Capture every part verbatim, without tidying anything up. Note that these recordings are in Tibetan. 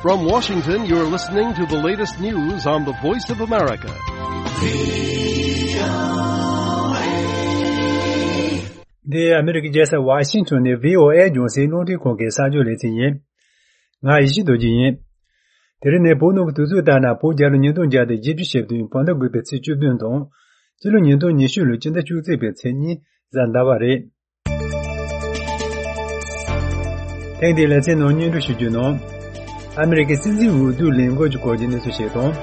From Washington, you're listening to the latest news on the Voice of America. འདི་ཨ་མི་རི་ཀའི་རྒྱལ་ས་ཝ་ཤིང་ཊོན་ནས་བྷི་ཨོ་ཨེ་རྒྱང་སྲིང་རླུང་འཕྲིན་ཁང་གི་གསར་འགྱུར་ལེ་ཚན་ཡིན། ང་ཡེ་ཤེས་རྡོ་རྗེ་ཡིན། དེ་རིང་ནས་བོད་ནང་གི་དུས་ཚོད་ལྟར་ན་བོད་རྒྱལ་ལོ་ཉིས་སྟོང་བརྒྱ་དང་བཞི་བཅུ་ཞེ་བདུན་བོད་ཟླ་དགུ་པའི་ཚེས་བཅུ་བདུན་དང་། སྤྱི་ལོ་ཉིས་སྟོང་ཉི་ཤུ་ལོའི་སྤྱི་ཟླ་བཅུ་གཅིག་པའི་ཚེས་གཉིས་གཟའ་ཟླ་བ་རེད། ཐེངས་འདིའི་ལེ་ཚན་ནང་སྙན་སྒྲོན་ཞུ་རྒྱུ་ནང་། ཨ་མི་རི་ཀའི་སྲིད་འཛིན་འོས་བསྡུ་ལས་འགུལ་གྱི་སྐོར་གྱི་གནས་ཚུལ་ཞིག་དང་།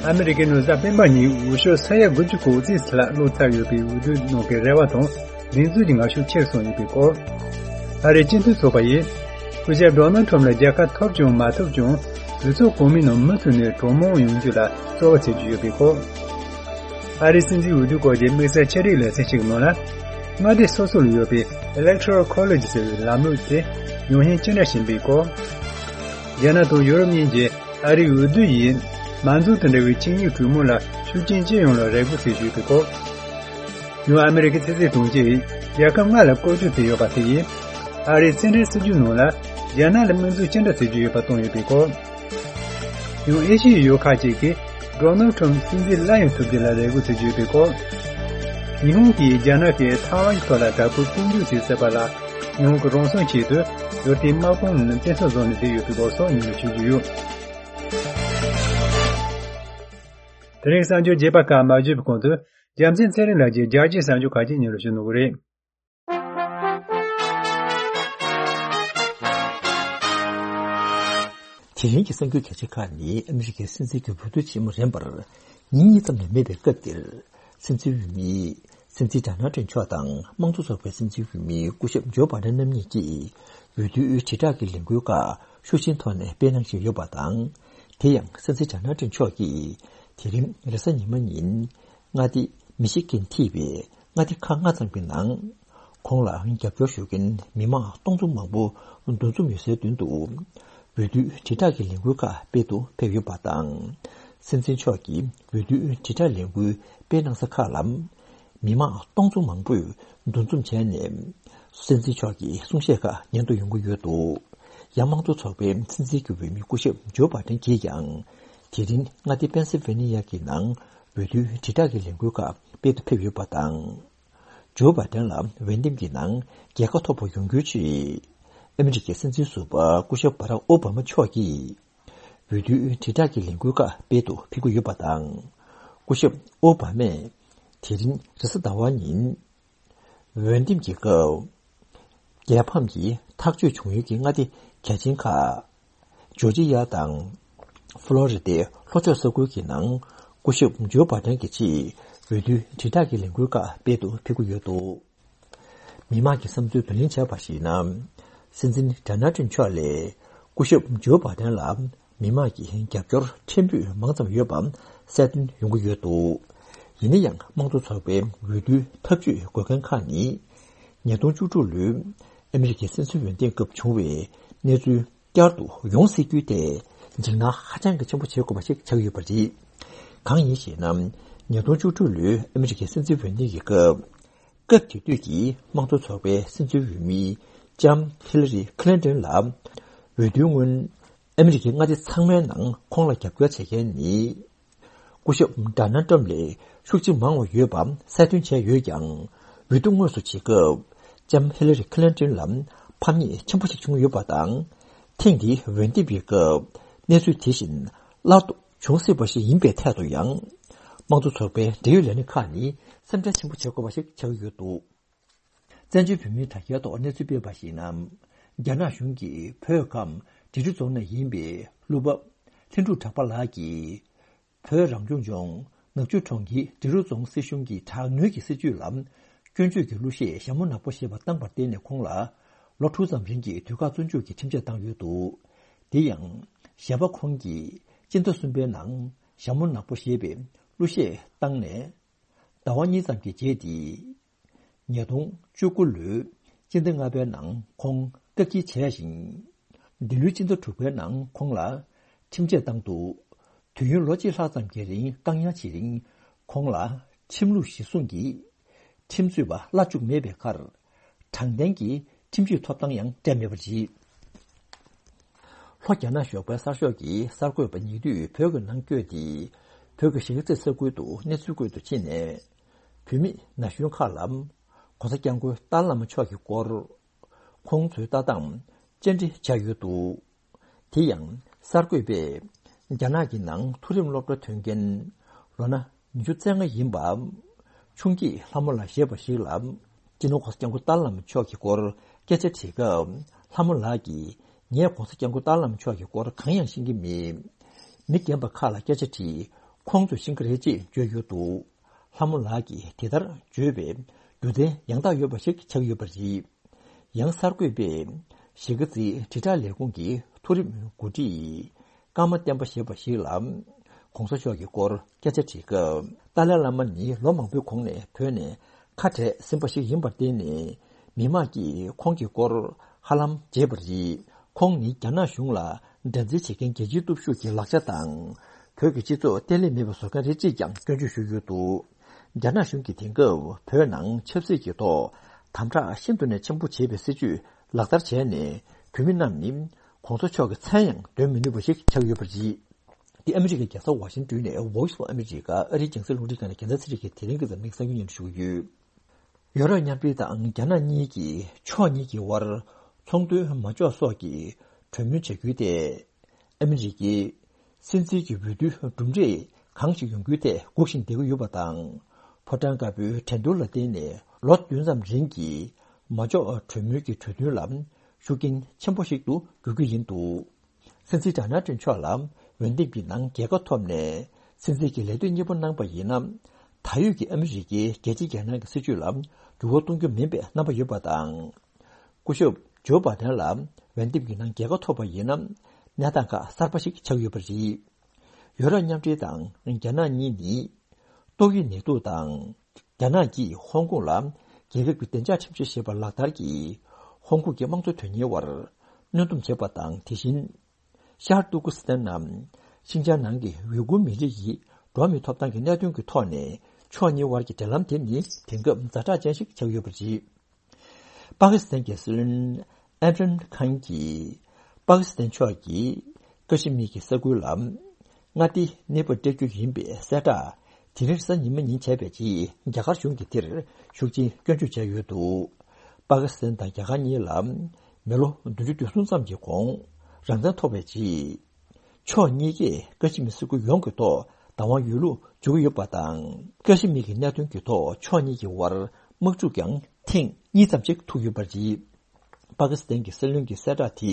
ཨ་མི་རི་ཀའི་ནང་གཟའ་སྤེན་པ་ཉིན་འོས་ཤོག་ས་ཡ་དགུ་བཅུ་གོ་གཅིག་ལྷག་བླུགས་ཚར་ཡོད་པའི་འོས་བསྡུ་ནང་གི་རེ་བ་དང་ལས་འཛོལ་གྱི་ངར་ཤུགས་ཆེར་སོང་ཡོད་པའི་སྐོར། ཨ་རིའི་སྤྱི་མཐུན་ཚོགས་པ་ཡིས་སྐུ་ཞབས་ཌོ་ནལ་ཊམ་ལ་རྒྱལ་ཁ་ཐོབ་ཀྱང་མ་ཐོབ་ཀྱང་གྲོས་ཚོགས་གོང་མའི་ནང་མུ་མཐུད་ནས་གྲོས་མོལ་ཡོང་རྒྱུ་ལ་རྩོལ་བ་བྱེད་ཀྱི་ཡོད་པའི་སྐོར། ཨ་རིའི་སྲིད་འཛིན་འོས་བསྡུ་སྐོར་གྱི་དམིགས་བསལ་ཆེད་རིགས་ལེ་ཚན་ཞིག་ནང་ལ། མངའ་སྡེ་སོ་སོ་ལ་ཡོད་པའི་Electoral College ཟེར་བའི་ལམ་ལུགས་དེ་ཡང་བསྐྱར་སྐྱེལ་འདྲ་བྱེད་པའི་སྐོར། རྒྱ་ནག་དང་ཡོ་རོབ་གཉིས་ཀྱིས་ཨ་རིའི་འོས་བསྡུ་ཡིས་མང་གཙོ་དང་འབྲེལ་བའི་ཆིངས་ཡིག་གྲོས་མོལ་ལ་ཤུགས་རྐྱེན་ཅི་ཡོང་ལ་རེ་སྒུག་བྱེད་བཞིན་ཡོད་པའི་སྐོར། ཡང་ཨ་མི་རི་ཀའི་ཕྱི་སྲིད་དྲུང་ཆེས་རྒྱལ་ཁབ་ལྔ་ལ་བཀོད་སྒྲིག་བྱས་ཡོད་པ་དེ་ཡིས་ཨ་རིའི་རྩེད་འགྲན་སྲིད་ཇུས་ནང་ལ་རྒྱ་ནག་ལ་དམིགས་འཛུགས་ཅི་འདྲ་བྱེད་ཀྱི་ཡོད་པ་སྟོན་ཡོད་པའི་སྐོར། ཡང་ཨེ་ཤི་ཡའི་ཡུལ་ཁག་ཅིག་གིས་ཌོ་ནལ་ཊམ་སྲིད་འཛིན་སླར་ཡང་ཐུབ་རྒྱུ་ལ་རེ་སྒུག་བྱེད་ཀྱི་ཡོད་པའི་སྐོར། ཉི་ཧོང་གིས་རྒྱ་ནག་གིས་ཐའེ་ཝན་གྱི་ཐོག་ལ་དྲག་པོའི་དཔུང་འཇུག་བྱས་ཟེར་བ་ལ་ཉི་ཧོང་གི་རང་སྲུང་ཆེད་དུ་ཡུལ་དེའི་དམག་དཔུང་རྣམས་བཙན་ཤུགས་བཟོ་ནས་བསྡད་ཡོད་པའི་སྐོར་སོགས་སྙན་སྒྲོན་ཞུ་རྒྱུ་ཡོད། དེ་རིང་གསར་འགྱུར་རྒྱས་པ་ཁག་མ་བརྗོད་པའི་གོང་དུ་རྒྱལ་མཚན་ཚེ་རིང་ལགས་ཀྱིས་རྒྱལ་སྤྱིའི་གསར་འགྱུར་ཁག་ཅིག་སྙན་སྒྲོན་ཞུ་གནང་གི་རེད། དེ་རིང་གི་གསར་འགྱུར་གལ་ཆེ་ཁག་ནི་ཨ་མི་རི་ཀའི་སྲིད་འཛིན་གྱི་འོས་བསྡུ་ཆེན་མོ་རན་པར་ཉིན་གཉིས་ཙམ་ལས་མེད་པའི་སྐབས་འདིར། སྲིད་འཛིན་འོས་མི་སྲིད་འཛིན་ཌོ་ནལ་ཊམ་མཆོག་དང་དམངས་གཙོ་ཚོགས་པའི་སྲིད་འཛིན་འོས་མི་སྐུ་ཞབས་ཇོ་བྷའི་ཌེན་རྣམ་གཉིས་ཀྱིས་འོས་བསྡུའི་དྲིལ་བསྒྲགས་ཀྱི་ལས་འགུལ་ཁག་ཤུགས་ཆེན་ཐོག་ནས་སྤེལ་གནང་བཞིན་ཡོད་པ་དང་། དེ་ཡང་སྲིད་འཛིན་ཌོ་ནལ་ཊམ་མཆོག་གིས་དེ་རིང་རེས་གཟའ་ཉི་མ་ཉིན། མངའ་སྡེ་མི་ཤི་གན་ཐེ་བའི་མངའ་སྡེ་ཁག་ལྔ་ཙམ་གྱི་ནང་། ཁོང་ལ་རྒྱབ་སྐྱོར་ཞུ་མཁན་མི་མང་སྟོང་ཚོ་མང་པོ་འདུ་འཛོམས་ཡོད་སའི་མདུན་དུ། འོས་བསྡུའི་དྲིལ་བསྒྲགས་ཀྱི་ལས་འགུལ་ཁག་སྤེལ་དུ་ཕེབས་ཡོད་པ་དང་། སྲིད་འཛིན་མཆོག་གིས་འོས་བསྡུའི་དྲིལ་བསྒྲགས་ལས་འགུལ་སྤེལ་གནང་ས་ཁག་ལ། མི་མང་སྟོང་ཚོ་མང་པོས་འདུ་འཛོམས་བྱས་ནས། སྲིད་འཛིན་མཆོག་གི་གསུང་བཤད་ཁག་ཉན་དུ་ཡོང་གི་ཡོད་འདུག་ཡང་དམངས་གཙོ་ཚོགས་པའི་སྲིད་འཛིན་གྱི་འོས་མི་སྐུ་ཞབས་ཇོ་བྷའི་ཌེན་གྱིས་ཀྱང་། དེ་རིང་མངའ་སྡེ་པེན་སིལ་ཝེ་ནི་ཡ་གི་ནང་འོས་བསྡུའི་དྲིལ་བསྒྲགས་ཀྱི་ལས་འགུལ་ཁག་སྤེལ་དུ་ཕེབས་ཡོད་པ་དང་། ཇོ་བྷའི་ཌེན་ལ་འོས་འདེམས་ཀྱི་ནང་རྒྱལ་ཁ་ཐོབ་པ་ཡོང་རྒྱུའི་ཆེད། ཨ་མི་རི་ཀའི་སྲིད་འཛིན་ཟུར་པ་སྐུ་ཞབས་བྷ་རག་ཨོ་བྷ་མ་མཆོག་གིས། འོས་བསྡུའི་དྲིལ་བསྒྲགས་ཀྱི་ལས་འགུལ་ཁག་སྤེལ་དུ་ཕེབས་ཀྱི་ཡོད་པ་དང་། སྐུ་ཞབས་ཨོ་བྷ་མས་དེ་རིང་རེས་གཟའ་ཟླ་བ་ཉིན། འོས་འདེམས་ཀྱི་སྐབས། རྒྱལ་ཕམ་གྱི་ཐག་གཅོད་བྱུང་ཡུལ་གྱི་མངའ་སྡེ་གལ་ཆེན་ཁག་ཇོར་ཇི་ཡ་དང་། ཧྥ་ལོ་རི་ཌའི་ལྷོ་ཕྱོགས་ས་ཁུལ་གྱི་ནང་སྐུ་ཞབས་ཇོ་བྷའི་ཌེན་གྱི་ཆེད་འོས་བསྡུའི་དྲིལ་བསྒྲགས་ཀྱི་ལས་འགུལ་ཁག་སྤེལ་དུ་ཕེབས་ཀྱི་ཡོད་འདུག་མི་མང་གི་བསམ་ཚུལ་བསྡུ་ལེན་བྱས་པར་གཞིགས་ན། སྲིད་འཛིན་ཌོ་ནལ་ཊམ་མཆོག་ལས་སྐུ་ཞབས་ཇོ་བྷའི་ཌེན་ལ་མི་མང་གི་རྒྱབ་སྐྱོར་ཕྲན་བུ་མང་ཙམ་ཡོད་པ་གསལ་སྟོན་ཡོང་གི་ཡོད་འདུག་ཡིན་ན་ཡང་དམངས་གཙོ་ཚོགས་པའི་འོས་བསྡུའི་ཐབས་ཇུས་དགོས་མཁན་ཁག་ནི། ཉིས་སྟོང་བཅུ་དྲུག་ལོའི་ཨ་མི་རི་ཀའི་སྲིད་འཛིན་འོས་འདེམས་སྐབས་བྱུང་བའི་གནས་ཚུལ་བསྐྱར་དུ་ཡོང་སྲིད་རྒྱུ་དེ་འཇིགས་སྣང་ཧ་ཅང་གི་ཆེན་པོ་བྱེད་དགོས་པ་ཞིག་ཆགས་ཡོད་པ་རེད། གང་ཡིན་ཞེ་ན། ཉིས་སྟོང་བཅུ་དྲུག་ལོའི་ཨ་མི་རི་ཀའི་སྲིད་འཛིན་འོས་འདེམས་ཀྱི་སྐབས། སྐབས་དེ་དུས་ཀྱི་དམངས་གཙོ་ཚོགས་པའི་སྲིད་འཛིན་འོས་མི་ལྕམ་ཧི་ལ་རི་ཁི་ལིན་ཏོན་ལ། འོས་བསྡུའི་སྔོན། ཨ་མི་རི་ཀའི་མངའ་སྡེ་ཚང་མའི་ནང་ཁོང་ལ་རྒྱབ་སྐྱོར་བྱེད་མཁན་ནི། སྐུ་ཞབས་ཌོ་ནལ་ཏྲམ་ལས་ཤུགས་ཆེ་མང་བ་ཡོད་པ་གསལ་སྟོན་བྱས་ཡོད་ཀྱང་། འོས་བསྡུ་དངོས་སུ་བྱེད་སྐབས། ལྕམ་ཧི་ལ་རི་ཁི་ལིན་ཏོན་ལ་ཕམ་ཉེས་ཆེན་པོ་ཞིག་བྱུང་ཡོད་པ་དང་། ཐེངས་འདིའི་འོས་འདེམས་པའི་སྐབས། གནས་ཚུལ་དེ་བཞིན་སླར་དུ་བྱུང་སྲིད་པ་ཞིག་ཡིན་པའི་ཐད་དུ་ཡང་། དམངས་གཙོ་ཚོགས་པའི་འབྲེལ་ཡོད་ལས་སྣེ་ཁག་ནི་སེམས་ཁྲལ་ཆེན་པོ་བྱེད་དགོས་པ་ཞིག་ཆགས་ཀྱི་ཡོད་འདུག་བཙན་བྱོལ་བོད་མིའི་དྲ་རྒྱའི་ཐོག་གནས་ཚུལ་སྤེལ་བར་གཞིགས་ན། རྒྱ་ནག་གཞུང་གིས་བོད་ཁམས་འབྲི་རུ་རྫོང་ནས་ཡིན་པའི་གླུ་པ་ལྷུན་གྲུབ་གྲགས་པ་ལགས་ཀྱིས། བོད་རང་སྐྱོང་ལྗོངས་ནག་ཆུ་གྲོང་ཁྱེར་འབྲི་རུ་རྫོང་སྲིད་གཞུང་གི་དྲག་གནོན་གྱི་སྲིད་བྱུས་ལ་སྐྱོན་བརྗོད་ཀྱི་གླུ་གཞས་ཞྭ་མོ་ནག་པོ་ཞེས་པ་བཏང་བར་བརྟེན་ནས་ཁོང་ལ་ལོ་དྲུག་ཙམ་རིང་གི་དུས་བཀག་བཙོན་འཇུག་གི་ཁྲིམས་ཆད་བཏང་ཡོད་འདུག་དེ་ཡང་ཞྭ་པ་ཁོང་གིས་སྤྱི་ཟླ་གསུམ་པའི་ནང་ཞྭ་མོ་ནག་པོ་ཞེས་པའི་གླུ་གཞས་བཏང་ནས། ཟླ་བ་གཉིས་ཙམ་གྱི་རྗེས་ཏེ། ཉིས་སྟོང་བཅུ་དགུ་ལོའི་སྤྱི་ཟླ་ལྔ་པའི་ནང་ཁོང་བཀག་སྐྱིལ་བྱས་ཤིང་། འདི་ལོའི་སྤྱི་ཟླ་དྲུག་པའི་ནང་ཁོང་ལ་ཁྲིམས་ཆད་བཏང་འདུག་དུས་ཡུན་ལོ་གཅིག་ལྷག་ཙམ་གྱི་རིང་བཀག་ཉར་བྱེད་རིང་ཁོང་ལ་ཁྲིམས་ལུགས་གཞིར་བཟུང་གིས་ཁྲིམས་རྩོད་པ་གླ་བཅུག་མེད་པའི་ཁར། དྲང་བདེན་གྱི་ཁྲིམས་གཅོད་ཐོབ་ཐང་ཡང་སྤྲད་མེད་པ་རེད། ལྷོ་རྒྱ་ནག་གཞོགས་པའི་གསར་ཤོག་གི་གསར་འགོད་པ་ཉེ་དུས་བོད་ཀྱི་ནང་བསྐྱོད་དེ། བོད་ཀྱི་གཞིས་ཀ་རྩེ་ས་ཁུལ་དུ་གནས་ཚུལ་བཀོད་དུ་ཕྱིན་ནས། བོད་མི་ན་གཞོན་ཁག་ལ་༸གོང་ས་༸སྐྱབས་མགོན་ཏཱ་ལའི་བླ་མ་མཆོག་གི་སྐོར། ཁོང་ཚོའི་ལྟ་སྟངས་བཅར་འདྲི་བྱས་ཡོད་འདུག། དེ་ཡང་གསར་འགོད་པས་རྒྱ་ནག་གི་ནང་མཐོ་རིམ་སློབ་གྲྭ་ཐོན་མཁན་ལོ་ན་ཉི་ཤུ་རྩ་ལྔ་ཡིན་པ། ཆུང་སྐྱེས་ལྷ་མོ་ལགས་ཞེས་པ་ཞིག་ལ། སྤྱི་ནོར་༸གོང་ས་༸སྐྱབས་མགོན་ཏཱ་ལའི་བླ་མ་མཆོག་གི་སྐོར་སྐད་ཆ་དྲིས་སྐབས། ལྷ་མོ་ལགས་ཀྱིས་ངས་༸གོང་ས་༸སྐྱབས་མགོན་ཏཱ་ལའི་བླ་མ་མཆོག་གི་སྐོར་གང་ཡང་ཤེས་ཀྱི་མེད། མི་རྒན་པ་ཁག་ལ་སྐད་ཆ་དྲིས། ཁོང་ཚོས་ཤེས་ཀྱི་རེད་ཅེས་བརྗོད་ཡོད་འདུག། ལྷ་མོ་ལགས་ཀྱིས་དེ་ལྟར་བརྗོད་པའི་རྒྱུ་མཚན་ཡང་དག་ཡོད་པ་ཞིག་ཆགས་ཡོད་པ་རེད། ཡང་གསར་འགོད་པས་གཞིས་ཀ་རྩེའི་དྲིལ་བསྒྲགས་ལས་ཁུངས་ཀྱི་མཐོ་རིམ་འགོ་ཁྲིད་ཀརྨ་བསྟན་པ་ཞེས་པ་ཞིག་ལ་༸གོང་ས་མཆོག་གི་སྐོར་སྐད་ཆ་དྲིས་སྐབས། ཏཱ་ལའི་བླ་མ་ནི་ལོ་མང་པོའི་གོང་ནས་བོད་ནས་ཁ་བྲལ་ཟིན་པ་ཞིག་ཡིན་པར་བརྟེན་ནས། མི་མང་གིས་ཁོང་གི་སྐོར་ཧ་ལམ་བརྗེད་པ་རེད། ཁོང་ནི་རྒྱ་ནག་གཞུང་ལ་འགྲན་རྩོད་བྱེད་མཁན་རྒྱལ་སྤྱིའི་སྟོབས་ཤུགས་ཀྱི་ལག་ཆ་དང་། བོད་ཀྱི་སྤྱི་ཚོགས་བརྟན་ལྷིང་མེད་པ་བཟོ་མཁན་རེད་ཅེས་ཀྱང་སྐྱོན་བརྗོད་ཞུས་ཡོད་འདུག། རྒྱ་ནག་གཞུང་གིས་དེང་སྐབས་བོད་ནང་ཆབ་སྲིད་ཀྱི་ཐོག་དམ་དྲག་ཤིན་ཏུ་ནས་ཆེན་པོ་བྱེད་པའི་སྲིད་བྱུས་ལག་བསྟར་བྱས་ནས། བོད་མི་རྣམས་ནི་༸གོང་ས་མཆོག་གི་མཚན་ཡང་འདོན་མི་ནུས་པ་ཞིག་ཆགས་ཡོད་པ་རེད། འདི་ཨ་མི་རི་ཀའི་རྒྱལ་ས་ཝ་ཤིང་ཏོན་ནས་Voice of America ཨ་རིའི་རྒྱང་སྲིང་རླུང་འཕྲིན་ཁང་ནས་རྒྱལ་མཚན་ཚེ་རིང་གིས་དེ་རིང་གི་འཛམ་གླིང་གསར་འགྱུར་སྙན་སྒྲོན་ཞུ་གི་ཡོད། ཡོ་རོབ་མཉམ་འབྲེལ་དང་རྒྱ་ནག་གཉིས་ཀྱིས་ཕྱོགས་གཉིས་ཀྱི་དབར་ཚོང་དོན་མ་འཇོག་སོགས་ཀྱི་གྲོས་མོལ་བྱ་རྒྱུའི་ཐད། ཨ་མི་རི་ཀའི་སྲིད་འཛིན་གྱི་འོས་བསྡུའི་གྲུབ་འབྲས་གང་ཞིག་ཡོང་རྒྱུའི་ཐད་སྒུག་བཞིན་བསྡད་ཀྱི་ཡོད་པ་དང་། ཕོ་བྲང་དཀར་པོའི་འགྲན་བསྡུར་ལ་བརྟེན་ནས་ལོ་བདུན་ཙམ་རིང་གི་མ་འཇོག་གྲོས་མོལ་གྱི་གྲོས་མཐུན་ལ་ཤུགས་རྐྱེན་ཆེན་པོ་ཞིག་ཏུ་འགྱུར་རྒྱུ་ཡིན་འདུག། སྲིད་འཛིན་ཌོ་ནལ་ཊམ་མཆོག་ལ་འོས་འདེམས་ཀྱི་ནང་རྒྱལ་ཁ་ཐོབ་ནས། སྲིད་འཛིན་གྱི་ལས་དོན་གཉེར་པོ་གནང་པ་ཡིན་ན། ད་ཡོད་ཀྱི་ཨ་མི་རི་ཀའི་རྒྱལ་སྤྱིའི་རྒྱལ་ནང་གི་སྲིད་བྱུས་ལ་འགྱུར་བ་གཏོང་རྒྱུ་མིན་པའི་རྣམ་པ་ཡོད་པ་དང་། སྐུ་ཞབས་ཇོ་བྷ་དན་ལ་འོས་འདེམས་ཀྱི་ནང་རྒྱལ་ཁ་ཐོབ་པ་ཡིན་ན། གནས་སྟངས་ཁག་གསར་པ་ཞིག་ཆགས་ཡོད་པ་རེད། ཡོ་རོབ་མཉམ་འབྲེལ་དང་རྒྱ་ནག་གཉིས་ནི། ཏོག་དབྱིབས་ནད་དུག་དང་། རྒྱ་ནག་གིས་ཧོང་ཀོང་ལ་རྒྱལ་ཁབ་ཀྱི་བདེ་འཇགས་ཁྲིམས་གཞི་ཞེས་པ་ལག་བསྟར་གྱིས། ཧོང་ཀོང་གི་དམངས་གཙོ་དོན་གཉེར་བར་གནོན་སྡོམ་བྱས་པ་དང་། དེ་བཞིན། ཤར་ཏུར་ཀུ་སི་ཐན་ནམ། ཤིན་ཅང་ནང་གི་ཝི་གུར་མི་རིགས་ཡི་འགྲོ་བ་མིའི་ཐོབ་ཐང་གི་གནད་དོན་གྱི་ཐོག་ནས། ཕྱོགས་གཉིས་དབར་གྱི་འབྲེལ་ལམ་དེ་ནི་དེང་སྐབས་ཛ་དྲག་ཅན་ཞིག་ཆགས་ཡོད་པ་རེད། པ་ཀི་སི་ཐན་གྱི་སྲིད་བློན་ཨིམ་རན་ཁཱན་གྱིས། པ་ཀི་སི་ཐན་ཕྱོགས་ཀྱིས་ཀ་ཤི་མིར་གྱི་ས་ཁུལ་ལ་མངའ་སྡེའི་གནས་བབ་སྤྲད་རྒྱུ་ཡིན་པའི་གསལ་བསྒྲགས་དེ་རིང་གཟའ་ཉི་མ་ཉིན་བྱས་པའི་རྗེས། རྒྱ་གར་གཞུང་གིས་དེར་ཤུགས་ཆེན་སྐྱོན་བརྗོད་བྱས་ཡོད་འདུག། པ་ཀི་སི་ཐན་དང་རྒྱ་གར་གཉིས་ལ་མི་ལོ་བདུན་ཅུ་དོན་གསུམ་ཙམ་གྱི་གོང་རང་བཙན་ཐོབ་པའི་རྗེས། ཕྱོགས་གཉིས་ཀས་ཀ་ཤི་མིར་ས་ཁུལ་ཡོངས་ཀྱི་ཐོག་བདག་དབང་ཡོད་ལུགས་བརྗོད་ཀྱི་ཡོད་པ་དང་། ཀ་ཤི་མིར་གྱི་གནད་དོན་གྱི་ཐོག་ཕྱོགས་གཉིས་ཀྱི་དབར་དམག་འཁྲུག་ཀྱང་ཐེངས་གཉིས་ཙམ་ཞིག་ཐུག་ཡོད་པ་རེད། པ་ཀི་སི་ཐན་གྱི་སྲིད་བློན་གྱིས་གསལ་བསྒྲགས་དེ་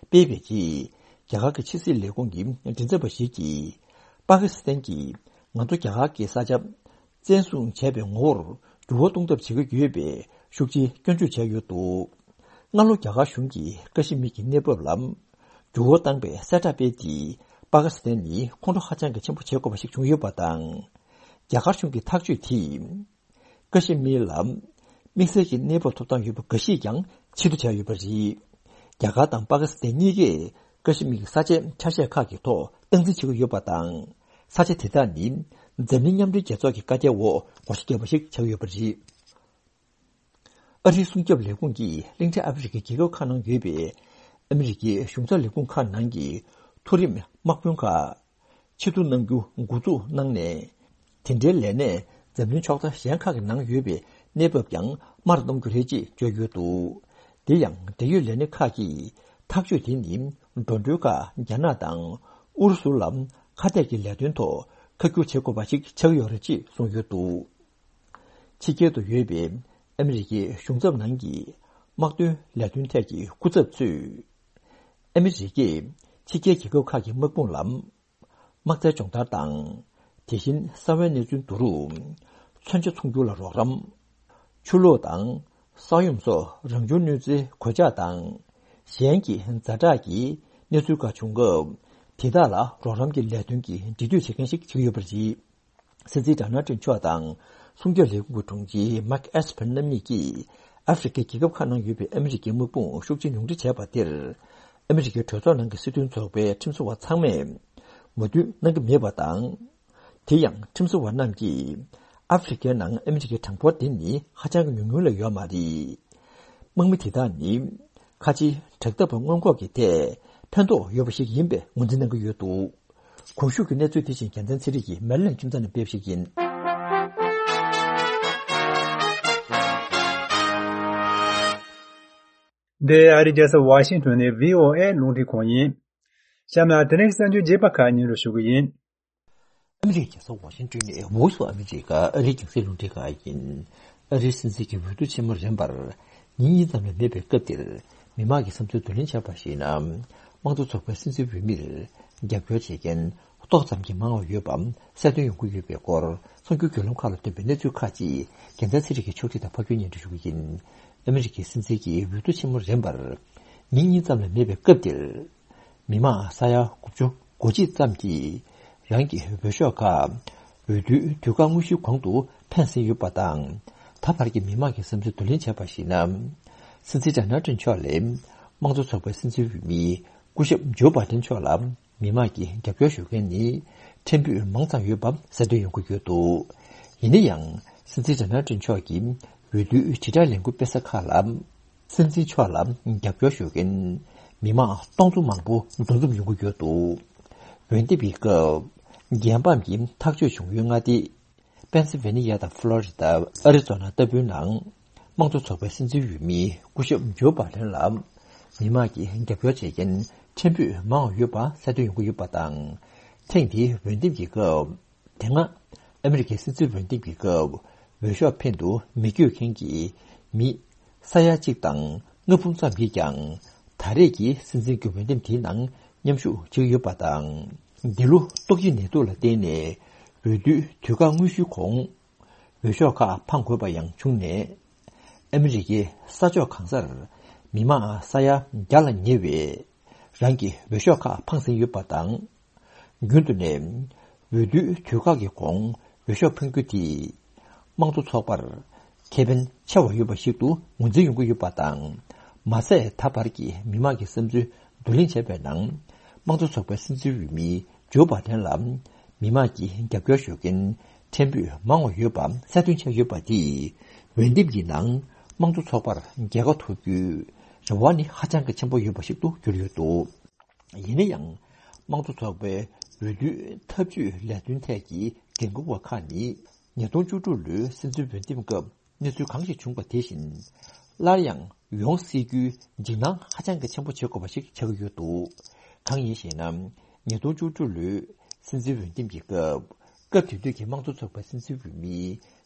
སྤེལ་བའི་རྗེས། རྒྱ་གར་གྱི་ཕྱི་སྲིད་ལས་ཁུངས་ཀྱི་མགྲིན་ཚབ་པ་ཞིག་གིས། པ་ཀི་སི་ཐན་གྱིས་ང་ཚོ་རྒྱ་གར་གྱི་ས་ཆ་བཙན་བཟུང་བྱས་པའི་ངོ་བོར་འགྱུར་བ་གཏོང་ཐབས་བྱེད་ཀྱི་ཡོད་པའི་ཤུགས་ཆེའི་སྐྱོན་བརྗོད་བྱས་ཡོད་འདུག། སྔ་ལོ་རྒྱ་གར་གཞུང་གིས་ཀ་ཤི་མིར་གྱི་གནས་བབ་ལ་འགྱུར་བ་བཏང་པའི་གསལ་བསྒྲགས་སྤེལ་ཏེ། པ་ཀི་སི་ཐན་ནི་ཁོང་ཁྲོ་ཧ་ཅང་གི་ཆེན་པོ་བྱེད་དགོས་པ་ཞིག་བྱུང་ཡོད་པ་དང་། རྒྱ་གར་གཞུང་གི་ཐག་གཅོད་དེས། ཀ་ཤི་མིར་ལ་དམིགས་བསལ་གྱི་གནས་བབ་ཐོབ་ཐང་ཡོད་པ་འགའ་ཤས་ཀྱང་ཕྱིར་བསྡུ་བྱས་ཡོད་པ་རེད། རྒྱ་གར་དང་པ་ཀི་སི་ཐན་གཉིས་ཀས་ཀ་ཤི་མིར་གྱི་ས་ཆའི་ཆ་ཤས་ཁག་གི་ཐོག་སྟངས་འཛིན་བྱེད་ཀྱི་ཡོད་པ་དང་། ས་ཆ་དེ་དག་ནི་འཛམ་གླིང་མཉམ་འབྲེལ་རྒྱལ་ཚོགས་ཀྱི་བཀའ་རྒྱའི་འོག་ངོ་རྒོལ་བརྒྱབ་པ་ཞིག་ཆགས་ཡོད་པ་རེད། ཨ་རིའི་སྲུང་སྐྱོབ་ལས་ཁུངས་ཀྱིས་གླིང་ཕྲན་ཨ་ཧྥེ་རི་ཁའི་རྒྱལ་ཁབ་ཁག་ནང་ཡོད་པའི་ཨ་མི་རི་ཀའི་གཞུང་ཚབ་ལས་ཁུངས་ཁག་ནང་གི་མཐོ་རིམ་དམག་དཔོན་ཁག་ཕྱིར་བསྡུ་གནང་རྒྱུ་འགོ་འཛུགས་གནང་ནས། དེ་འབྲེལ་ལས་གནས་འཛམ་གླིང་ཕྱོགས་མཐའ་གཞན་ཁག་གི་ནང་ཡོད་པའི་གནས་བབ་ཀྱང་མར་གཏོང་རྒྱུ་རེད་ཅེས་བརྗོད་ཡོད་འདུག། དེ་ཡང་འབྲེལ་ཡོད་ལས་སྣེ་ཁག་གིས་ཐག་གཅོད་དེ་ནི་འགྲོ་གྲོན་ཁག་རྒྱ་ནག་དང་ཨུ་རུ་སུ་ལ་ཁ་གཏད་ཀྱི་ལས་དོན་ཐོག་ཁ་བསྒྱུར་བྱེད་དགོས་པ་ཞིག་ཆགས་ཡོད་རེད་ཅེས་གསུངས་ཡོད་འདུག། ཕྱི་རྒྱལ་དུ་ཡོད་པའི་ཨ་མི་རི་ཀའི་གཞུང་ཚབ་ནང་གི་དམག་དོན་ལས་དོན་ཐད་ཀྱི་སྐུ་ཚབ་ཚོས། ཨ་མི་རི་ཀས་ཕྱི་རྒྱལ་རྒྱལ་ཁབ་ཁག་གི་དམག་དཔུང་ལ་དམག་རྩལ་སྦྱོང་བརྡར་དང་། དེ་བཞིན་གསང་བའི་གནས་ཚུལ་བསྡུ་རུབ། མཚོན་ཆ་ཚོང་སྒྱུར་ལ་རོགས་རམ། ཆུ་ལོག་དང་། ས་ཡོམ་སོགས་རང་བྱུང་གནོད་འཚེའི་གོད་ཆག་དང་། གཞན་གྱི་ཛ་དྲག་གི་གནས་ཚུལ་ཁག་བྱུང་སྐབས། དེ་དག་ལ་རོགས་རམ་གྱི་ལས་དོན་གྱི་འབྲེལ་མཐུད་བྱེད་མཁན་ཞིག་ཆགས་ཡོད་པ་རེད། སྲིད་འཛིན་ཌོ་ནལ་ཊམ་མཆོག་དང་སྲུང་སྐྱོབ་ལས་ཁུངས་ཀྱི་དྲུང་ཆེ་མཱིག་ཨེས་པར་རྣམ་གཉིས་ཀྱིས་ཨ་ཧྥེ་རི་ཁའི་རྒྱལ་ཁབ་ཁག་ནང་ཡོད་པའི་ཨ་མི་རི་ཀའི་དམག་དཔུང་ཤུགས་ཆེན་ཉུང་འཕྲི་བྱས་པ་དེར། ཨ་མི་རི་ཀའི་གྲོས་ཚོགས་ནང་གི་སྲིད་དོན་ཚོགས་པའི་ཁྲིམས་བཟོ་བ་ཚང་མས་མོས་མཐུན་གནང་གི་མེད་པ་དང་། དེ་ཡང་ཁྲིམས་བཟོ་བ་རྣམས་ཀྱིས་ཨ་ཧྥེ་རི་ཁའི་ནང་ཨ་མི་རི་ཀའི་གྲངས་འབོར་དེ་ནི་ཧ་ཅང་གི་ཉུང་ཉུང་ལས་ཡོད་མ་རེད། དམག་མི་དེ་དག་ནི་ཁ་ཆེའི་དྲག་འཐབ་པ་སྔོན་འགོག་གི་ཐད་ ཕན་ཐོགས་ཡོད་པ་ཞིག་ཡིན་པའི་ངོས་འཛིན་གནང་གི་ཡོད་འདུག། གོང་ཞུས་ཀྱི་གནས་ཚུལ་དེ་བཞིན་རྒྱལ་མཚན་ཚེ་རིང་གིས་མེ་ལན་ཁྱིམ་ཚང་ནས་སྤེལ་བ་ཞིག་ཡིན། འདི་ཨ་རིའི་རྒྱལ་ས་ཝ་ཤིང་ཊོན་ནས་བྷི་ཨོ་ཨེ་རླུང་འཕྲིན་ཁང་ཡིན། གཤམ་ལ་དེ་རིང་གི་གསར་འགྱུར་རྒྱས་པ་ཁག་སྙན་སྒྲོན་ཞུ་གི་ཡིན། ཨ་མི་རིའི་རྒྱལ་ས་ཝ་ཤིང་ཊོན་ནས་Voice of America ཨ་རིའི་རྒྱང་སྲིང་རླུང་འཕྲིན་ཁང་ཡིན། ཨ་རིའི་སྲིད་འཛིན་གྱི་འོས་བསྡུ་ཆེན་མོ་རིམ་པར་ཉིན་གཉིས་ཙམ་ལས་མེད་པའི་སྐབས་འདིར། མི་མང་གི་བསམ་ཚུལ་བསྡུ་ལེན་བྱས་པར་གཞིགས་ན། དམངས་གཙོ་ཚོགས་པའི་སྲིད་འཛིན་འོས་མིར་རྒྱབ་སྐྱོར་བྱེད་མཁན་ཏོག་ཙམ་གྱིས་མང་བ་ཡོད་པ་གསལ་སྟོན་ཡོང་གི་ཡོད་པའི་སྐོར། གསར་འགྱུར་བརྒྱུད་ལམ་ཁག་ལ་ཐོན་པའི་གནས་ཚུལ་ཁག་ཅིག་རྒྱལ་མཚན་ཚེ་རིང་གིས་ཕྱོགས་སྒྲིག་དང་ཕབ་སྒྱུར་སྙན་སྒྲོན་ཞུ་གི་ཡིན། ཨ་མི་རི་ཀའི་སྲིད་འཛིན་གྱི་འོས་བསྡུ་ཆེན་མོ་རིམ་པར་ཉིན་གཉིས་ཙམ་ལས་མེད་པའི་སྐབས་འདིར། མི་མང་ས་ཡ་དགུ་བཅུ་གོ་གཅིག་ཙམ་གྱིས་རང་གི་འོས་ཤོག་ཁག་འོས་བསྡུའི་དུས་བཀག་དངོས་གཞིའི་གོང་དུ་འཕེན་ཟིན་ཡོད་པ་དང་། ད་བར་གྱི་མི་མང་གི་བསམ་ཚུལ་བསྡུ་ལེན་བྱས་པར་གཞིགས་ན། སྲིད་འཛིན་ཌོ་ནལ་ཊམ་མཆོག་ལས་དམངས་གཙོ་ཚོགས་པའི་སྲིད་འཛིན་འོས་མི་སྐུ་ཞབས་ཇོ་བྷ་ཌེན་མཆོག་ལ་མི་མང་གིས་རྒྱབ་སྐྱོར་ཞུ་མཁན་ནི་ཕྲན་བུ་མང་ཙམ་ཡོད་པ་གསལ་སྟོན་ཡོང་གི་ཡོད་འདུག། ཡིན་ན་ཡང་། སྲིད་འཛིན་ཌོ་ནལ་ཊམ་མཆོག་གིས་འོས་བསྡུའི་དྲིལ་བསྒྲགས་ལས་འགུལ་སྤེལ་ས་ཁག་ལ། སྲིད་འཛིན་མཆོག་ལ་རྒྱབ་སྐྱོར་ཞུ་མཁན་མི་མང་སྟོང་ཚོ་མང་པོ་འདུ་འཛོམས་ཡོང་གི་ཡོད་འདུག། འོས་འདེམས་ཀྱི་སྐབས་རྒྱལ་ཕམ་གྱི་ཐག་གཅོད་བྱུང་ཡུལ་མངའ་སྡེ་པེན་སིལ་ཝེ་ནི་ཡ་དང་ཕློ་རི་ཌ། ཨ་རི་ཛོ་ན་ལྟ་བུའི་ནང་དམངས་གཙོ་ཚོགས་པའི་སྲིད་འཛིན་འོས་མི་སྐུ་ཞབས་ཇོ་བྷ་ཌེན་ལ་མི་མང་གིས་རྒྱབ་སྐྱོར་བྱེད་མཁན་ཕྲན་བུ་མང་བ་ཡོད་པ་གསལ་སྟོན་ཡོང་གི་ཡོད་པ་དང་། ཐེངས་འདིའི་འོས་འདེམས་ཀྱི་སྐབས། དེ་སྔ་ཨ་མི་རི་ཀའི་སྲིད་འཛིན་འོས་འདེམས་ཀྱི་སྐབས་འོས་ཤོག་འཕེན་དུ་མི་བསྐྱོད་མཁན་གྱི་མི་ས་ཡ་གཅིག་དང་ལྔ་འབུམ་ཙམ་གྱིས་ཀྱང་ད་རེས་ཀྱི་སྲིད་འཛིན་གྱི་འོས་འདེམས་དེའི་ནང་མཉམ་ཞུགས་བྱེད་ཀྱི་ཡོད་པ་དང་། འདི་ལོ་ཏོག་དབྱིབས་ནད་དུག་ལ་བརྟེན་ནས་འོས་བསྡུའི་དུས་བཀག་དངོས་གཞིའི་གོང་འོས་ཤོག་ཁག་འཕང་དགོས་པ་ཡང་བྱུང་ནས། ཨ་མི་རི་ཀའི་ས་ཕྱོགས་གང་སར་མི་མང་ས་ཡ་བརྒྱ་ལ་ཉེ་བས། རང་གི་འོས་ཤོག་ཁག་འཕངས་ཟིན་ཡོད་པ་དང་། རྒྱུན་དུ་ནས་འོས་བསྡུའི་དུས་བཀག་གི་གོང་འོས་ཤོག་འཕེན་རྒྱུ་དེས་དམངས་གཙོ་ཚོགས་པར་ཁེ་ཕན་ཆེ་བ་ཡོད་པ་ཞིག་ཏུ་ངོས་འཛིན་ཡོང་གི་ཡོད་པ་དང་། མ་ཟད་ད་བར་གྱི་མི་མང་གི་བསམ་ཚུལ་བསྡུ་ལེན་བྱས་པའི་ནང་། དམངས་གཙོ་ཚོགས་པའི་སྲིད་འཛིན་འོས་མི་ཇོ་བྷ་ཌེན་ལ་མི་མང་གིས་རྒྱབ་སྐྱོར་ཞུ་མཁན་ཕྲན་བུ་མང་བ་ཡོད་པ་གསལ་སྟོན་བྱས་ཡོད་པ་དེས། འོས་འདེམས་ཀྱི་ནང་དམངས་གཙོ་ཚོགས་པར་རྒྱལ་ཁ་ཐོབ་རྒྱུའི་རེ་བ་ནི་ཧ་ཅང་གི་ཆེན་པོ་ཡོད་པ་ཞིག་ཏུ་གྱུར་ཡོད་འདུག། ཡིན་ན་ཡང་། དམངས་གཙོ་ཚོགས་པའི་འོས་བསྡུའི་ཐབས་ཇུས་ལས་དོན་ཐད་ཀྱི་འགན་འཁུར་བ་ཁག་ནི། ཉིས་སྟོང་བཅུ་དྲུག་ལོའི་སྲིད་འཛིན་འོས་འདེམས་སྐབས་གནས་ཚུལ་གང་ཞིག་བྱུང་པ་དེ་བཞིན། སླར་ཡང་ཡོང་སྲིད་རྒྱུའི་འཇིགས་སྣང་ཧ་ཅང་གི་ཆེན་པོ་བྱེད་དགོས་པ་ཞིག་ཆགས་ཀྱི་ཡོད་འདུག། གང་ཡིན་ཞེ་ན། ཉིས་སྟོང་བཅུ་དྲུག་ལོའི་སྲིད་འཛིན་འོས་འདེམས་ཀྱི་སྐབས། སྐབས་དེ་དུས་ཀྱི་དམངས་གཙོ་ཚོགས་པའི་སྲིད་འཛིན་འོས་མི་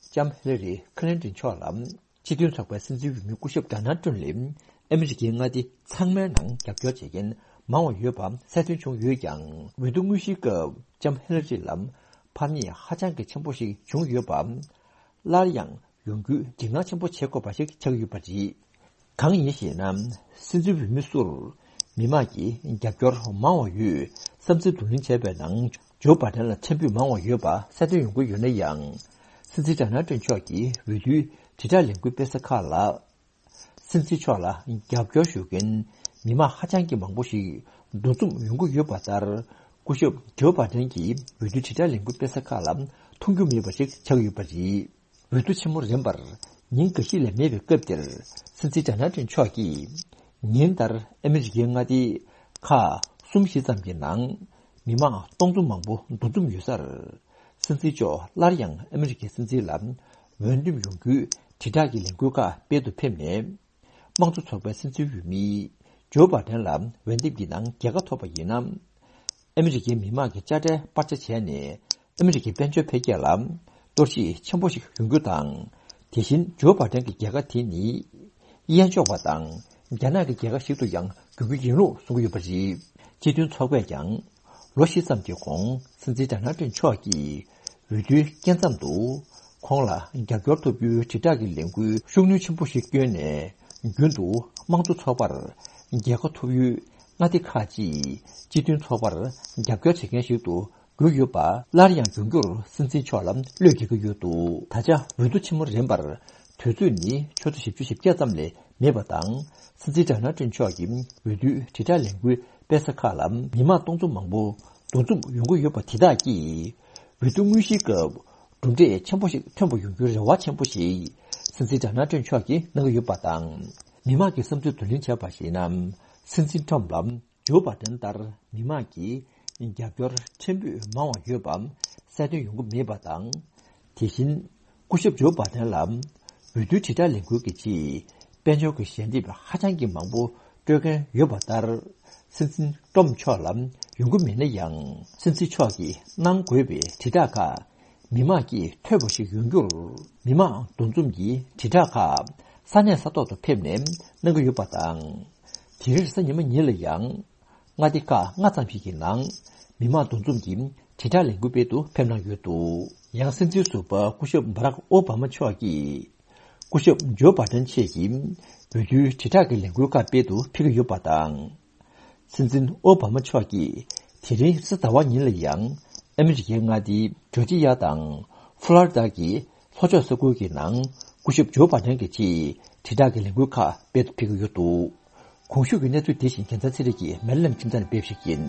ལྕམ་ཧི་ལ་རི་ཁི་ལིན་ཏོན་མཆོག་ལ། སྤྱི་མཐུན་ཚོགས་པའི་སྲིད་འཛིན་འོས་མི་སྐུ་ཞབས་ཌོ་ནལ་ཏྲམ་ལས་ཨ་མི་རི་ཀའི་མངའ་སྡེ་ཚང་མའི་ནང་རྒྱབ་སྐྱོར་བྱེད་མཁན་མང་བ་ཡོད་པ་གསལ་སྟོན་བྱུང་ཡོད་ཀྱང་། འོས་བསྡུ་དངོས་གཞིའི་སྐབས་ལྕམ་ཧི་ལ་རི་ལ་ཕམ་ཉེས་ཧ་ཅང་གི་ཆེན་པོ་ཞིག་བྱུང་ཡོད་པ། སླར་ཡང་ཡོང་རྒྱུའི་འཇིགས་སྣང་ཆེན་པོ་བྱེད་དགོས་པ་ཞིག་ཆགས་ཀྱི་ཡོད་པ་རེད། གང་ཡིན་ཞེ་ན། སྲིད་འཛིན་འོས་མི་སུར་མི་མང་གིས་རྒྱབ་སྐྱོར་མང་བ་ཡོད་བསམ་ཚུལ་བསྡུ་ལེན་བྱས་པའི་ནང་། ཇོ་བྷ་ཌེན་ལ་ཕྲན་བུ་མང་བ་ཡོད་པ་གསལ་སྟོན་ཡོང་གི་ཡོད་ན་ཡང་། སྲིད་འཛིན་ཌོ་ནལ་ཏྲམ་མཆོག་གིས་འོས་བསྡུའི་དྲིལ་བསྒྲགས་ལས་འགུལ་སྤེལ་ས་ཁག་ལ། སྲིད་འཛིན་མཆོག་ལ་རྒྱབ་སྐྱོར་ཞུ་མཁན་མི་མང་ཧ་ཅང་གི་མང་པོ་ཞིག་འདུ་འཛོམས་ཡོང་གི་ཡོད་པ་ལྟར། སྐུ་ཞབས་ཇོ་བྷ་ཌེན་གྱིས་འོས་བསྡུའི་དྲིལ་བསྒྲགས་ལས་འགུལ་སྤེལ་ས་ཁག་ལ་མཐོང་རྒྱུ་མེད་པ་ཞིག་ཆགས་ཡོད་པ་རེད། འོས་བསྡུ་ཆེན་མོ་རིམ་པར་ཉིན་འགའ་ཤས་ལས་མེད་པའི་སྐབས་དེར། སྲིད་འཛིན་ཌོ་ནལ་ཏྲམ་མཆོག་གིས་ཉིན་ལྟར་ཨ་མི་རི་ཀའི་མངའ་སྡེ་ཁག་གསུམ་བཞི་ཙམ་གྱི་ནང་མི་མང་སྟོང་ཚོ་མང་པོ་འདུ་འཛོམས་ཡོད་སར། སྲིད་འཛིན་མཆོག་སླར་ཡང་ཨ་མི་རི་ཀའི་སྲིད་འཛིན་ལ་འོས་འདེམས་ཡོང་རྒྱུའི་དྲིལ་བསྒྲགས་ཀྱི་ལས་འགུལ་ཁག་སྤེལ་དུ་ཕེབས་ནས། དམངས་གཙོ་ཚོགས་པའི་སྲིད་འཛིན་འོས་མི་ཇོ་བྷ་ཌེན་ལ་འོས་འདེམས་ཀྱི་ནང་རྒྱལ་ཁ་ཐོབ་པ་ཡིན་ན། ཨ་མི་རི་ཀའི་མི་མང་གི་དཔྱ་ཁྲལ་སྤར་ཆ་བྱས་ནས། ཨ་མི་རི་ཀའི་དཔལ་འབྱོར་འཕེལ་རྒྱས་ལ་གཏོར་བཤིག་ཆེན་པོ་ཞིག་ཡོང་རྒྱུ་དང་། དེ་བཞིན་ཇོ་བྷ་ཌེན་གྱི་རྒྱལ་ཁ་དེ་ནི། གཡས་འཇོག་པ་དང་རྒྱ་ནག་གི་རྒྱལ་ཁ་ཞིག་ཏུ་ཡང་འགྱུར་རྒྱུ་ཡིན་ལུགས་གསུང་གི་ཡོད་པ་རེད། སྤྱི་མཐུན་ཚོགས་པས་ཀྱང་། ལོ་བཞི་ཙམ་གྱི་གོང་སྲིད་འཛིན་ཌོ་ནལ་ཏྲམ་མཆོག་གིས་འོས་བསྡུའི་སྐབས་མཚམས་དུ་ཁོང་ལ་རྒྱབ་སྐྱོར་ཐོབ་རྒྱུའི་དྲིལ་བསྒྲགས་ཀྱི་ལས་འགུལ་ཤུགས་སྣོན་ཆེན་པོ་ཞིག་བསྐྱོན་ནས། རྒྱུན་དུ་དམངས་གཙོ་ཚོགས་པར་རྒྱལ་ཁ་ཐོབ་ཡུལ་མངའ་སྡེ་ཁག་ཅིག་སྤྱི་མཐུན་ཚོགས་པར་རྒྱབ་སྐྱོར་བྱེད་མཁན་ཞིག་ཏུ་གྱུར་ཡོད་པ་སླར་ཡང་འབྱུང་འགྱུར་སྲིད་འཛིན་མཆོག་ལ་བློས་འགེལ་གྱི་ཡོད་འདུག། ད་ཆ་འོས་བསྡུ་ཆེན་མོ་རིམ་པར་དུས་ཚོད་ནི་ཆུ་ཚོད་བཞི་བཅུ་ཞེ་བརྒྱད་ཙམ་ལས་མེད་པ་དང་། སྲིད་འཛིན་ཌོ་ནལ་ཏྲམ་མཆོག་གིས་འོས་བསྡུའི་དྲིལ་བསྒྲགས་ལས་འགུལ་སྤེལ་ས་ཁག་ལ་མི་མང་སྟོང་ཚོ་མང་པོ་འདུ་འཛོམས་ཡོང་གི་ཡོད་པ་དེ་དག་གིས། འོས་བསྡུ་དངོས་གཞིའི་སྐབས་གྲུབ་འབྲས་ཆེན་པོ་ཞིག་ཐོན་པ་ཡོང་རྒྱུའི་རེ་བ་ཆེན་པོ་ཞིག་སྲིད་འཛིན་ཌོ་ནལ་ཏྲམ་མཆོག་གིས་གནང་གི་ཡོད་པ་དང་། མི་མང་གི་བསམ་ཚུལ་བསྡུ་ལེན་བྱས་པར་གཞིགས་ན། སྲིད་འཛིན་ཏྲམ་ལ་ ཇོ་བྷ་དན་ལྟར་མི་མང་གིས་རྒྱབ་སྐྱོར་ཕྲན་བུ་མང་བ་ཡོད་པ་གསལ་སྟོན་ཡོང་གི་མེད་པ་དང་། དེ་བཞིན་སྐུ་ཞབས་ཇོ་བྷ་དན་ལ་འོས་བསྡུའི་དྲིལ་བསྒྲགས་ལས་འགུལ་གྱི་ཆེད་དཔལ་འབྱོར་གྱི་ཞལ་འདེབས་ཧ་ཅང་གི་མང་པོ་སྤྲོད་མཁན་ཡོད་པ་ལྟར། སྲིད་འཛིན་ཏྲོམ་མཆོག་ལ་ཡོང་གི་མེད་ན་ཡང་། སྲིད་འཛིན་མཆོག་གིས་གནང་དགོས་པའི་དྲིལ་བསྒྲགས་ཁག་མི་མང་གིས་ཐོས་པ་ཞིག་ཡོང་རྒྱུར། མི་མང་འདུ་འཛོམས་ཀྱི་དྲིལ་བསྒྲགས་ཁག་ས་གནས་ས་ཐོག་ཏུ་ཕེབས་ནས་གནང་གི་ཡོད་པ་དང་། དེ་རིང་རེས་གཟའ་ཉི་མ་ཉིན་ལ་ཡང་མངའ་སྡེ་ཁག་ལྔ་ཙམ་ཞིག་གི་ནང་མི་མང་འདུ་འཛོམས་ཀྱི་དྲིལ་བསྒྲགས་ལས་འགུལ་སྤེལ་དུ་ཕེབས་གནང་ཡོད་འདུག། ཡང་སྲིད་འཛིན་ཟུར་པ་སྐུ་ཞབས་འབརག་ཨོ་བྷ་མ་མཆོག་གིས་སྐུ་ཞབས་ཇོ་བྷ་དན་ཆེད་ཀྱི་འོས་བསྡུའི་དྲིལ་བསྒྲགས་ཀྱི་ལས་འགུལ་ཁག་སྤེལ་དུ་ཕེབས་ཀྱི་ཡོད་པ་དང་། སྲིད་འཛིན་ཨོ་བྷ་མ་མཆོག་གིས་དེ་རིང་རེས་གཟའ་ཟླ་བ་ཉིན་ལ་ཡང་ཨ་མི་རི་ཀའི་མངའ་སྡེ་ཇོར་ཇི་ཡ་དང་ཧྥུ་ལོ་རི་ཌ་གི་ལྷོ་ཕྱོགས་ས་ཁུལ་གྱི་ནང་སྐུ་ཞབས་ཇོ་བྷ་དན་གྱི་ཆེད་དྲིལ་བསྒྲགས་ཀྱི་ལས་འགུལ་ཁག་སྤེལ་དུ་ཕེབས་ཀྱི་ཡོད་འདུག། གོང་ཞུས་ཀྱི་གནས་ཚུལ་དེ་བཞིན་རྒྱལ་མཚན་ཚེ་རིང་གིས་མེ་ལེམ་ཁྱིམ་ཚང་ནས་སྤེལ་ཞིག་ཡིན།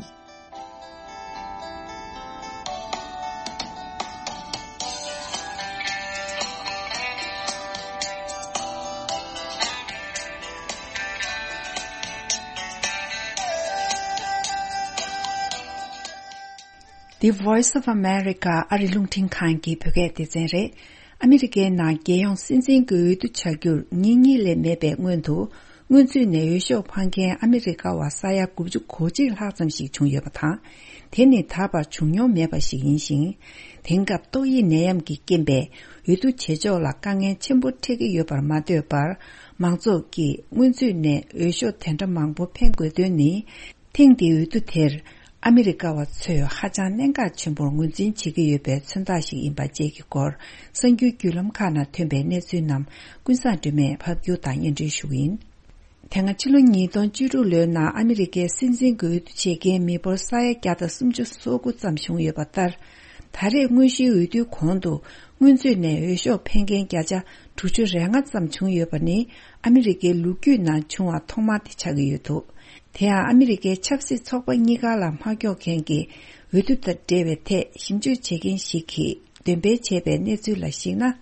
The Voice of America ཨ་རི་རླུང་འཕྲིན་ཁང་གི་བོད་སྐད་སྡེ་ཚན་རེད། ཨ་མི་རི་ཀའི་ནང་རྒྱལ་ཡོངས་སྲིད་འཛིན་གྱི་འོས་བསྡུ་བྱ་རྒྱུར་ཉིན་གཉིས་ལས་མེད་པའི་སྔོན་དུ། སྔོན་ཚུད་ནས་འོས་ཤོག་འཕང་མཁན་ཨ་མི་རི་ཀ་བ་ས་ཡ་དགུ་བཅུ་གོ་གཅིག་ལྷག་ཙམ་ཞིག་བྱུང་ཡོད་པ་དང་། དེ་ནི་ད་བར་བྱུང་མྱོང་མེད་པ་ཞིག་ཡིན་ཞིང་། དེང་སྐབས་ཏོག་དབྱིབས་ནད་ཡམས་ཀྱི་རྐྱེན་པས་འོས་བསྡུ་བྱེད་ཕྱོགས་ལ་དཀའ་ངལ་ཆེན་པོ་འཕྲད་ཀྱི་ཡོད་པར་མ་ལྟོས་པར། མང་ཚོགས་ཀྱིས་སྔོན་ཚུད་ནས་འོས་ཤོག་དེ་འདྲ་མང་པོ་འཕེན་དགོས་དོན་ནི། ཐེངས་འདིའི་འོས་བསྡུ་དེར་ཨ་མི་རི་ཀ་བ་ཚོས་ཧ་ཅང་གནད་འགག་ཆེན་པོར་ངོས་འཛིན་བྱེད་ཀྱི་ཡོད་པའི་མཚོན་རྟགས་ཤིག་ཡིན་པ་བཅས་ཀྱི་སྐོར། གསར་འགྱུར་བརྒྱུད་ལམ་ཁག་ནང་ཐོན་པའི་གནས་ཚུལ་རྣམས་ཀུན་བཟང་སྒྲོལ་མས་ཕབ་སྒྱུར་དང་སྙན་སྒྲོན་ཞུ་གི་ཡིན། དེ་སྔ་ཕྱི་ལོ་ཉིས་སྟོང་བཅུ་དྲུག་ལོའི་ནང་ཨ་མི་རི་ཀའི་སྲིད་འཛིན་གྱི་འོས་བསྡུ་བྱེད་མཁན་མི་འབོར་ས་ཡ་བརྒྱ་དང་སུམ་ཅུ་སོ་དགུ་ཙམ་བྱུང་ཡོད་པ་ལྟར། ད་རེས་དངོས་གཞིའི་འོས་བསྡུའི་གོང་དུ་སྔོན་ཚུད་ནས་འོས་ཤོག་འཕེན་མཁན་བརྒྱ་ཆ་དྲུག་ཅུ་རེ་ལྔ་ཙམ་བྱུང་ཡོད་པ་ནི་ཨ་མི་རི་ཀའི་ལོ་རྒྱུས་ནང་བྱུང་བ་ཐོག་མ་དེ་ཆགས་ཀྱི་ཡོད་འདུག། དེ་ཡང་ཨ་མི་རི་ཀའི་ཆབ་སྲིད་ཚོགས་པ་གཉིས་ཀ་ལ་མ་ཁྱོག་མཁན་གྱི་འོས་བསྡུ་དང་འབྲེལ་བའི་ཐད་ཞིབ་འཇུག་བྱེད་མཁན་ཞིག་གིས་འདོན་སྤེལ་བྱས་པའི་གནས་ཚུལ་ལ་གཞིགས་ན།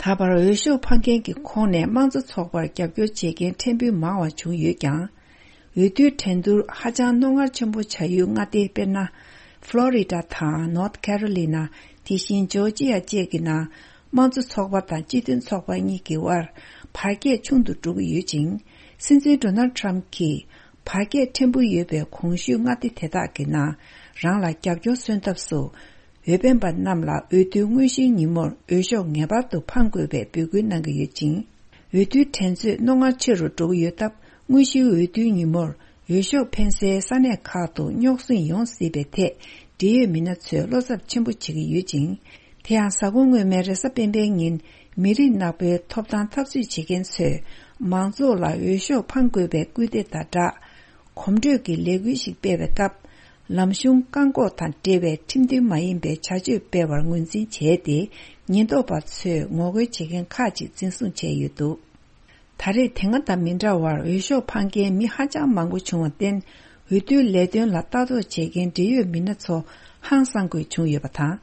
ད་བར་འོས་ཤོག་འཕང་མཁན་གྱི་ཁོངས་ནས་དམངས་གཙོ་ཚོགས་པར་རྒྱབ་སྐྱོར་བྱེད་མཁན་ཕྲན་བུ་མང་བ་བྱུང་ཡོད་ཀྱང་། འོས་བསྡུའི་འགྲན་བསྡུར་ཧ་ཅང་རྣོ་ངར་ཆེན་པོ་བྱ་ཡུལ་མངའ་སྡེ་དཔེར་ན། ཕློ་རི་ཌ་དང་ནོར་ཐ་ཁེ་རོ་ལི་ན། དེ་བཞིན་ཇོར་ཇི་ཡ་བཅས་ཀྱི་ནང་དམངས་གཙོ་ཚོགས་པ་དང་སྤྱི་མཐུན་ཚོགས་པ་གཉིས་ཀྱི་དབར་བར་ཁྱད་ཆུང་དུ་འགྲོ་གི་ཡོད་ཅིང་། སྲིད་འཛིན་ཌོ་ནལ་ཊམ་གྱིས་བར་ཁྱད་ཕྲན་བུ་ཡོད་པའི་གོང་ཞུས་མངའ་སྡེ་དེ་དག་གི་ནང་རང་ལ་རྒྱབ་སྐྱོར་སོན་ཐབས་སུ། འོས་འཕེན་པ་རྣམས་ལ་འོས་བསྡུའི་དངོས་གཞིའི་ཉིན་མོར་འོས་ཤོག་ངེས་པར་དུ་འཕང་དགོས་པའི་འབོད་སྐུལ་གནང་གི་ཡོད་ཅིང་། འོས་བསྡུའི་འགྲན་རྩོད་རྣོ་ངར་ཆེ་རུ་འགྲོ་གི་ཡོད་སྟབས། དངོས་གཞིའི་འོས་བསྡུའི་ཉིན་མོར་འོས་ཤོག་འཕེན་སའི་ས་གནས་ཁག་ཏུ་རྙོག་ཟིང་ཡོང་སྲིད་པའི་ཐད། འབྲེལ་ཡོད་མི་སྣ་ཚོས་བློ་འཚབ་ཆེན་པོ་བྱེད་ཀྱི་ཡོད་ཅིང་། དེ་ཡང་གཟའ་འཁོར་སྔོན་མའི་རེས་གཟའ་སྤེན་པའི་ཉིན། མི་རིགས་ནག་པོའི་ཐོབ་ཐང་འཐབ་རྩོད་བྱེད་མཁན་ཚོས་མང་ཚོགས་ལ་འོས་ཤོག་འཕང་དགོས་པའི་སྐུལ་འདེད་དང་སྦྲགས། གོམ་བགྲོད་ཀྱི་ལས་འགུལ་ཞིག་སྤེལ་བའི་སྐབས། ལམ་གཞུང་བཀག་འགོག་དང་འབྲེལ་བའི་ཁྲིམས་མཐུན་མ་ཡིན་པའི་བྱ་སྤྱོད་སྤེལ་བར་ངོས་འཛིན་བྱས་ཏེ། ཉེན་རྟོག་པ་ཚོས་ངོ་རྒོལ་བྱེད་མཁན་ཁག་ཅིག་འཛིན་བཟུང་བྱས་ཡོད་འདུག། ད་རེས་དེ་སྔ་དང་མི་འདྲ་བར་འོས་ཤོག་འཕང་མཁན་མི་ཧ་ཅང་མང་པོ་བྱུང་བར་བརྟེན། འོས་བསྡུའི་ལས་དོན་ལ་ལྟ་རྟོག་བྱེད་མཁན་འབྲེལ་ཡོད་མི་སྣ་ཚོ་ཧང་སང་དགོས་བྱུང་ཡོད་པ་དང་།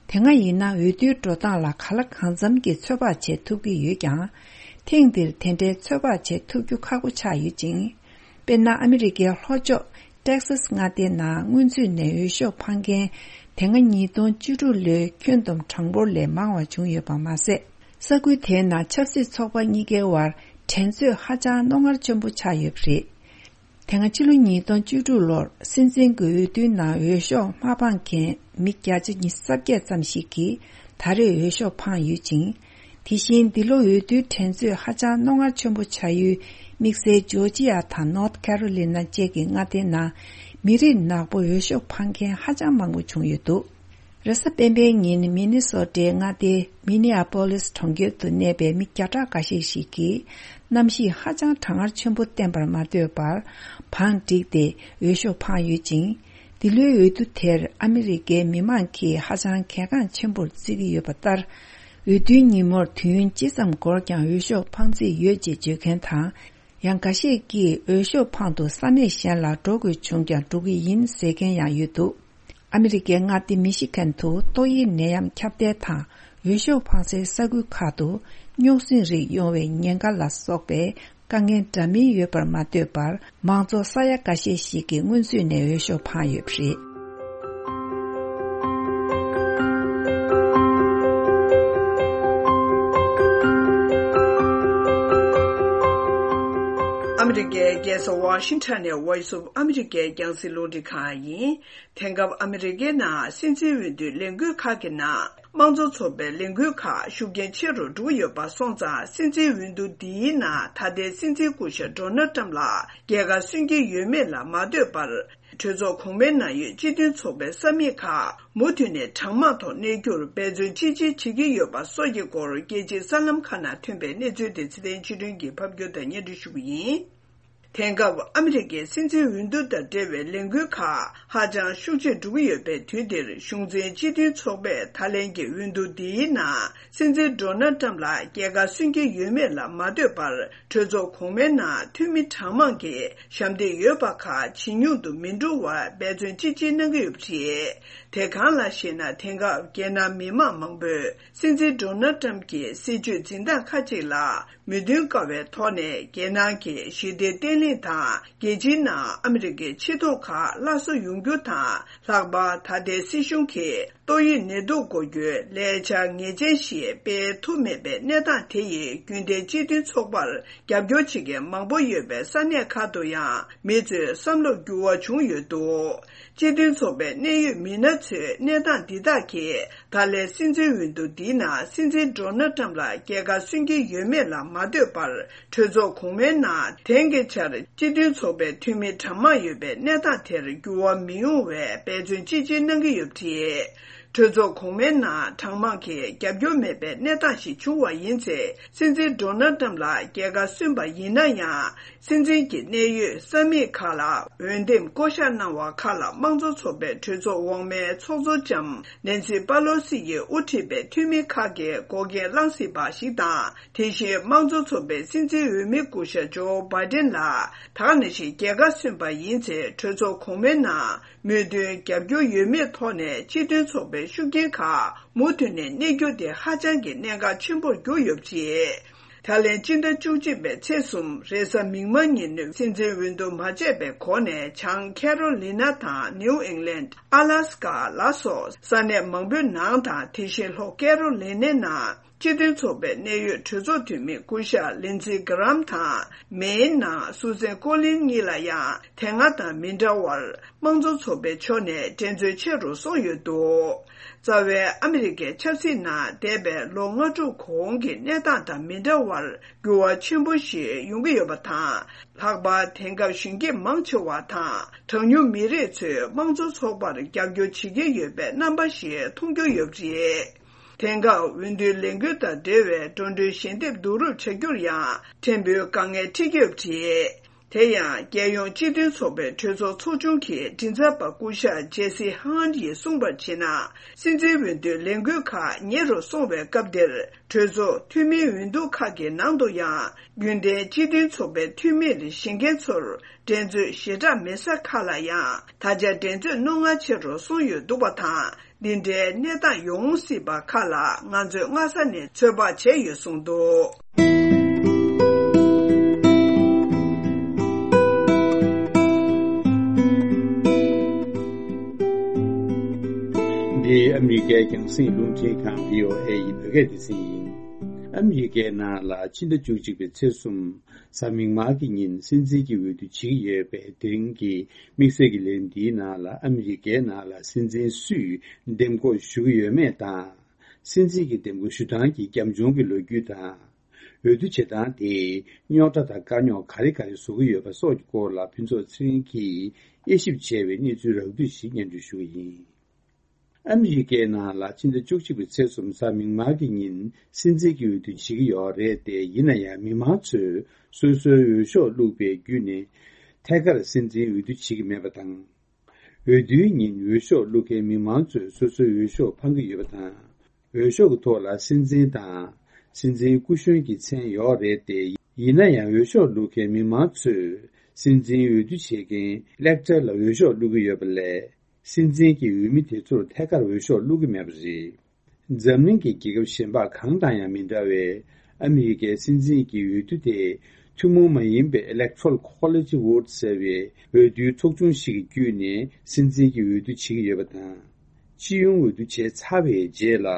དེ་སྔ་ཡིན་ན་འོས་བསྡུའི་འགྲོ་སྟངས་ལ་གང་ལ་གང་འཚམ་གྱི་ཚོད་དཔག་བྱེད་ཐུབ་ཀྱི་ཡོད་ཀྱང་། ཐེངས་འདིར་དེ་འདྲའི་ཚོད་དཔག་བྱེད་ཐུབ་རྒྱུ་ཁག་པོ་ཆགས་ཡོད་ཅིང་། དཔེར་ན། ཨ་མི་རི་ཀའི་ལྷོ་ཕྱོགས་ཏེག་སཱས་མངའ་སྡེའི་ནང་སྔོན་ཚུད་ནས་འོས་ཤོག་འཕང་མཁན་དེ་སྔ་ཉིས་སྟོང་བཅུ་དྲུག་ལོའི་ཁྱོན་བསྡོམས་གྲངས་འབོར་ལས་མང་བ་བྱུང་ཡོད་པ་མ་ཟད། ས་ཁུལ་དེའི་ནང་ཆབ་སྲིད་ཚོགས་པ་གཉིས་ཀའི་དབར་འགྲན་རྩོད་ཧ་ཅང་རྣོ་ངར་ཆེན་པོ་ཆགས་ཡོད་པ་རེད། དེ་སྔ་ཕྱི་ལོ་ཉིས་སྟོང་བཅུ་དྲུག་ལོར་སྲིད་འཛིན་གྱི་འོས་བསྡུའི་ནང་འོས་ཤོག་མ་འཕངས་མཁན་མི་བརྒྱ་ཆ་ཉི་ཤུ་རྩ་བརྒྱད་ཙམ་ཞིག་གིས་ད་རེས་འོས་ཤོག་འཕངས་ཡོད་ཅིང་། དེ་བཞིན་འདི་ལོ་འོས་བསྡུའི་འགྲན་རྩོད་ཧ་ཅང་རྣོ་ངར་ཆེན་པོ་བྱ་ཡུལ་དམིགས་བསལ་ཇོར་ཇི་ཡ་དང་ནོར་ཐ་ཁེ་རོ་ལི་ན་བཅས་ཀྱི་མངའ་སྡེའི་ནང་མི་རིགས་ནག་པོ་འོས་ཤོག་འཕངས་མཁན་ཧ་ཅང་མང་པོ་བྱུང་ཡོད་འདུག། རེས་གཟའ་སྤེན་པའི་ཉིན་མི་ནི་སོ་ཊའི་མངའ་སྡེ་མི་ནི་ཨ་པོ་ལིས་གྲོང་ཁྱེར་དུ་གནས་པའི་མི་བརྒྱ་ཕྲག་འགའ་ཤས་ཤིག་གིས་གནམ་གཤིས་ཧ་ཅང་གྲང་ངར་ཆེན་པོ་བསྟན་པར་མ་ལྟོས་པར་བང་བསྒྲིགས་ཏེ་འོས་ཤོག་འཕངས་ཡོད་ཅིང་། འདི་ལོའི་འོས་བསྡུ་དེར་ཨ་མི་རི་ཀའི་མི་མང་གིས་ཧ་ཅང་གལ་འགངས་ཆེན་པོར་བརྩི་གི་ཡོད་པ་ལྟར། འོས་བསྡུའི་ཉིན་མོར་དུས་ཡུན་ཅི་ཙམ་འགོར་ཀྱང་འོས་ཤོག་འཕངས་རྩིས་ཡོད་ཅེས་བརྗོད་མཁན་དང་། ཡང་འགའ་ཤས་ཀྱིས་འོས་ཤོག་འཕངས་ཏེ་ས་གནས་གཞན་ལ་འགྲོ་དགོས་བྱུང་ཀྱང་འགྲོ་གི་ཡིན་ཟེར་མཁན་ཡང་ཡོད་འདུག། ཨ་མི་རི་ཀའི་མངའ་སྡེ་མི་ཤི་གན་དུ་ཏོག་དབྱིབས་ནད་ཡམས་ཁྱབ་གདལ་དང་འོས་ཤོག་འཕངས་སའི་ས་ཁུལ་ཁག་ཏུ་རྙོག་ཟིང་རིགས་ཡོང་བའི་ཉེན་ཁ་ལ་སོགས་པའི་ དཀའ་ངལ་འདྲ་མིན་ཡོད་པར་མ་ལྟོས་པར། མང་ཚོགས་ས་ཡ་འགའ་ཤས་ཤིག་གི་སྔོན་ཚུད་ནས་འོས་ཤོག་འཕངས་ཡོད་པ་རེད། ཨ་མི་རི་ཀའི་རྒྱལ་ས་ཝ་ཤིང་ཊོན་ནས་Voice of America རྒྱང་སྲིང་རླུང་འཕྲིན་ཁང་ཡིན། དེང་སྐབས་ཨ་མི་རི་ཀའི་ནང་སྲིད་འཛིན་འོས་བསྡུའི་ལས་འགུལ་ཁག་གི་ནང་། དམངས་གཙོ་ཚོགས་པའི་ལས་འགུལ་ཁག་ཤུགས་རྐྱེན་ཆེ་རུ་འགྲོ་གི་ཡོད་པ་སོང་ཙང་། སྲིད་འཛིན་འོས་བསྡུ་འདིའི་ནང་ད་ལྟའི་སྲིད་འཛིན་སྐུ་ཞབས་ཌོ་ནལ་ཊམ་ལ་རྒྱལ་ཁ་སོན་གྱི་ཡོད་མེད་ལ་མ་ལྟོས་པར། གྲོས་ཚོགས་གོང་མའི་ནང་ཡོད་སྤྱི་མཐུན་ཚོགས་པའི་ས་མིག་ཁག་མུ་མཐུད་ནས་གྲངས་མང་ཐོག་གནས་རྒྱུར་འབད་བརྩོན་ཅི་ཆེ་བྱེད་ཀྱི་ཡོད་པ་སོགས་ཀྱི་སྐོར། རྒྱལ་སྤྱིའི་གསར་ལམ་ཁག་ནང་ཐོན་པའི་གནས་ཚུལ་དེ་ཚེ་བརྟན་ཆོས་སྒྲོན་གྱིས་ཕབ་སྒྱུར་དང་སྙན་སྒྲོན་ཞུ་གི་ཡིན། དེང་སྐབས་ཨ་མི་རི་ཀའི་སྲིད་འཛིན་འོས་བསྡུ་དང་འབྲེལ་བའི་ལས་འགུལ་ཁག་ཧ་ཅང་ཤུགས་ཆེར་འགྲོ་གི་ཡོད་པའི་དུས་འདིར། གཞུང་འཛིན་སྤྱི་མཐུན་ཚོགས་པས་ད་ལན་གྱི་འོས་བསྡུ་འདིའི་ནང་སྲིད་འཛིན་ཌོ་ནལ་ཊམ་ལ་རྒྱལ་ཁ་སོན་གྱི་ཡོད་མེད་ལ་མ་ལྟོས་པར། གྲོས་ཚོགས་གོང་མའི་ནང་འཐུས་མི་གྲངས་མང་གིས་ཞབས་འདེགས་ཡོད་པ་ཁག་ཇེ་ཉུང་དུ་མི་འགྲོ་བར་འབད་བརྩོན་ཅི་ཆེ་གནང་གི་ཡོད་པ་རེད། དེ་གང་ལགས་ཤེ་ན། དེང་སྐབས་རྒྱལ་ནང་མི་མང་མང་པོས་སྲིད་འཛིན་ཌོ་ནལ་ཊམ་གྱི་སྲིད་བྱུས་འཛིན་སྟངས་ཁག་ཅིག་ལ་མོས་མཐུན་དཀའ་བའི་ཐོག་ནས། རྒྱལ་ནང་གི་ཞི་བདེ་བརྟན་ལྷིང་དང་། རྒྱལ་སྤྱིའི་ནང་ཨ་མི་རི་ཀའི་ཆེ་མཐོང་ཁག་སླར་གསོ་ཡོང་རྒྱུ་དང་། ལྷག་པར་ད་ལྟའི་སྲིད་གཞུང་གིས་ཏོག་དབྱིབས་ནད་དུག་འགོག་རྒྱུའི་ལས་འཆར་ངེས་ཅན་ཞིག་སྤེལ་ཐུབ་མེད་པའི་གནས་སྟངས་དེ་ཡིས། རྒྱུན་ལྡན་སྤྱི་མཐུན་ཚོགས་པར་རྒྱབ་སྐྱོར་བྱེད་མཁན་མང་པོ་ཡོད་པའི་ས་གནས་ཁག་ཏུ་ཡང་མི་ཚོའི་བསམ་བློར་འགྱུར་བ་བྱུང་ཡོད་འདུག་སྤྱི་མཐུན་ཚོགས་པའི་གནད་ཡོད་མི་སྣ་ཚོས་གནས་སྟངས་འདི་དག་གིས། ད་ལན་སྲིད་འཛིན་འོས་བསྡུ་འདིའི་ནང་སྲིད་འཛིན་ཌོ་ནལ་ཊམ་ལ་རྒྱལ་ཁ་སོན་གྱི་ཡོད་མེད་ལ་མ་ལྟོས་པར། གྲོས་ཚོགས་གོང་མའི་ནང་དེང་གི་ཆར་སྤྱི་མཐུན་ཚོགས་པའི་འཐུས་མི་གྲངས་མང་ཡོད་པའི་གནས་སྟངས་དེར་འགྱུར་བ་མི་ཡོང་བའི་འབད་བརྩོན་ཅི་ཆེ་གནང་གི་ཡོད་པ་རེད། གྲོས་ཚོགས་གོང་མའི་ནང་གྲངས་མང་གིས་རྒྱབ་སྐྱོར་མེད་པའི་གནས་སྟངས་ཤིག་བྱུང་བ་ཡིན་ཚེ། སྲིད་འཛིན་ཌོ་ནལ་ཊམ་ལ་རྒྱལ་ཁ་སོན་པ་ཡིན་ན་ཡང་། སྲིད་འཛིན་གྱི་གནད་ཡོད་ས་མིག་ཁག་ལ་འོས་འདེམས་བསྐོ་གཞག་གནང་བ་ཁག་ལ། དམངས་གཙོ་ཚོགས་པའི་གྲོས་ཚོགས་འོག་མའི་ཚོགས་གཙོ་ལྕམ་ནན་སི་པ་ལོ་སི་ཡིས་དབུ་ཁྲིད་པའི་འཐུས་མི་ཁག་གིས་འགོག་རྐྱེན་བསླང་སྲིད་པ་ཞིག་དང་། དེ་བཞིན་དམངས་གཙོ་ཚོགས་པའི་སྲིད་འཛིན་འོས་མི་སྐུ་ཞབས་ཇོ་བྷའི་ཌེན་ལ་ད་ག་ནང་བཞིན་རྒྱལ་ཁ་སོན་པ་ཡིན་ཚེ། གྲོས་ཚོགས་གོང་མའི་ནང་མོས་མཐུན་རྒྱབ་སྐྱོར་ཡོད་མེད་ཐོག་ནས་སྤྱི་མཐུན་ཚོགས་པའི་ཤུགས་རྐྱེན་ཁག་མུ་མཐུད་ནས་གནས་རྒྱུ་དེ་ཧ་ཅང་གི་གནད་འགག་ཆེན་པོར་གྱུར་ཡོད་པ་རེད། ད་ལན་སྤྱི་ཟླ་བཅུ་གཅིག་པའི་ཚེས་གསུམ་རེས་གཟའ་མིག་དམར་ཉིན། སྲིད་འཛིན་འོས་བསྡུ་མ་བྱས་པའི་སྒོ་ནས། བྱང་ཁེ་རོ་ལི་ན་དང་ནིའུ་ཨིང་ལན། ཨ་ལ་སི་ཀ་ལ་སོགས་ས་གནས་མང་པོའི་ནང་དང་། དེ་བཞིན་ལྷོ་ཀེ་རོ་ལི་ནའི་ནང་སྤྱི་མཐུན་ཚོགས་པའི་གནད་ཡོད་གྲོས་ཚོགས་འཐུས་མི་སྐུ་ཞབས་ལིན་ཛི་གྷི་རམ་དང་། མེན་ནང་སུ་ཛན་ཀོ་ལིན་གཉིས་ལ་ཡང་དེ་སྔ་དང་མི་འདྲ་བར། དམངས་གཙོ་ཚོགས་པའི་ཕྱོགས་ནས་འགྲན་རྩོད་ཆེ་རུ་སོང་ཡོད་འདུག་རྩ་བའི་ཨ་མི་རི་ཀའི་ཆབ་སྲིད་ནང་འདས་པའི་ལོ་ལྔ་དྲུག་གོང་གི་གནས་སྟངས་དང་མི་འདྲ་བར་འགྱུར་བ་ཆེན་པོ་ཞིག་ཡོང་གི་ཡོད་པ་དང་། ལྷག་པར་དེང་སྐབས་གཞོན་སྐྱེས་མང་ཆེ་བ་དང་གྲངས་ཉུང་མི་རིགས་ཚོས་དམངས་གཙོ་ཚོགས་པར་རྒྱབ་སྐྱོར་བྱེད་ཀྱི་ཡོད་པའི་རྣམ་པ་ཞིག་མཐོང་རྒྱུ་ཡོད་པ་རེད། དེང་སྐབས་འོས་བསྡུའི་ལས་འགུལ་དང་འབྲེལ་བའི་འགྲོ་གྲོན་ཞལ་འདེབས་བསྡུ་རུབ་བྱ་རྒྱུར་ཡང་ཕྲན་བུ་དཀའ་ངལ་འཕྲད་ཀྱི་ཡོད་པ་རེད། དེ་ཡང་རྒྱལ་ཡོངས་སྤྱི་མཐུན་ཚོགས་པའི་གྲོས་ཚོགས་ཚོགས་ཆུང་གི་མགྲིན་ཚབ་པ་སྐུ་ཞབས་ཇེ་སི་ཧན་ཡིས་གསུངས་པར་བྱས་ན། སྲིད་འཛིན་འོས་བསྡུའི་ལས་འགུལ་ཁག་ཉེ་རུ་སོང་བའི་སྐབས་འདིར། གྲོས་ཚོགས་འཐུས་མིའི་འོས་བསྡུ་ཁག་གི་ནང་དུ་ཡང་རྒྱུན་ལྡན་སྤྱི་མཐུན་ཚོགས་པའི་འཐུས་མི་ལས་བཞེངས་མཁན་ཚོར་འགྲན་རྩོད་ཞེ་དྲག་མེད་ས་ཁག་ལ་ཡང་ད་ཆ་འགྲན་རྩོད་རྣོ་ངར་ཆེ་རུ་སོང་ཡོད་འདུག་པ་དང་། འདི་འདྲའི་གནས་སྟངས་ཡོང་སྲིད་པ་ཁག་ལ་ང་ཚོས་སྔ་ས་ནས་ཚོད་དཔག་བྱས་ཡོད་གསུངས་འདུག་འདི་ཨ་མི་རི་ཀའི་རྒྱང་སྲིང་རླུང་འཕྲིན་ཁང་བྷི་ཨོ་ཨེ་ཡི་བོད་སྐད་སྡེ་ཚན་ཡིན། ཨ་མི་རི་ཀའི་ནང་ལ་ཕྱི་ཟླ་བཅུ་གཅིག་པའི་ཚེས་གསུམ། གཟའ་མིག་དམར་གྱི་ཉིན་སྲིད་འཛིན་གྱི་འོས་བསྡུ་བྱེད་ཀྱི་ཡོད་པས། དེ་རིང་གི་དམིགས་བསལ་གྱི་ལན་འདིའི་ནང་ལ་ཨ་མི་རི་ཀའི་ནང་ལ་སྲིད་འཛིན་སུས་འདེམས་བསྐོ་ཞུ་གི་ཡོད་མེད་དང་། སྲིད་འཛིན་གྱི་འདེམས་བསྐོ་ཞུ་སྟངས་ཀྱི་རྒྱབ་ལྗོངས་ཀྱི་ལོ་རྒྱུས་དང་། འོས་བསྡུ་བྱེད་སྟངས་དེས་རྙོག་དྲ་དང་དཀའ་རྙོག་ག་རེ་ག་རེ་བཟོ་གི་ཡོད་པ་སོགས་ཀྱི་སྐོར་ལ་ཕུན་ཚོགས་ཚེ་རིང་གིས་དབྱེ་ཞིབ་བྱས་པའི་གནས་ཚུལ་རགས་བསྡུས་ཤིག་སྙན་སྒྲོན་ཞུ་གི་ཡིན། ཨ་མི་རི་ཀའི་ནང་ལ་ཕྱི་ཟླ་བཅུ་གཅིག་པའི་ཚེས་གསུམ་གཟའ་མིག་དམར་གྱི་ཉིན་སྲིད་འཛིན་གྱི་འོས་བསྡུ་བྱེད་ཀྱི་ཡོད་རེད་དེ། ཡིན་ན་ཡང་མི་མང་ཚོས་སོ་སོའི་འོས་ཤོག་བླུགས་པའི་བརྒྱུད་ནས་ཐད་ཀར་སྲིད་འཛིན་འོས་བསྡུ་བྱེད་ཀྱི་མེད་པ་དང་། འོས་བསྡུའི་ཉིན་འོས་ཤོག་བླུགས་མཁན་མི་མང་ཚོས་སོ་སོའི་འོས་ཤོག་འཕང་གི་ཡོད་པ་དང་། འོས་ཤོག་གི་ཐོག་ལ་སྲིད་འཛིན་དང་སྲིད་འཛིན་སྐུ་གཞོན་གྱི་མཚན་ཡོད་རེད་དེ། ཡིན་ན་ཡང་འོས་ཤོག་བླུགས་མཁན་མི་མང་ཚོས་སྲིད་འཛིན་འོས་བསྡུ་བྱེད་མཁན་ཨི་ལེག་ཊར་ལ་འོས་ཤོག་བླུགས་ཀྱི་ཡོད་པ་ལས། སྲིད་འཛིན་གྱི་འོས་མི་དེ་ཚོར་ཐད་ཀར་འོས་ཤོག་བླུགས་ཀྱི་མེད་པ་རེད། འཛམ་གླིང་གི་རྒྱལ་ཁབ་གཞན་པ་གང་དང་ཡང་མི་འདྲ་བའི་ཨ་མི་རི་ཀའི་སྲིད་འཛིན་གྱི་འོས་བསྡུ་དེ་ ཐུན་མོང་མ་ཡིན་པའི་Electoral College Vote ཟེར་བའི་འོས་བསྡུའི་ཚོགས་ཆུང་ཞིག་གི་བརྒྱུད་ནས་སྲིད་འཛིན་གྱི་འོས་བསྡུ་བྱེད་ཀྱི་ཡོད་པ་དང་། སྤྱི་ཡོངས་འོས་བསྡུ་བྱས་ཚར་བའི་རྗེས་ལ།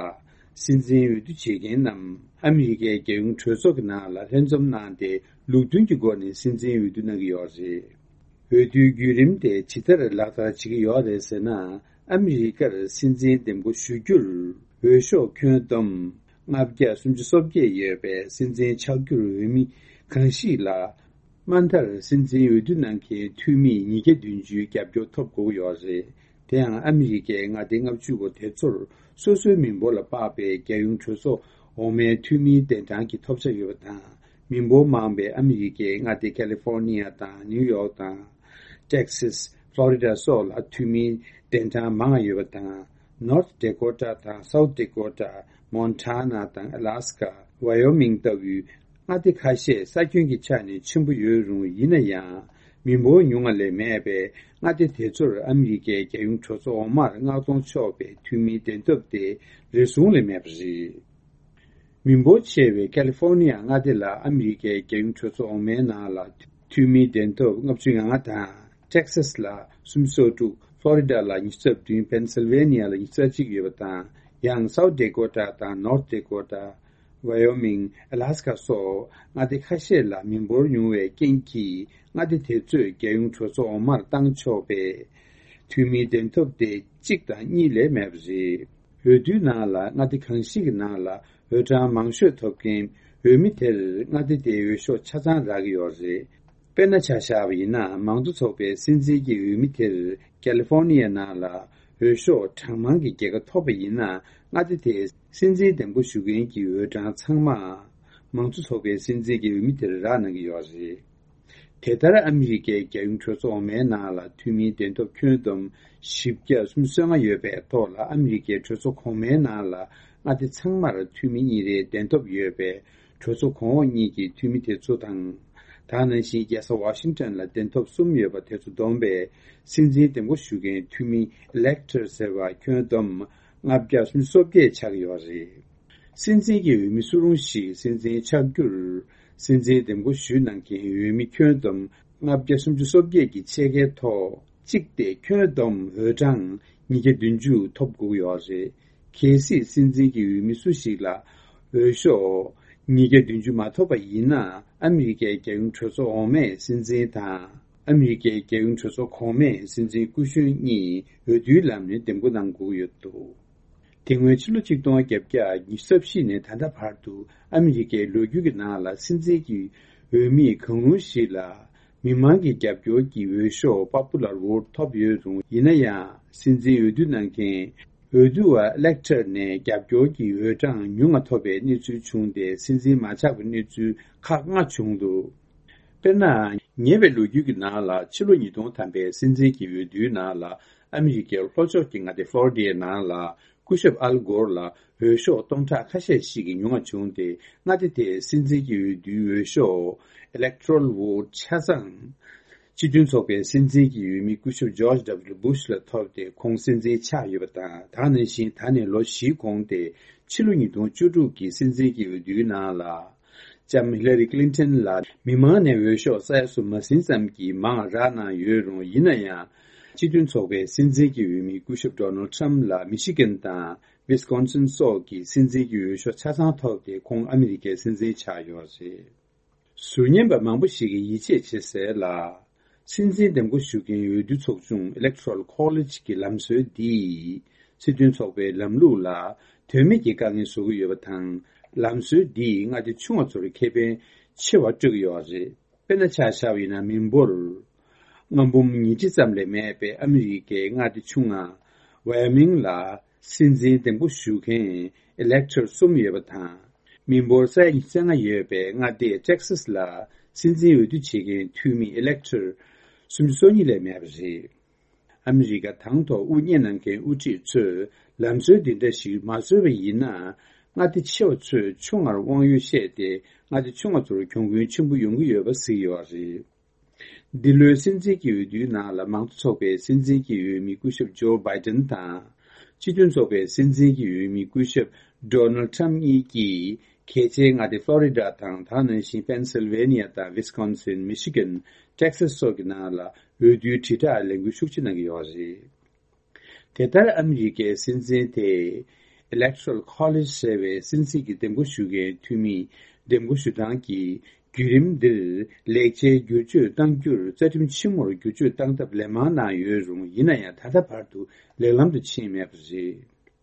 སྲིད་འཛིན་འོས་བསྡུ་བྱེད་མཁན་རྣམས་ཨ་མི་རི་ཀའི་རྒྱལ་ཡོངས་གྲོས་ཚོགས་ཀྱི་ནང་ལ་ལྷན་འཛོམས་གནང་སྟེ། ལུགས་མཐུན་གྱི་སྒོ་ནས་སྲིད་འཛིན་འོས་བསྡུ་གནང་གི་ཡོད་རེད། འོས་བསྡུའི་བརྒྱུད་རིམ་དེ་ཇི་ལྟར་ལག་བསྟར་བྱེད་ཀྱི་ཡོད་རེད་ཟེར་ན། ཨ་མི་རི་ཀར་སྲིད་འཛིན་འདེམས་བསྐོ་ཞུ་རྒྱུར་འོས་ཤོག་ཁྱོན་བསྡོམས་ལྔ་བརྒྱ་སུམ་ཅུ་སོ་བརྒྱད་ཡོད་པའི་སྲིད་འཛིན་ཆགས་རྒྱུར་འོས་མི་གང་ཞིག་ལ། དམའ་མཐར་སྲིད་འཛིན་འོས་བསྡུ་གནང་མཁན་འཐུས་མི་ཉིས་བརྒྱ་བདུན་ཅུའི་རྒྱབ་སྐྱོར་ཐོབ་དགོས་ཀྱི་ཡོད་རེད། དེ་ཡང་ཨ་མི་རི་ཀའི་མངའ་སྡེ་ལྔ་བཅུ་པོ་དེ་ཚོར་སོ་སོའི་མི་འབོར་ལ་དཔག་པའི་རྒྱལ་ཡོངས་གྲོས་ཚོགས་འོག་མའི་འཐུས་མིའི་གདན་གྲངས་ཀྱི་ཐོབ་ཆ་ཡོད་པ་དང་། མི་འབོར་མང་བའི་ཨ་མི་རི་ཀའི་མངའ་སྡེ་ཀ་ལི་ཧྥོར་ནི་ཡ་དང་ནིའུ་ཡོག་དང་། ཏེག་སིས། ཕློ་རི་ཌ་སོགས་ལ་འཐུས་མིའི་གདན་གྲངས་མང་བ་ཡོད་པ་དང་། ནོར་ཐི་ཌེ་ཀོ་ཊ་དང་སའུ་ཐི་ཌེ་ཀོ་ཊ། མོན་ཊ་ན་དང་ཨ་ལ་སི་ཀ། ཝ་ཡོ་མིང་ལྟ་བུའི་མངའ་སྡེ་ཁ་ཤས་ས་ཁྱོན་གྱི་ཆ་ནས་ཆེན་པོ་ཡོད་རུང་། ཡིན་ན་ཡང་མི་འབོར་ཉུང་བ་ལས་མེད་པའི་མངའ་སྡེ་དེ་ཚོར་ཨ་མི་རི་ཀའི་རྒྱལ་ཡོངས་གྲོས་ཚོགས་འོག་མར་མངགས་གཏོང་ཆོག་པའི་འཐུས་མིའི་གདན་ཐོབ་དེ་རེ་ཟུང་ལས་མེད་པ་རེད། མི་འབོར་ཆེ་བའི་ཀ་ལི་ཧྥོར་ནི་ཡ་མངའ་སྡེ་ལ་ཨ་མི་རི་ཀའི་རྒྱལ་ཡོངས་གྲོས་ཚོགས་འོག་མའི་ནང་ལ་འཐུས་མིའི་གདན་ཐོབ་ལྔ་བཅུ་ང་ལྔ་དང་། ཏེག་སཱས་ལ་སུམ་ཅུ་སོ་དྲུག་ཕློ་རི་ཌ་ལ་ཉི་ཤུ་རྩ་བདུན། པེན་སིལ་ཝེ་ནི་ཡ་ལ་ཉི་ཤུ་རྩ་གཅིག་ཡོད་པ་དང་། ཡང་སའུ་ཐི་ཌེ་ཀོ་ཊ་དང་ནོར་ཐི་ཌེ་ཀོ་ཊ། ཝ་ཡོ་མིང་། ཨ་ལ་སི་ཀ་སོགས་མངའ་སྡེ་ཁ་ཤས་ལ་མི་འབོར་ཉུང་བའི་རྐྱེན་གྱིས། མངའ་སྡེ་དེ་ཚོས་རྒྱལ་ཡོངས་གྲོས་ཚོགས་འོག་མར་བཏང་ཆོག་པའི་འཐུས་མིའི་གདན་ཐོབ་དེ་གཅིག་དང་གཉིས་ལས་མེད་པ་རེད། འོས་བསྡུའི་ནང་ལ་མངའ་སྡེ་གང་ཞིག་གི་ནང་ལ་འོས་གྲངས་མང་ཤོས་ཐོབ་མཁན་འོས་མི་དེར་མངའ་སྡེ་དེའི་འོས་ཤོག་ཆ་ཚང་རག་གི་ཡོད་རེད། དཔེར་ན་ཆ་བཞག་པ་ཡིན་ན། མང་གཙོ་ཚོགས་པའི་སྲིད་འཛིན་གྱི་འོས་མི་དེར་ཀ་ལི་ཧྥོར་ནི་ཡའི་ནང་ལ་འོས་ཤོག་གྲངས་མང་གི་རྒྱལ་ཁ་ཐོབ་པ་ཡིན་ན། མངའ་སྡེ་དེའི་སྲིད་འཛིན་འདེམས་བསྐོ་ཞུ་མཁན་གྱི་འོས་གྲངས་ཚང་མ་མང་གཙོ་ཚོགས་པའི་སྲིད་འཛིན་གྱི་འོས་མི་དེར་རག་གནང་གི་ཡོད་རེད། དེ་ལྟར་ཨ་མི་རི་ཀའི་རྒྱལ་ཡོངས་གྲོས་ཚོགས་འོག་མའི་ནང་ལ་འཐུས་མིའི་གདན་ཐོབ་ཁྱོན་བསྡོམས་བཞི་བརྒྱ་སུམ་ཅུ་སོ་ལྔ་ཡོད་པའི་ཐོག་ལ། ཨ་མི་རི་ཀའི་གྲོས་ཚོགས་གོང་མའི་ནང་ལ་མངའ་སྡེ་ཚང་མར་འཐུས་མི་གཉིས་རེའི་གདན་ཐོབ་ཡོད་པའི་གྲོས་ཚོགས་གོང་འོག་གཉིས་ཀྱི་འཐུས་མི་དེ་ཚོ་དང་། ད་ག་ནང་བཞིན་རྒྱལ་ས་ཝ་ཤིང་ཊོན་ལ་གདན་ཐོབ་གསུམ་ཡོད་པ་དེ་ཚོ་བསྡོམས་པས། སྲིད་འཛིན་འདེམས་བསྐོ་ཞུ་མཁན་འཐུས་མི་ཨི་ལེག་ཊར་ཟེར་བ་ཁྱོན་བསྡོམས་ལྔ་བརྒྱ་སུམ་ཅུ་སོ་བརྒྱད་ཆགས་ཀྱི་ཡོད་རེད། སྲིད་འཛིན་གྱི་འོས་མི་སུ་རུང་ཞིག་སྲིད་འཛིན་ཆགས་རྒྱུར། སྲིད་འཛིན་འདེམས་བསྐོ་ཞུས་གནང་མཁན་འོས་མི་ཁྱོན་བསྡོམས་ལྔ་བརྒྱ་སུམ་ཅུ་སོ་བརྒྱད་ཀྱི་ཕྱེད་ཀའི་ཐོག་གཅིག་སྟེ། ཁྱོན་བསྡོམས་འོས་གྲངས་ཉིས་བརྒྱ་བདུན་ཅུ་ཐོབ་དགོས་ཀྱི་ཡོད་རེད། གལ་སྲིད་སྲིད་འཛིན་གྱི་འོས་མི་སུ་ཞིག་ལ་འོས་ཤོག་ཉིས་བརྒྱ་བདུན་ཅུ་མ་ཐོབ་པ་ཡིན་ན། ཨ་མི་རི་ཀའི་རྒྱལ་ཡོངས་གྲོས་ཚོགས་འོག་མའི་སྲིད་འཛིན་དང་། ཨ་མི་རི་ཀའི་རྒྱལ་ཡོངས་གྲོས་ཚོགས་གོང་མའི་སྲིད་འཛིན་སྐུ་གཞོན་གཉིས་འོས་བསྡུའི་ལམ་ནས་འདེམས་བསྐོ་གནང་དགོས་ཀྱི་ཡོད་འདུག་དེ་སྔོན་ཕྱི་ལོ་ཆིག་སྟོང་བརྒྱད་བརྒྱ་ཉི་ཤུ་རྩ་བཞི་ནས་ད་ལྟ་བར་དུ། ཨ་མི་རི་ཀའི་ལོ་རྒྱུས་ཀྱི་ནང་ལ་སྲིད་འཛིན་གྱི་འོས་མི་གང་རུང་ཞིག་ལ་མི་མང་གི་རྒྱབ་སྐྱོར་གྱི་འོས་ཤོག་པོ་པུ་ལར་ཝོ་ཊི་ཐོབ་ཡོད་རུང་། ཡིན་ན་ཡང་སྲིད་འཛིན་འོས་བསྡུ་གནང་མཁན་འོས་བསྡུ་བ་ཨི་ལེག་ཊར་ནས་རྒྱབ་སྐྱོར་གྱི་འོས་གྲངས་ཉུང་ང་ཐོབ་པའི་གནས་ཚུལ་བྱུང་སྟེ། སྲིད་འཛིན་མ་ཆགས་པའི་གནས་ཚུལ་ཁག་ལྔ་བྱུང་འདུག་དཔེར་ན། ཉེ་བའི་ལོ་རྒྱུས་ཀྱི་ནང་ལ། ཕྱི་ལོ་ཉིས་སྟོང་ཐམ་པའི་སྲིད་འཛིན་གྱི་འོས་བསྡུའི་ནང་ལ། ཨ་མི་རི་ཀའི་ལྷོ་ཕྱོགས་ཀྱི་མངའ་སྡེ་ཕློ་རི་ཌའི་ནང་ལ། སྐུ་ཞབས་ཨལ་གོར་ལ་འོས་ཤོག་སྟོང་ཕྲག་ཁ་ཤས་ཤིག་གིས་ཉུང་བ་བྱུང་སྟེ། མངའ་སྡེ་དེའི་སྲིད་འཛིན་གྱི་འོས་བསྡུའི་འོས་ཤོག Electoral Vote ཆ་ཚང་སྤྱི་མཐུན་ཚོགས་པའི་སྲིད་འཛིན་གྱི་འོས་མི་སྐུ་ཞབས་ཇོརྗ་ཌབ་ལུ་བྷུཤ་ལ་ཐོབ་སྟེ། ཁོང་སྲིད་འཛིན་ཆགས་ཡོད་པ་དང་། ད་ག་ནང་བཞིན་ད་ནས་ལོ་བཞིའི་གོང་སྟེ། ཕྱི་ལོ་ཉིས་སྟོང་བཅུ་དྲུག་གི་སྲིད་འཛིན་གྱི་འོས་བསྡུའི་ནང་ལ། ལྕམ་ཧི་ལ་རི་ཀི་ལིན་ཊོན་ལ་མི་མང་ནས་འོས་ཤོག་ས་ཡ་གསུམ་མ་ཟིན་ཙམ་གྱིས་མང་རག་གནང་ཡོད་རུང་། ཡིན་ན་ཡང་། སྤྱི་མཐུན་ཚོགས་པའི་སྲིད་འཛིན་གྱི་འོས་མི་སྐུ་ཞབས་ཌོ་ནལ་ཊམ་ལ་མི་ཤི་གན་དང་ཝི་སི་ཀོན་སིན་སོགས་ཀྱི་སྲིད་འཛིན་གྱི་འོས་ཤོག་ཆ་ཚང་ཐོབ་སྟེ། ཁོང་ཨ་མི་རི་ཀའི་སྲིད་འཛིན་ཆགས་ཡོད་རེད། ཟུར་ཉན་པ་མང་པོ་ཞིག་གིས་ཡིད་ཆེས་བྱེད་སྲིད་ལ། སྲིད་འཛིན་འདེམས་བསྐོ་ཞུ་མཁན་འོས་བསྡུ་ཚོགས་ཆུང་Electoral College གི་ལམ་སྲོལ་འདིས། སྲིད་དོན་ཚོགས་པའི་ལམ་ལུགས་ལ་དོན་མེད་ཀྱི་དཀའ་ངལ་བཟོ་གི་ཡོད་པ་དང་། ལམ་སྲོལ་འདིས་མངའ་སྡེ་ཆུང་བ་ཚོར་ཁེ་ཕན་ཆེ་བ་སྤྲོད་ཀྱི་ཡོད་རེད། དཔེར་ན་ཆ་བཞག་པ་ཡིན་ན། མི་འབོར་ལྔ་འབུམ་ཉིས་ཁྲི་ཙམ་ལས་མེད་པའི་ཨ་མི་རི་ཀའི་མངའ་སྡེ་ཆུང་ང་ཝ་ཡོ་མིང་ལ། སྲིད་འཛིན་འདེམས་བསྐོ་ཞུ་མཁན་ཨི་ལེག་ཊར་གསུམ་ཡོད་པ་དང་། མི་འབོར་ས་ཡ་ཉི་ཤུ་རྩ་ལྔ་ཡོད་པའི་མངའ་སྡེ་ཊེག་སཱས་ལ་སྲིད་འཛིན་འོས་བསྡུ་བྱེད་མཁན་འཐུས་མི་ཨི་ལེག་ཊར་སུམ་ཅུ་སོ་གཉིས་ལས་མེད་པ་རེད། ཨ་མི་རི་ཀ་དང་ཐོག་དབུ་བརྙེས་གནང་མཁན་དབུ་ཁྲིད་ཚོས་ལམ་སྲོལ་འདི་འདྲ་ཞིག་མ་བཟོས་པ་ཡིན་ན། མངའ་སྡེ་ཆེ་བ་ཚོས་ཆུང་ངར་དབང་ཡོད་བཤད་དེ། མངའ་སྡེ་ཆུང་བ་ཚོར་གྱོང་གུན་ཆེན་པོ་ཡོང་གི་ཡོད་པ་གཟིགས་ཡོད་རེད། འདི་ལོའི་སྲིད་འཛིན་གྱི་འོས་བསྡུའི་ནང་ལ་མང་གཙོ་ཚོགས་པའི་སྲིད་འཛིན་གྱི་འོས་མི་སྐུ་ཞབས་ཇོ་བྷའི་ཏན་དང་། སྤྱི་མཐུན་ཚོགས་པའི་སྲིད་འཛིན་གྱི་འོས་མི་སྐུ་ཞབས་ཌོ་ནལ་ཊམ་གཉིས་ཀྱིས་ གལ་ཆེའི་མངའ་སྡེ་ཕློ་རི་ཌ་དང་། ད་ག་ནང་བཞིན་པེན་སིལ་ཝེ་ནི་ཡ་དང་། ཝིས་ཀོན་སིན། མི་ཤི་གན། ཊེག་སཱས་སོགས་ཀྱི་ནང་ལ་འོས་བསྡུའི་དྲིལ་བསྒྲགས་ལས་འགུལ་ཤུགས་ཆེ་གནང་གི་ཡོད་རེད། དེ་ལྟར་ཨ་མི་རི་ཀའི་སྲིད་འཛིན་དེ་Electoral College ཟེར་བའི་སྲིད་འཛིན་གྱི་འདེམས་བསྐོ་ཞུ་མཁན་འཐུས་མིའི་འདེམས་བསྐོ་ཞུ་སྟངས་ཀྱི་བརྒྱུད་རིམ་འདིར་ལེགས་ཆའི་བསྒྱུར་བཅོས་གཏང་རྒྱུར་རྩ་ཁྲིམས་ཆེན་མོར་བསྒྱུར་བཅོས་གཏང་ཐབས་ལན་མང་གནང་ཡོད་རུང་། ཡིན་ན་ཡང་ད་ལྟ་བར་དུ་ལེགས་ལམ་དུ་ཕྱིན་མེད་པ་རེད།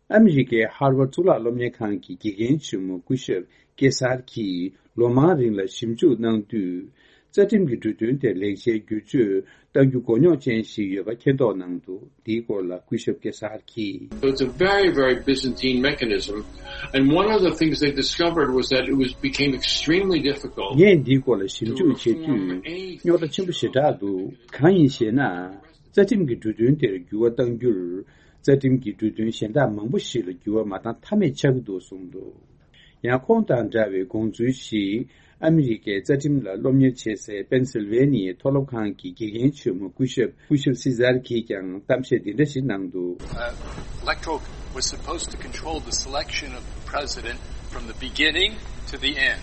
ཨ་མི་རི་ཀའི་ཧར་ཝར་གཙུག་ལག་སློབ་གཉེར་ཁང་གི་དགེ་རྒན་ཆེན་མོ་སྐུ་ཞབས་ཀེ་སར་གྱིས་ལོ་མང་རིང་ལ་ཞིབ་འཇུག་གནང་དུས། རྩ་ཁྲིམས་ཀྱི་འབྲུ་དོན་དེར་ལེགས་ཆའི་བསྒྱུར་བཅོས་གཏང་རྒྱུ་མགོ་རྙོག་ཅན་ཞིག་ཡོད་པ་མཁྱེན་རྟོགས་གནང་འདུག་འདིའི་སྐོར་ལ་སྐུ་ཞབས་ཀེ་སར་གྱིས། So it's a very, very Byzantine mechanism. And one of the things they discovered was that it was, became extremely difficult. ངས་འདིའི་སྐོར་ལ་ཞིབ་འཇུག་བྱེད་དུས་རྙོག་དྲ་ཆེན་པོ་ཞེ་དྲག་འདུག་གང་ཡིན་ཞེ་ན། རྩ་ཁྲིམས་ཀྱི་འབྲུ་དོན་དེར་འགྱུར་བ་གཏང་རྒྱུར། རྩ་ཁྲིམས་ཀྱི་འབྲུ་དོན་གཞན་དག་མང་པོ་ཞིག་ལ་འགྱུར་བ་མ་བཏང་ཐབས་མེད་ཆགས་ཀྱི་འདུག་གསུངས་འདུག་ཡང་ཁོང་དང་འདྲ་བའི་དགོངས་ཚུལ་ཞིག་ཨ་མི་རི་ཀའི་རྩ་ཁྲིམས་ལ་སློབ་གཉེར་བྱེད་སའི་པེན་སིལ་ཝེ་ནི་ཡའི་མཐོ་སློབ་ཁང་གི་དགེ་རྒན་ཆེན་མོ་སྐུ་ཞབས་སྐུ་ཞབས་སི་ཛར་གྱིས་ཀྱང་གཏམ་བཤད་འདི་འདྲ་ཞིག་གནང་འདུག Electoral was supposed to control the selection of the president from the beginning to the end.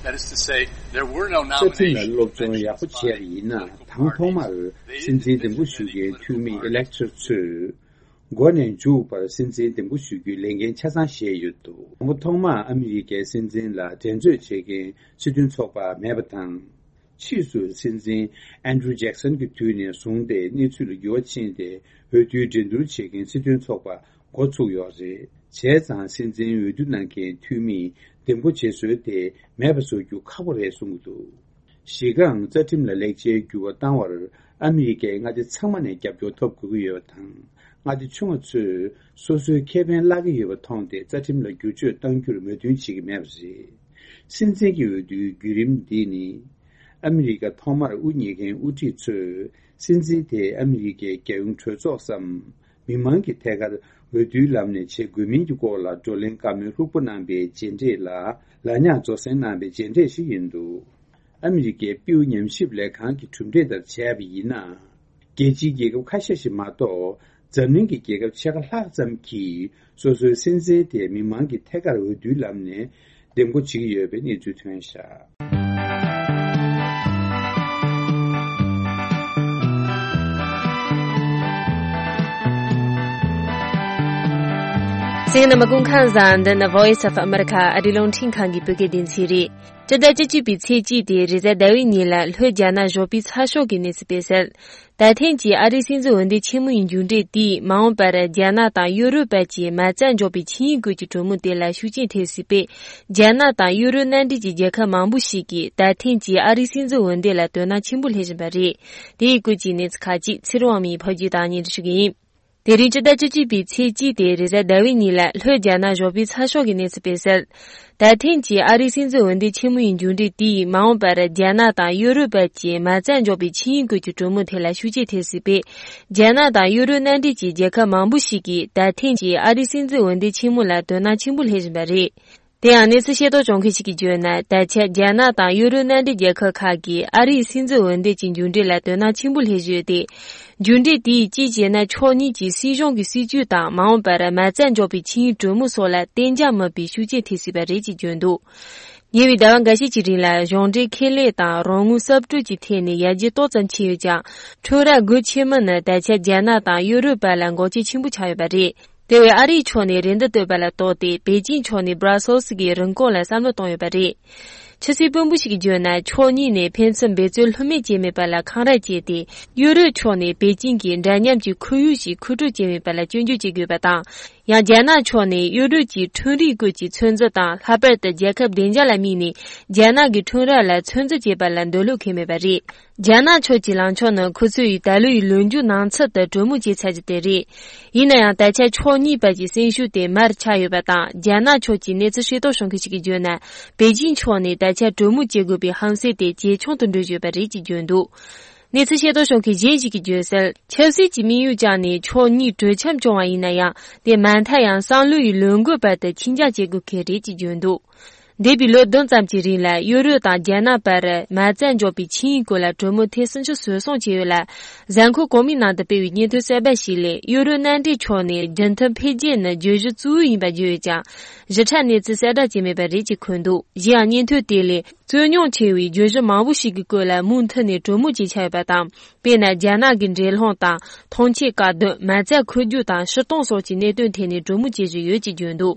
That is to say, there were no རྩ་ཁྲིམས་ལ་nominations. སློབ་སྦྱོང་ཡག་པོ་བྱས་པ་ཡིན་ན། དང་ཐོག་མར་སྲིད་འཛིན་འདེམས་བསྐོ་ཞུ་མཁན་འཐུས་མི་ཨི་ལེག་ཊར་ཚོས་འགོ་ནས་མཇུག་བར་སྲིད་འཛིན་འདེམས་བསྐོ་ཞུ་རྒྱུའི་ལས་འགན་ཆ་ཚང་བཞེས་ཡོད་འདུག་དང་པོ་ཐོག་མར་ཨ་མི་རི་ཀའི་སྲིད་འཛིན་ལ་འགྲན་རྩོད་བྱེད་མཁན་སྲིད་དོན་ཚོགས་པ་མེད་པ་དང་། ཕྱིས་སུ་སྲིད་འཛིན་ཨན་ཌྲུ་ཇེག་སན་གྱི་དུས་ནས་བཟུང་སྟེ་གནས་ཚུལ་ལ་འགྱུར་བ་ཕྱིན་ཏེ། འོས་བསྡུའི་འགྲན་བསྡུར་བྱེད་མཁན་སྲིད་དོན་ཚོགས་པ་འགོ་ཚུགས་ཡོད་རེད། བྱས་ཙང་སྲིད་འཛིན་འོས་བསྡུ་གནང་མཁན་འཐུས་མིས་འདེམས་བསྐོ་བྱེད་སྲོལ་དེ་མེད་པ་བཟོ་རྒྱུ་ཁག་པོ་རེད་གསུངས་ཀྱི་འདུག་གཞི་རྐང་རྩ་ཁྲིམས་ལ་ལེགས་ཆའི་འགྱུར་བ་བཏང་བར་ཨ་མི་རི་ཀའི་མངའ་སྡེ་ཚང་མ་ནས་རྒྱབ་སྐྱོར་ཐོབ་དགོས་ཀྱི་ཡོད་པ་དང་། མངའ་སྡེ་ཆུང་བ་ཚོས་སོ་སོའི་ཁེ་ཕན་བརླག་གི་ཡོད་པ་མཐོང་སྟེ། རྩ་ཁྲིམས་ལ་བསྒྱུར་བཅོས་གཏང་རྒྱུར་མོས་མཐུན་བྱེད་ཀྱི་མེད་པ་རེད། སྲིད་འཛིན་གྱི་འོས་བསྡུའི་བརྒྱུད་རིམ་འདི་ནི། ཨ་མི་རི་ཀ་ཐོག་མར་དབུ་བརྙེས་མཁན་དབུ་ཁྲིད་ཚོས་སྲིད་འཛིན་དེ་ཨ་མི་རི་ཀའི་རྒྱལ་ཡོངས་གྲོས་ཚོགས་སམ། མི་མང་གི་ཐད་ཀར་འོས་བསྡུའི་ལམ་ནས་བྱེད་དགོས་མིན་གྱི་སྐོར་ལ་བགྲོ་གླེང་བཀའ་མོལ་ལྷུག་པོ་གནང་པའི་རྗེས་འབྲས་ལ། ལ་ཉག་རྫོགས་སེང་གནང་པའི་རྗེས་འབྲས་ཤིག་ཡིན་འདུག་ཨ་མི་རི་ཀའི་པིའུ་ཉམས་ཞིབ་ལས་ཁང་གི་གྲུབ་འབྲས་ལྟར་བྱས་པ་ཡིན་ན། རྒྱལ་སྤྱིའི་རྒྱལ་ཁབ་ཁ་ཤས་ཤིག་མ་གཏོགས། འཛམ་གླིང་གི་རྒྱལ་ཁབ་ཕྱེད་ཀ་ལྷག་ཙམ་གྱིས་སོ་སོའི་སྲིད་འཛིན་དེ་མི་མང་གི་ཐད་ཀར་འོས་བསྡུའི་ལམ་ནས་འདེམས་བསྐོ་བྱེད་ཀྱི་ཡོད་པའི་གནས་ཚུལ་ཐོན་བཞག་གསན་མཁན་རྣམ་པ་སྐུ་ཁམས་བཟང་། འདི་ནི་Voice of America ཨ་རིའི་རླུང་འཕྲིན་ཁང་གི་བོད་སྐད་སྡེ་ཚན་རེད། སྤྱི་ཟླ་བཅུ་གཅིག་པའི་ཚེས་གཅིག་དེ་རེས་གཟའ་ཟླ་བའི་ཉིན་ལ་ལྷོ་རྒྱ་ནག་བཞོགས་པའི་ཚགས་ཤོག་གི་གནས་ཚུལ་སྤེལ་གསལ། ད་ཐེངས་ཀྱི་ཨ་རིའི་སྲིད་འཛིན་འོས་འདེམས་ཆེན་མོ་ཡི་མཇུག་འབྲས་དེས་མ་འོངས་པར་རྒྱ་ནག་དང་ཡུ་རོབ་བར་གྱི་མ་རྩ་འཇོག་པའི་ཆིངས་ཡིག་སྐོར་གྱི་གྲོས་མོལ་དེ་ལ་ཤུགས་རྐྱེན་ཐེབས་སྲིད་པས། རྒྱ་ནག་དང་ཡུ་རོབ་མནའ་འབྲེལ་གྱི་རྒྱལ་ཁབ་མང་པོ་ཞིག་གིས་ད་ཐེངས་ཀྱི་ཨ་རིའི་སྲིད་འཛིན་འོས་འདེམས་ལ་དོ་སྣང་ཆེན་པོ་སླེབས་བཞིན་པ་རེད། དེའི་སྐོར་གྱི་གནས་ཚུལ་ཁག་ཅིག་ཚེ་རིང་དབང་མོས་ཕབ་སྒྱུར་དང་སྙན་སྒྲོན་ཞུ་གི་ཡིན། དེ་རིང་སྤྱི་ཟླ་བཅུ་གཅིག་པའི་ཚེས་གཅིག་དེ་རེས་གཟའ་ཟླ་བའི་ཉིན་ལ་ལྷོ་རྒྱ་ནག་བཞོགས་པའི་ཚགས་ཤོག་གི་གནས་ཚུལ་སྤེལ་གསལ། ད་ཐེངས་ཀྱི་ཨ་རིའི་སྲིད་འཛིན་འོས་འདེམས་ཆེན་མོ་ཡི་མཇུག་འབྲས་དེས་མ་འོངས་པར་རྒྱ་ནག་དང་ཡུ་རོབ་བར་གྱི་མ་རྩ་འཇོག་པའི་ཆིངས་ཡིག་སྐོར་གྱི་གྲོས་མོལ་དེ་ལ་ཤུགས་རྐྱེན་ཐེབས་སྲིད་པས། རྒྱ་ནག་དང་ཡུ་རོབ་མནའ་འབྲེལ་གྱི་རྒྱལ་ཁབ་མང་པོ་ཞིག་གིས་ད་ཐེངས་ཀྱི་ཨ་རིའི་སྲིད་འཛིན་འོས་འདེམས་ཆེན་མོ་ལ་དོ་སྣང་ཆེན་པོ་སླེབས་བཞིན་པ་རེད། དེ་ཡང་གནས་ཚུལ་ཤེས་རྟོགས་བྱུང་མཁན་ཞིག་གིས་བརྗོད་ན། ད་ཆ་རྒྱ་ནག་དང་ཡུ་རོབ་མནའ་འབྲེལ་རྒྱལ་ཁབ་ཁག་གིས་ཨ་རིའི་སྲིད་འཛིན་འོས་འདེམས་ཀྱི་མཇུག་འབྲས་ལ་དོ་སྣང་ཆེན་པོ་སླེབས་བཞིན་ཡོད་དེ། མཇུག་འབྲས་དེས་གཅིག་བྱས་ན་ཕྱོགས་གཉིས་ཀྱི་སྲིད་གཞུང་གི་སྲིད་ཇུས་དང་མ་འོངས་པར་མ་རྩ་འཇོག་པའི་ཆིངས་ཡིག་གྲོས་མོལ་སོགས་ལ་གཏན་འཇགས་མིན་པའི་ཤུགས་རྐྱེན་ཐེབས་སྲིད་པ་རེད་ཅེས་བརྗོད་འདུག་ཉེ་བའི་ཟླ་བ་འགའ་ཤས་ཀྱི་རིང་ལ་གཞུང་འབྲེལ་ཁེ་ལས་དང་རོགས་དངུལ་གསབ་སྤྲོད་ཀྱི་ཐད་ནས་ཡར་རྒྱས་ཏོག་ཙམ་ཕྱིན་ཡོད་ཀྱང་། ཁྲོམ་ར་སྒོ་ཕྱེ་མིན་ནི་ད་ཆ་རྒྱ་ནག་དང་ཡུ་རོབ་བར་ལ་འགོག་རྐྱེན་ཆེན་པོ་ཆགས་ཡོད་པ་རེད། དེ་བས་ཨ་རིའི་ཕྱོགས་ནས་རེ་འདུན་བཏོན་པ་ལ་ལྟོས་ཏེ། པེ་ཅིང་ཕྱོགས་ནས་སྦྲ་སེལ་སི་གི་རིན་གོང་ལ་བསམ་བློ་བཏང་ཡོད་པ་རེད། ཕྱི་སྲིད་དཔོན་པོ་ཞིག་གིས་བརྗོད་ན། ཕྱོགས་གཉིས་ནས་ཕན་ཚུན་འབད་བརྩོན་ལྷོད་མེད་བྱས་མེད་པ་ལ་འཁང་ར་བྱས་ཏེ། ཡུ་རོབ་ཕྱོགས་ནས་པེ་ཅིང་གིས་འདྲ་མཉམ་གྱི་ཁོར་ཡུག་ཞིག་མཁོ་སྤྲོད་བྱས་མེད་པ་ལ་སྐྱོན་བརྗོད་བྱེད་དགོས་པ་དང་། ཡང་རྒྱ་ནག་ཕྱོགས་ནས་ཡུ་རོབ་ཀྱི་ཁྲོམ་རའི་སྐོར་གྱི་ཚོད་འཛིན་དང་། ལྷག་པར་དུ་རྒྱལ་ཁབ་བདེ་འཇགས་ལ་དམིགས་ནས་རྒྱ་ནག་གི་ཁྲོམ་ར་ལ་ཚོད་འཛིན་བྱེད་པ་ལ་འདོད་བློ་འཁེལ་མེད་པ་རེད། རྒྱ་ནག་ཕྱོགས་ཀྱི་ལངས་ཕྱོགས་ནི་ཁོ་ཚོ་ཡིས་ད་ལོའི་ལོ་མཇུག་ནང་ཚུད་དུ་གྲོས་མོལ་བྱས་ཚར་རྒྱུ་དེ་རེད། ཡིན་ན་ཡང་ད་ཆ་ཕྱོགས་གཉིས་བར་གྱི་སེམས་ཤུགས་དེ་མར་ཆག་ཡོད་པ་དང་། རྒྱ་ནག་ཕྱོགས་ཀྱི་གནས་ཚུལ་ཤེས་རྟོགས་བྱུང་མཁན་ཞིག་གིས་བརྗོད་ན། པེ་ཅིང་ཕྱོགས་ནས་ད་ཆ་གྲོས་མོལ་བྱེད་དགོས་པའི་ཧམ་སེམས་དེ་ཇེ་ཆུང་དུ་འགྲོ་བཞིན་ཡོད་པ་རེད་ཅེས་བརྗོད་འདུག་གནས་ཚུལ་ཤེས་རྟོགས་བྱུང་མཁན་གཞན་ཞིག་གིས་བརྗོད་གསལ། ཆབ་སྲིད་ཀྱི་དམིགས་ཡུལ་བཅངས་ནས་ཕྱོགས་གཉིས་གྲོས་འཆམ་བྱུང་བ་ཡིན་ན་ཡང་། དེ་མ་མཐའ་ཡང་བསམ་བློ་ཡི་ལས་འགུལ་བར་དུ་ཁྱབ་འཇུག་བྱེད་དགོས་གལ་རེད་ཅེས་བརྗོད་འདུག་འདས་པའི་ལོ་བདུན་ཙམ་གྱི་རིང་ལ་ཡུ་རོབ་དང་རྒྱ་ནག་བར་མ་རྩ་འཇོག་པའི་ཆིངས་ཡིག་སྐོར་ལ་གྲོས་མོལ་ཐེངས་སུམ་ཅུ་སོ་གསུམ་བྱས་ཡོད་ལ། གཟའ་འཁོར་གོང་མའི་ནང་དུ་སྤེལ་བའི་སྙན་ཐོ་གསར་པ་ཞིག་ལས། ཡུ་རོབ་མནའ་འབྲེལ་ཕྱོགས་ནས་རྒྱུན་མཐུད་འཕེལ་རྒྱས་ནི་བརྗོད་གཞི་གཙོ་བོ་ཡིན་པ་བརྗོད་ཡོད་ཀྱང་། ཞིབ་ཕྲ་གནས་ཚུལ་གསལ་བསྒྲགས་བྱས་མེད་པ་རེད་ཅེས་འཁོད་འདུག་གཞན་ཡང་སྙན་ཐོ་དེ་ལས། རྩོད་རྙོག་ཆེ་བའི་བརྗོད་གཞི་མང་པོ་ཞིག་གི་སྐོར་ལ་མུ་མཐུད་ནས་གྲོས་མོལ་བྱེད་འཆར་ཡོད་པ་དང་། དཔེར་ན། རྒྱ་ནག་གི་འགྲན་སློང་དང་ཐོངས་མཆན་བཀག་སྡོམ། མ་རྩ་འཁོར་རྒྱུག་དང་ཕྱིར་གཏོང་སོགས་ཀྱི་གནད་དོན་ཐད་ནས་གྲོས་མོལ་བྱེད་བཞིན་ཡོད་ཅེས་བརྗོད་འདུག་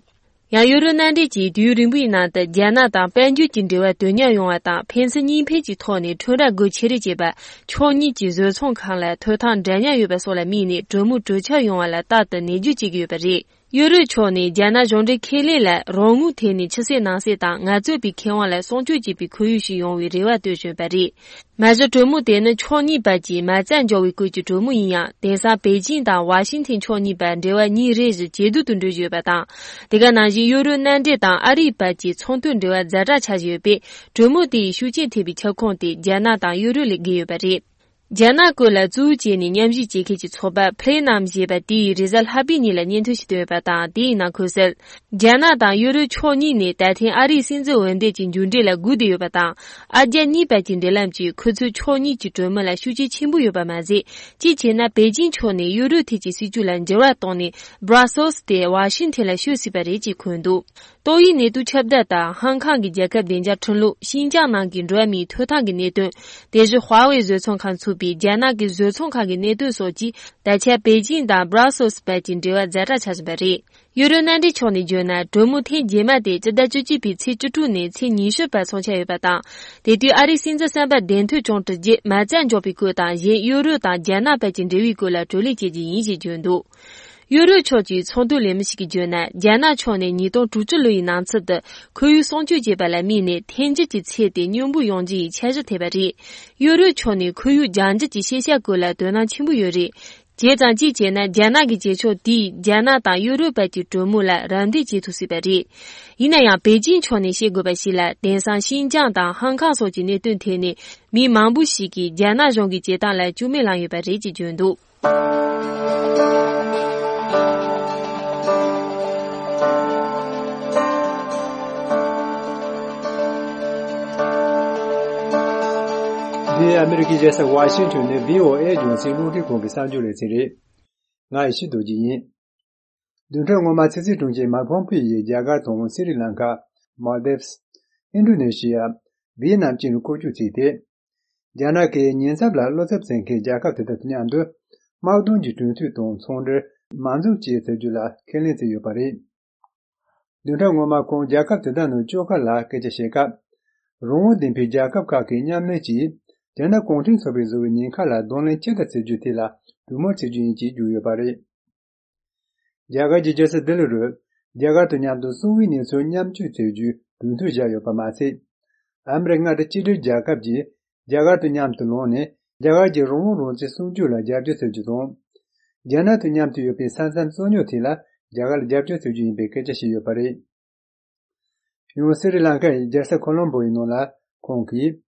ཡང་ཡུ་རོབ་མནའ་འབྲེལ་གྱིས་དུས་ཡུན་རིང་པོའི་ནང་དུ་རྒྱ་ནག་དང་དཔལ་འབྱོར་གྱི་འབྲེལ་བ་དོན་མཉམ་ཡོང་བ་དང་། ཕན་ཚུན་གཉིས་ཕན་གྱི་ཐོག་ནས་ཁྲོམ་ར་སྒོ་ཕྱེ་རེས་བྱེད་པ། ཕྱོགས་གཉིས་ཀྱི་བཟོ་ཚོང་ཁང་ལ་ཐོབ་ཐང་འདྲ་མཉམ་ཡོད་པ་སོགས་ལ་དམིགས་ནས་གྲོས་མོལ་གྲོས་འཆར་ཡོང་བ་ལ་རྟག་ཏུ་ནུས་རྒྱུ་བྱེད་ཀྱི་ཡོད་པ་རེད། ཡུ་རོབ་ཕྱོགས་ནས་རྒྱ་ནག་གཞུང་འབྲེལ་ཁེ་ལས་ལ་རང་ངོས་ཐད་ནས་ཕྱི་གསལ་ནང་གསལ་དང་ངལ་རྩོལ་པའི་ཁེ་དབང་ལ་སྲུང་སྐྱོབ་བྱེད་པའི་ཁོར་ཡུག་ཞིག་ཡོང་བའི་རེ་བ་གཏོད་བཞིན་པ་རེད། མ་གཞི་གྲོས་མོལ་དེ་ནི་ཕྱོགས་གཉིས་བར་གྱི་མ་རྩ་འཇོག་པའི་སྐོར་གྱི་གྲོས་མོལ་ཡིན་ཡང་། དེང་སང་པེ་ཅིང་དང་ཝ་ཤིང་ཐན་ཕྱོགས་གཉིས་བར་འབྲེལ་བ་ཉིན་རེ་བཞིན་ཇེ་སྡུག་ཏུ་འགྲོ་བཞིན་ཡོད་པ་དང་། དེ་ག་ནང་བཞིན་ཡུ་རོབ་མནའ་འབྲེལ་དང་ཨ་རིའི་བར་གྱི་ཚོང་དོན་འབྲེལ་བ་ཛ་དྲག་ཆགས་བཞིན་ཡོད་པས། གྲོས་མོལ་དེ་ཡི་ཤུགས་རྐྱེན་ཐེབས་པའི་ཁྱབ་ཁོངས་དེ་རྒྱ་ནག་དང་ཡུ་རོབ་ལས་བརྒལ་ཡོད་པ་རེད། རྒྱ་ནག་སྐོར་ལ་གཙོ་བོ་བྱས་ནས་མཉམ་ཞུགས་བྱེད་མཁན་གྱི་ཚོགས་པ་Platinum་ཞེས་པ་དེ་ཡིས་རེས་གཟའ་ལྷག་པའི་ཉིན་ལ་སྙན་ཐོ་ཞིག་བཏོན་ཡོད་པ་དང་། དེའི་ནང་འཁོད་གསལ། རྒྱ་ནག་དང་ཡུ་རོབ་ཕྱོགས་གཉིས་ནས་ད་ཐེངས་ཨ་རིའི་སྲིད་འཛིན་འོས་འདེམས་ཀྱི་མཇུག་འབྲས་ལ་སྒུག་བསྡད་ཡོད་པ་དང་། ཨ་རྒྱ་གཉིས་བར་གྱི་འབྲེལ་ལམ་གྱིས་ཁོ་ཚོས་ཕྱོགས་གཉིས་ཀྱི་གྲོས་མོལ་ལ་ཤུགས་རྐྱེན་ཆེན་པོ་ཡོད་པ་མ་ཟད། གཅིག་བྱས་ན་པེ་ཅིང་ཕྱོགས་ནས་ཡུ་རོབ་ཐད་ཀྱི་སྲིད་ཇུས་ལ་འགྱུར་བ་བཏང་ནས། Brussels་དེ་ཝ་ཤིང་ཐན་ལ་ཤོད་སྲིད་པ་རེད་ཅེས་འཁོད་འདུག་ཏོག་དབྱིབས་ནད་དུག་ཁྱབ་གདལ་དང་། ཧང་ཀང་གི་རྒྱལ་ཁབ་བདེ་འཇགས་ཁྲིམས་ལུགས། ཤིན་ཅང་ནང་གི་འགྲོ་བ་མིའི་ཐོབ་ཐང་གི་གནད་དོན། དེ་བཞིན་ཧྭ་ཝེ་བཟོ་ཚོང་ཁང་ཚུགས་པའི་རྒྱ་ནག་གི་བཟོ་ཚོང་ཁང་གི་གནད་དོན་སོགས་ཀྱིས་ད་ཆ་པེ་ཅིང་དང་Brussels་བར་གྱི་འབྲེལ་བ་ཛ་དྲག་ཆགས་བཞིན་པ་རེད། ཡུ་རོབ་མནའ་འབྲེལ་ཕྱོགས་ནས་བརྗོད་ན། གྲོས་མོལ་ཐེངས་རྗེས་མ་དེ་སྤྱི་ཟླ་བཅུ་གཅིག་པའི་ཚེས་བཅུ་དྲུག་ནས་ཚེས་ཉི་ཤུ་བར་འཚོགས་འཆར་ཡོད་པ་དང་། དེ་དུས་ཨ་རིའི་སྲིད་འཛིན་གསར་པ་གདན་ཐོབ་བྱུང་གྲུབ་རྗེས་མ་རྩ་འཇོག་པའི་སྐོར་དང་། གཞན་ཡུ་རོབ་དང་རྒྱ་ནག་བར་གྱི་འབྲེལ་བའི་སྐོར་ལ་གྲོས་གླེང་བྱེད་རྒྱུ་ཡིན་ཞེས་བརྗོད་འདུག་ཡུ་རོབ་ཕྱོགས་ཀྱི་ཚོང་དོན་ལས་མི་ཞིག་གིས་བརྗོད་ན། རྒྱ་ནག་ཕྱོགས་ནས་ཉིས་སྟོང་དྲུག་ཅུ་ལོ་ཡི་ནང་ཚུད་དུ་ཁོར་ཡུག་སྲུང་སྐྱོབ་བྱེད་པ་ལ་དམིགས་ནས། ཐོན་རྒྱུ་གྱི་ཚད་དེ་སྙོམས་པོ་ཡོང་རྒྱུ་ཡི་འཆར་གཞི་ཐེབས་པ་རེད། ཡུ་རོབ་ཕྱོགས་ནས་ཁོར་ཡུག་ལྗང་འགྱུར་གྱི་ཤེས་བྱ་སྐོར་ལ་དོ་སྣང་ཆེན་པོ་ཡོད་རེད། བྱས་ཙང་གཅིག་བྱས་ན། རྒྱ་ནག་གི་བྱེད་ཕྱོགས་དེས་རྒྱ་ནག་དང་ཡུ་རོབ་བར་གྱི་གྲོས་མོལ་ལ་རམ་འདེགས་བྱེད་ཐུབ་སྲིད་པ་རེད། ཡིན་ན་ཡང་། པེ་ཅིང་ཕྱོགས་ནས་ཤེས་དགོས་པ་ཞིག་ལ། དེང་སང་ཤིན་ཅང་དང་ཧང་ཀང་སོགས་ཀྱི་གནད་དོན་ཐད་ནས་མི་མང་པོ་ཞིག་གིས་རྒྱ་ནག་གཞུང་གི་བྱེད་སྟངས་ལ་སྐྱོན་མེད་ལངས་ཡོད་པ་རེད་ཅེས་བརྗོད་འདུག་འདི་ཨ་མི་རི་ཀའི་རྒྱལ་ས་ཝ་ཤིང་ཊོན་ནས་བྷི་ཨོ་ཨེ་རྒྱང་སྲིང་རླུང་འཕྲིན་ཁང་གི་གསར་འགྱུར་ལེ་ཚན་རེད། ང་ཡེ་ཤེས་རྡོ་རྗེ་ཡིན། བདུན་ཕྲག་སྔོན་མ་ཕྱི་སྲིད་དྲུང་ཆེ་མཱིག་ཕོམ་པིའོ་ཡིས་རྒྱ་གར་དང་སི་རི་ལང་ཀ། མོལ་དིབས། ཨིན་ཌོ་ནེ་ཤི་ཡ། ཝི་ཡེ་ནམ་བཅས་ནས་སྐོར་སྐྱོད་བྱས་ཏེ། རྒྱ་ནག་གིས་ཉེན་ཚབས་ལ་བློ་འཚབ་བྱེད་མཁན་རྒྱལ་ཁབ་དེ་དག་དང་མཉམ་དུ། དམག་དོན་གྱི་གྲོས་མཐུན་དང་ཚོང་འབྲེལ་མ་འཛུགས་ཅེས་ཟེར་རྒྱུ་ལ་ཁས་ལེན་བྱས་ཡོད་པ་རེད། བདུན་ཕྲག་སྔོན་མ་ཁོང་རྒྱལ་ཁབ་དེ་དག་ནང་བཅར་ཁ་ལ་སྐད་ཆ་བཤད་སྐབས། རང་དབང་ལྡན་པའི་རྒྱལ་ཁབ་ཁག་གིས་མཉམ་ལས་ཀྱིས་རྒྱ་ནག་གུང་ཁྲན་ཚོགས་པའི་བཟོ་བའི་ཉེན་ཁ་ལ་གདོང་ལེན་ཅི་ལྟར་བྱེད་རྒྱུ་དེ་ལ་གྲོས་མོལ་བྱེད་རྒྱུ་ཡིན་ཅེས་བརྗོད་ཡོད་པ་རེད། རྒྱ་གར་གྱི་རྒྱལ་ས་ལྡི་ལི་རུ། རྒྱ་གར་དང་མཉམ་དུ་གསང་བའི་གནས་ཚུལ་མཉམ་སྤྱོད་བྱེད་རྒྱུའི་གྲོས་མཐུན་བཞག་ཡོད་པ་མ་ཟད། ཨ་མི་རི་ཀ་མངའ་སྡེ་གཅིག་སྒྲིལ་རྒྱལ་ཁབ་ཀྱིས་རྒྱ་གར་དང་མཉམ་དུ་ལངས་ནས། རྒྱ་གར་གྱི་རང་དབང་རང་བཙན་སྲུང་སྐྱོབ་ལ་རྒྱབ་སྐྱོར་བྱེད་རྒྱུ་དང་། རྒྱ་ནག་དང་མཉམ་དུ་ཡོད་པའི་ས་མཚམས་རྩོད་རྙོག་ཐད་ལ་རྒྱ་གར་ལ་རྒྱབ་སྐྱོར་བྱེད་རྒྱུ་ཡིན་པའི་སྐད་ཆ་བཤད་ཡོད་པ་རེད། ཡང་སི་རི་ལང་ཀ་ཡི་རྒྱལ་ས་ཁོ་ལོམ་བོ་ཡི་ནང་ལ་ཁོང་གིས།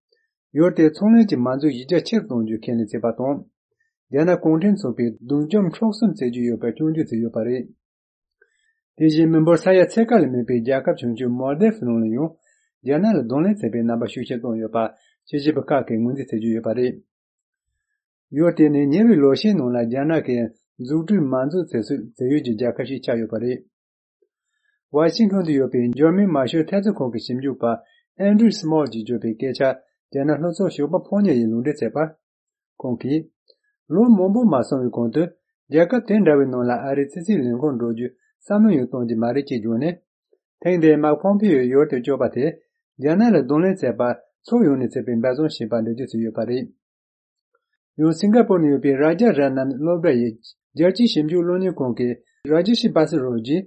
ཡུལ་དེའི་ཚོང་ལས་ཀྱི་མ་འཛུགས་གཞི་རྒྱ་ཆེར་གཏོང་རྒྱུའི་ཁས་ལེན་བྱས་པ་དང་། རྒྱ་ནག་གུང་ཁྲན་ཚོགས་པས་སྡུག་འཇོམས་འཕྲོག་གསུམ་བྱེད་ཀྱི་ཡོད་པར་སྐྱོན་བརྗོད་བྱས་ཡོད་པ་རེད། དེ་བཞིན་མི་འབོར་ས་ཡ་ཕྱེད་ཀ་ལས་མེད་པའི་རྒྱལ་ཁབ་ཆུང་ཆུང་མོལ་དེབ་ནང་ལ་ཡང་། རྒྱ་ནག་ལ་གདོང་ལེན་བྱེད་པའི་རྣམ་པ་ཤུགས་ཆེར་བཏོན་ཡོད་པ་དཔྱད་ཞིབ་པ་ཁག་གིས་ངོས་འཛིན་བྱེད་ཀྱི་ཡོད་པ་རེད། ཡུལ་དེ་ནི་ཉེ་བའི་ལོ་ཤས་ནང་ལ་རྒྱ་ནག་གིས་འཛུགས་སྐྲུན་མ་འཛུགས་བྱེད་སའི་བྱེད་ཡུལ་གྱི་རྒྱལ་ཁབ་ཞིག་ཆགས་ཡོད་པ་རེད། ཝ་ཤིང་ཊོན་དུ་ཡོད་པའི་འཇར་མན་མ་ཤོར་འཐབ་རྩོད་ཁང་གི་ཞིབ་འཇུག་པ་ཨན་ཌྲུ་སི་མོལ་གྱིས་བརྗོད་པའི་སྐད་ཆ་རྒྱ་ནག་ལྷོ་ཕྱོགས་ཞོགས་པ་ཕོ་ཉ་ཡིས་ལུང་འདྲེན་བྱས་པར། ཁོང་གིས། ལོ་མང་པོ་མ་སོང་བའི་གོང་དུ། རྒྱལ་ཁབ་དེ་འདྲ་བའི་ནང་ལ་ཨ་རིའི་ཕྱི་སྲིད་ལས་ཁུངས་འགྲོ་རྒྱུའི་བསམ་བློ་ཡང་གཏོང་རྒྱུ་མ་རེད་ཅེས་བརྗོད་ནས། ཐེངས་འདིའི་མཱིག་ཕོམ་པིའོ་ཡུལ་དུ་བསྐྱོད་པ་དེ། རྒྱ་ནག་ལ་གདོང་ལེན་བྱས་པར་ཕྱོགས་ཡོངས་ནས་བྱས་པའི་འབད་བརྩོན་ཞིག་ཡིན་པར་འགྲེལ་བརྗོད་བྱས་ཡོད་པ་རེད། ཡང་སིང་ག་པོར་ནང་ཡོད་པའི་རཱ་ཇ་ར་ནམ་སློབ་གྲྭ་ཡི་རྒྱལ་སྤྱིའི་ཞིབ་འཇུག་སློབ་གཉེར་ཁང་གི་རཱ་ཇེ་ཤི་བྷ་སི་རོ་ཇིས།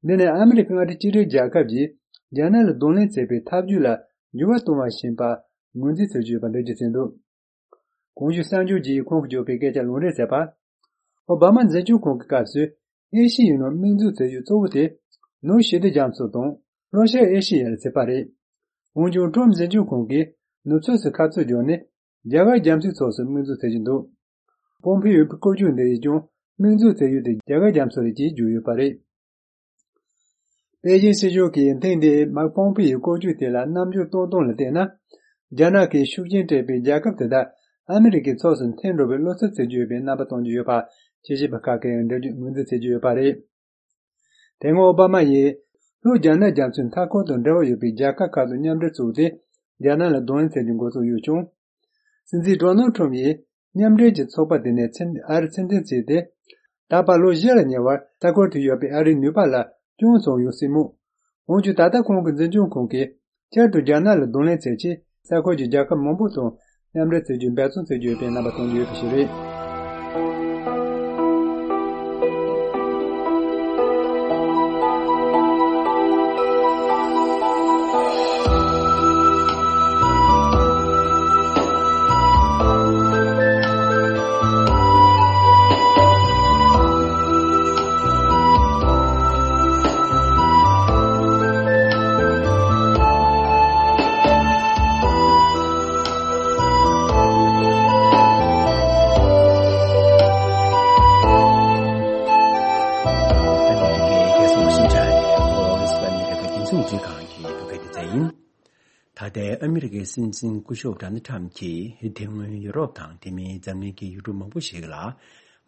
འདི་ནི་ཨ་མི་རི་ཀ་མངའ་སྡེ་གཅིག་སྒྲིལ་རྒྱལ་ཁབ་ཀྱིས་རྒྱ་ནག་ལ་གདོང་ལེན་བྱེད་པའི་ཐབས་ཇུས་ལ་འགྱུར་བ་གཏོང་བ་ཞིག་ཡིན་པར་ངོས་འཛིན་བྱེད་ཀྱི་ཡོད་པ་འགྲེལ་བརྗོད་བྱས་འདུག་གོང་ཞུས་གསར་འགྱུར་གྱིས་ཁོང་གིས་བརྗོད་པའི་སྐད་ཆ་ལུང་འདྲེན་བྱས་པ། ཨོ་བྷ་མ་འཛིན་སྐྱོང་ཁང་གི་སྐབས་སུ་ཨེ་ཤི་ཡའི་ནང་དམིགས་འཛུགས་བྱེད་རྒྱུ་གཙོ་བོ་དེ་ནོར་ཞི་བདེ་རྒྱ་མཚོ་དང་ལྷོ་ཤར་ཨེ་ཤི་ཡ་ལ་བྱེད་པ་རེད། འོན་ཀྱང་ཁྲོམ་འཛིན་སྐྱོང་ཁང་གིས་ནུབ་ཕྱོགས་སུ་ཁ་ཚུར་བརྒྱབ་ནས་རྒྱ་གར་རྒྱ་མཚོའི་ཕྱོགས་སུ་དམིགས་འཛུགས་བྱེད་ཀྱི་འདུག་ཕོམ་ཕིའོ་ཡི་སྐོར་སྐྱོད་འདི་ཡིས་ཀྱང་དམིགས་འཛུགས་བྱེད་ཡུལ་དེ་རྒྱ་གར་རྒྱ་མཚོ་རེད་ཅེས་བརྗོད་ཡོད་པ་རེད། པེ་ཅིན་སྲིད་གཞུང་གིས་ཐེངས་འདིའི་མཱིག་པོམ་པེ་ཡི་བཀོད་ཇུས་དེ་ལ་རྣམ་འགྱུར་གཏོང་སྟངས་ལ་བལྟས་ན། རྒྱ་ནག་གིས་ཤུགས་རྐྱེན་སྤྲད་པའི་རྒྱལ་ཁབ་དེ་དག་ཨ་མི་རི་ཀའི་ཕྱོགས་སུ་འཐེན་འགྲོ་བའི་བློ་འཚབ་བྱེད་ཀྱི་ཡོད་པའི་རྣམ་པ་སྟོན་གྱི་ཡོད་པ། དཔྱད་ཞིབ་པ་ཁག་གིས་འགྲེལ་བརྗོད་ངོས་འཛིན་བྱེད་ཀྱི་ཡོད་པ་རེད། དེ་སྔོན་ཨོ་བྷ་མ་ཡིས་ལྷོ་རྒྱ་ནག་རྒྱ་མཚོའི་མཐའ་འཁོར་དང་འབྲེལ་བ་ཡོད་པའི་རྒྱལ་ཁབ་ཁག་དང་མཉམ་འབྲེལ་བཙུགས་ཏེ། རྒྱ་ནག་ལ་གདོང་ལེན་བྱེད་རྒྱུ་འགོ་ཚུགས་ཡོད་ཀྱང་། སྲིད་འཛིན་ཌོ་ནལ་ཁྲོམ་ཡིས་མཉམ་འབྲེལ་གྱི་ཚོགས་པ་དེ་ནས་ཕྱིར་ཨ་རི་ཕྱིར་འཐེན་བྱས་ཏེ། ད་བར་ལོ་བཞི་ལ་ཉེ་བར་མཐའ་འཁོར་དུ་ཡོད་པའི་ཨ་རིའི་ནུས་པ་ལ་སྐྱོན་བྱུང་ཡོད་སྲིད་མོད། འོན་ཀྱང་ད་ལྟ་ཁོང་གི་འཛིན་སྐྱོང་ཁང་གིས་བསྐྱར་དུ་རྒྱ་ནག་ལ་གདོང་ལེན་བྱེད་ཆེད། ས་ཁུལ་གྱི་རྒྱལ་ཁབ་མང་པོ་དང་མཉམ་འབྲེལ་བྱེད་རྒྱུའི་འབད་བརྩོན་བྱེད་ཀྱི་ཡོད་པའི་རྣམ་པ་སྟོན་གྱི་ཡོད་པ་ཞིག་རེད། ཨ་མི་རི་ཀའི་རྒྱལ་སྲུང་ཤིན་ཅང་གི་Voice of America་རྒྱང་སྲིང་རླུང་འཕྲིན་ཁང་གི་བོད་སྐད་སྡེ་ཚན་ཡིན། ད་ལྟའི་ཨ་མི་རི་ཀའི་སྲིད་འཛིན་སྐུ་ཞབས་ཌོ་ནལ་ཁྲམ་གྱིས་དེ་སྔོན་ཡུ་རོབ་དང་དེ་མིན་འཛམ་གླིང་གི་ཡུལ་གྲུ་མང་པོ་ཞིག་ལ་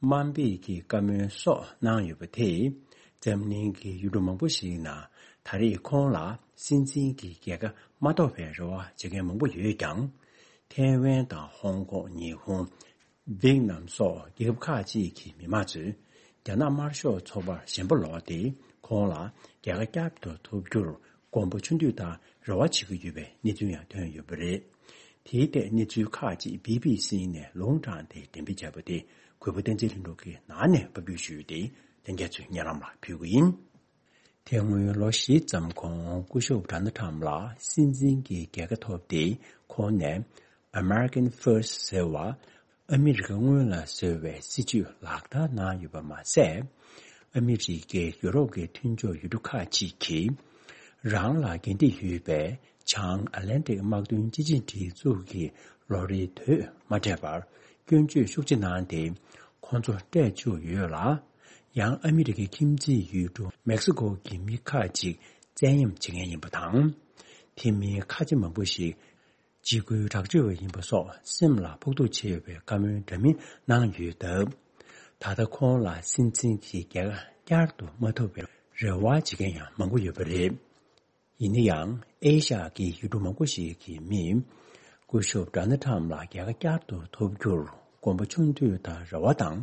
དམའ་འབེབས་ཀྱི་བཀའ་མོལ་སོགས་གནང་ཡོད་པ་དེས། འཛམ་གླིང་གི་ཡུལ་གྲུ་མང་པོ་ཞིག་ནང་ད་རེས་ཁོང་ལ་སྲིད་འཛིན་གྱི་རྒྱལ་ཁ་མ་ཐོབ་པའི་རེ་བ་བྱེད་མཁན་མང་པོ་ཡོད་ཀྱང་། ཐའེ་ཝན་དང་ཧོང་ཀོང་། ཉི་ཧོང་། ཝེད་ནམ་སོགས་རྒྱལ་ཁབ་ཁག་ཅིག་གི་མི་མང་ཚོས་རྒྱ་ནག་དམར་ཤོག་ཚོགས་པར་ཞེན་པ་ལོག་སྟེ། ཁོང་ལ་རྒྱལ་ཁ་བསྐྱར་དུ་ཐོབ་རྒྱུར་དགོངས་པ་ཆུང་དུས་དང་རེ་བ་བྱེད་ཀྱི་ཡོད་པའི་གནས་ཚུལ་ཡང་ཐོན་ཡོད་པ་རེད། དེའི་ཐད་གནས་ཚུལ་ཁག་ཅིག་བི་བི་སི་ནས་ལུང་དྲངས་ཏེ་འགྲེམས་སྤེལ་བྱས་པ་དེ་གུས་པ་བསྟན་འཛིན་ལྷུན་གྲུབ་ཀྱིས་ནང་ནས་ཕབ་སྒྱུར་ཞུས་ཏེ། ལྷན་རྒྱས་ཚོའི་སྙན་ལམ་ལ་ཕུལ་གྱི་ཡིན། དེ་སྔོན་ལོ་བཞི་ཙམ་གོང་སྐུ་ཞབས་ཌོ་ནལ་ཁྲམ་ལ་སྲིད་འཛིན་གྱི་རྒྱལ་ཁ་ཐོབ་སྟེ། ཁོང་ནས་American First་ཟེར་བ། ཨ་མི་རི་ཀ་སྔོན་ལ་ཟེར་བའི་སྲིད་བྱུས་ལག་བསྟར་གནང་ཡོད་པ་མ་ཟད། ཨ་མི་རི་ཀས་ཡུ་རོབ་ཀྱི་མཐུན་ཕྱོགས་ཡུལ་གྲུ་ཁག་ཅིག་གིས་རང་ལ་འགན་འཁྲི་ཡོད་པའི་བྱང་ཨ་ལན་ཏིག་དམག་དོན་སྤྱི་ཆིངས་སྒྲིག་འཛུགས་ཀྱི་ལོ་རེའི་དུས་མ་སྤྲད་པར་སྐྱོན་བརྗོད་ཤུགས་ཆེ་གནང་སྟེ། ཁོང་ཚོ་སྤྲད་བཅུག་ཡོད་ལ། ཡང་ཨ་མི་རི་ཀའི་ཁྱིམ་མཚེས་ཡུལ་གྲུ་མེག་སི་ཀོ་གི་མི་ཁག་ཅིག་བཙན་གཡེམ་བྱེད་མཁན་ཡིན་པ་དང་། དེ་མིན་ཁ་ཆེ་མང་པོ་ཞིག་འཇིགས་སྐུལ་དྲག་སྤྱོད་པ་ཡིན་པ་སོགས་སེམས་ལ་ཕོག་ཐུག་ཆེ་བའི་བཀའ་མོལ་འདྲ་མིན་གནང་ཡོད་སྟབས། ད་ལྟ་ཁོང་ལ་སྲིད་འཛིན་གྱི་རྒྱལ་ཁ་བསྐྱར་དུ་མ་ཐོབ་པའི་རེ་བ་བྱེད་མཁན་ཡང་མང་པོ་ཡོད་པ་རེད། ཡིན་ན་ཡང་ཨེ་ཤ་ཡའི་ཡུལ་གྲུ་མང་པོ་ཞིག་གི་མིས་སྐུ་ཞབས་ཌོ་ནལ་ཁྲམ་ལ་རྒྱལ་ཁ་བསྐྱར་དུ་ཐོབ་རྒྱུར་དགོངས་པ་ཆུང་དུས་དང་རེ་བ་དང་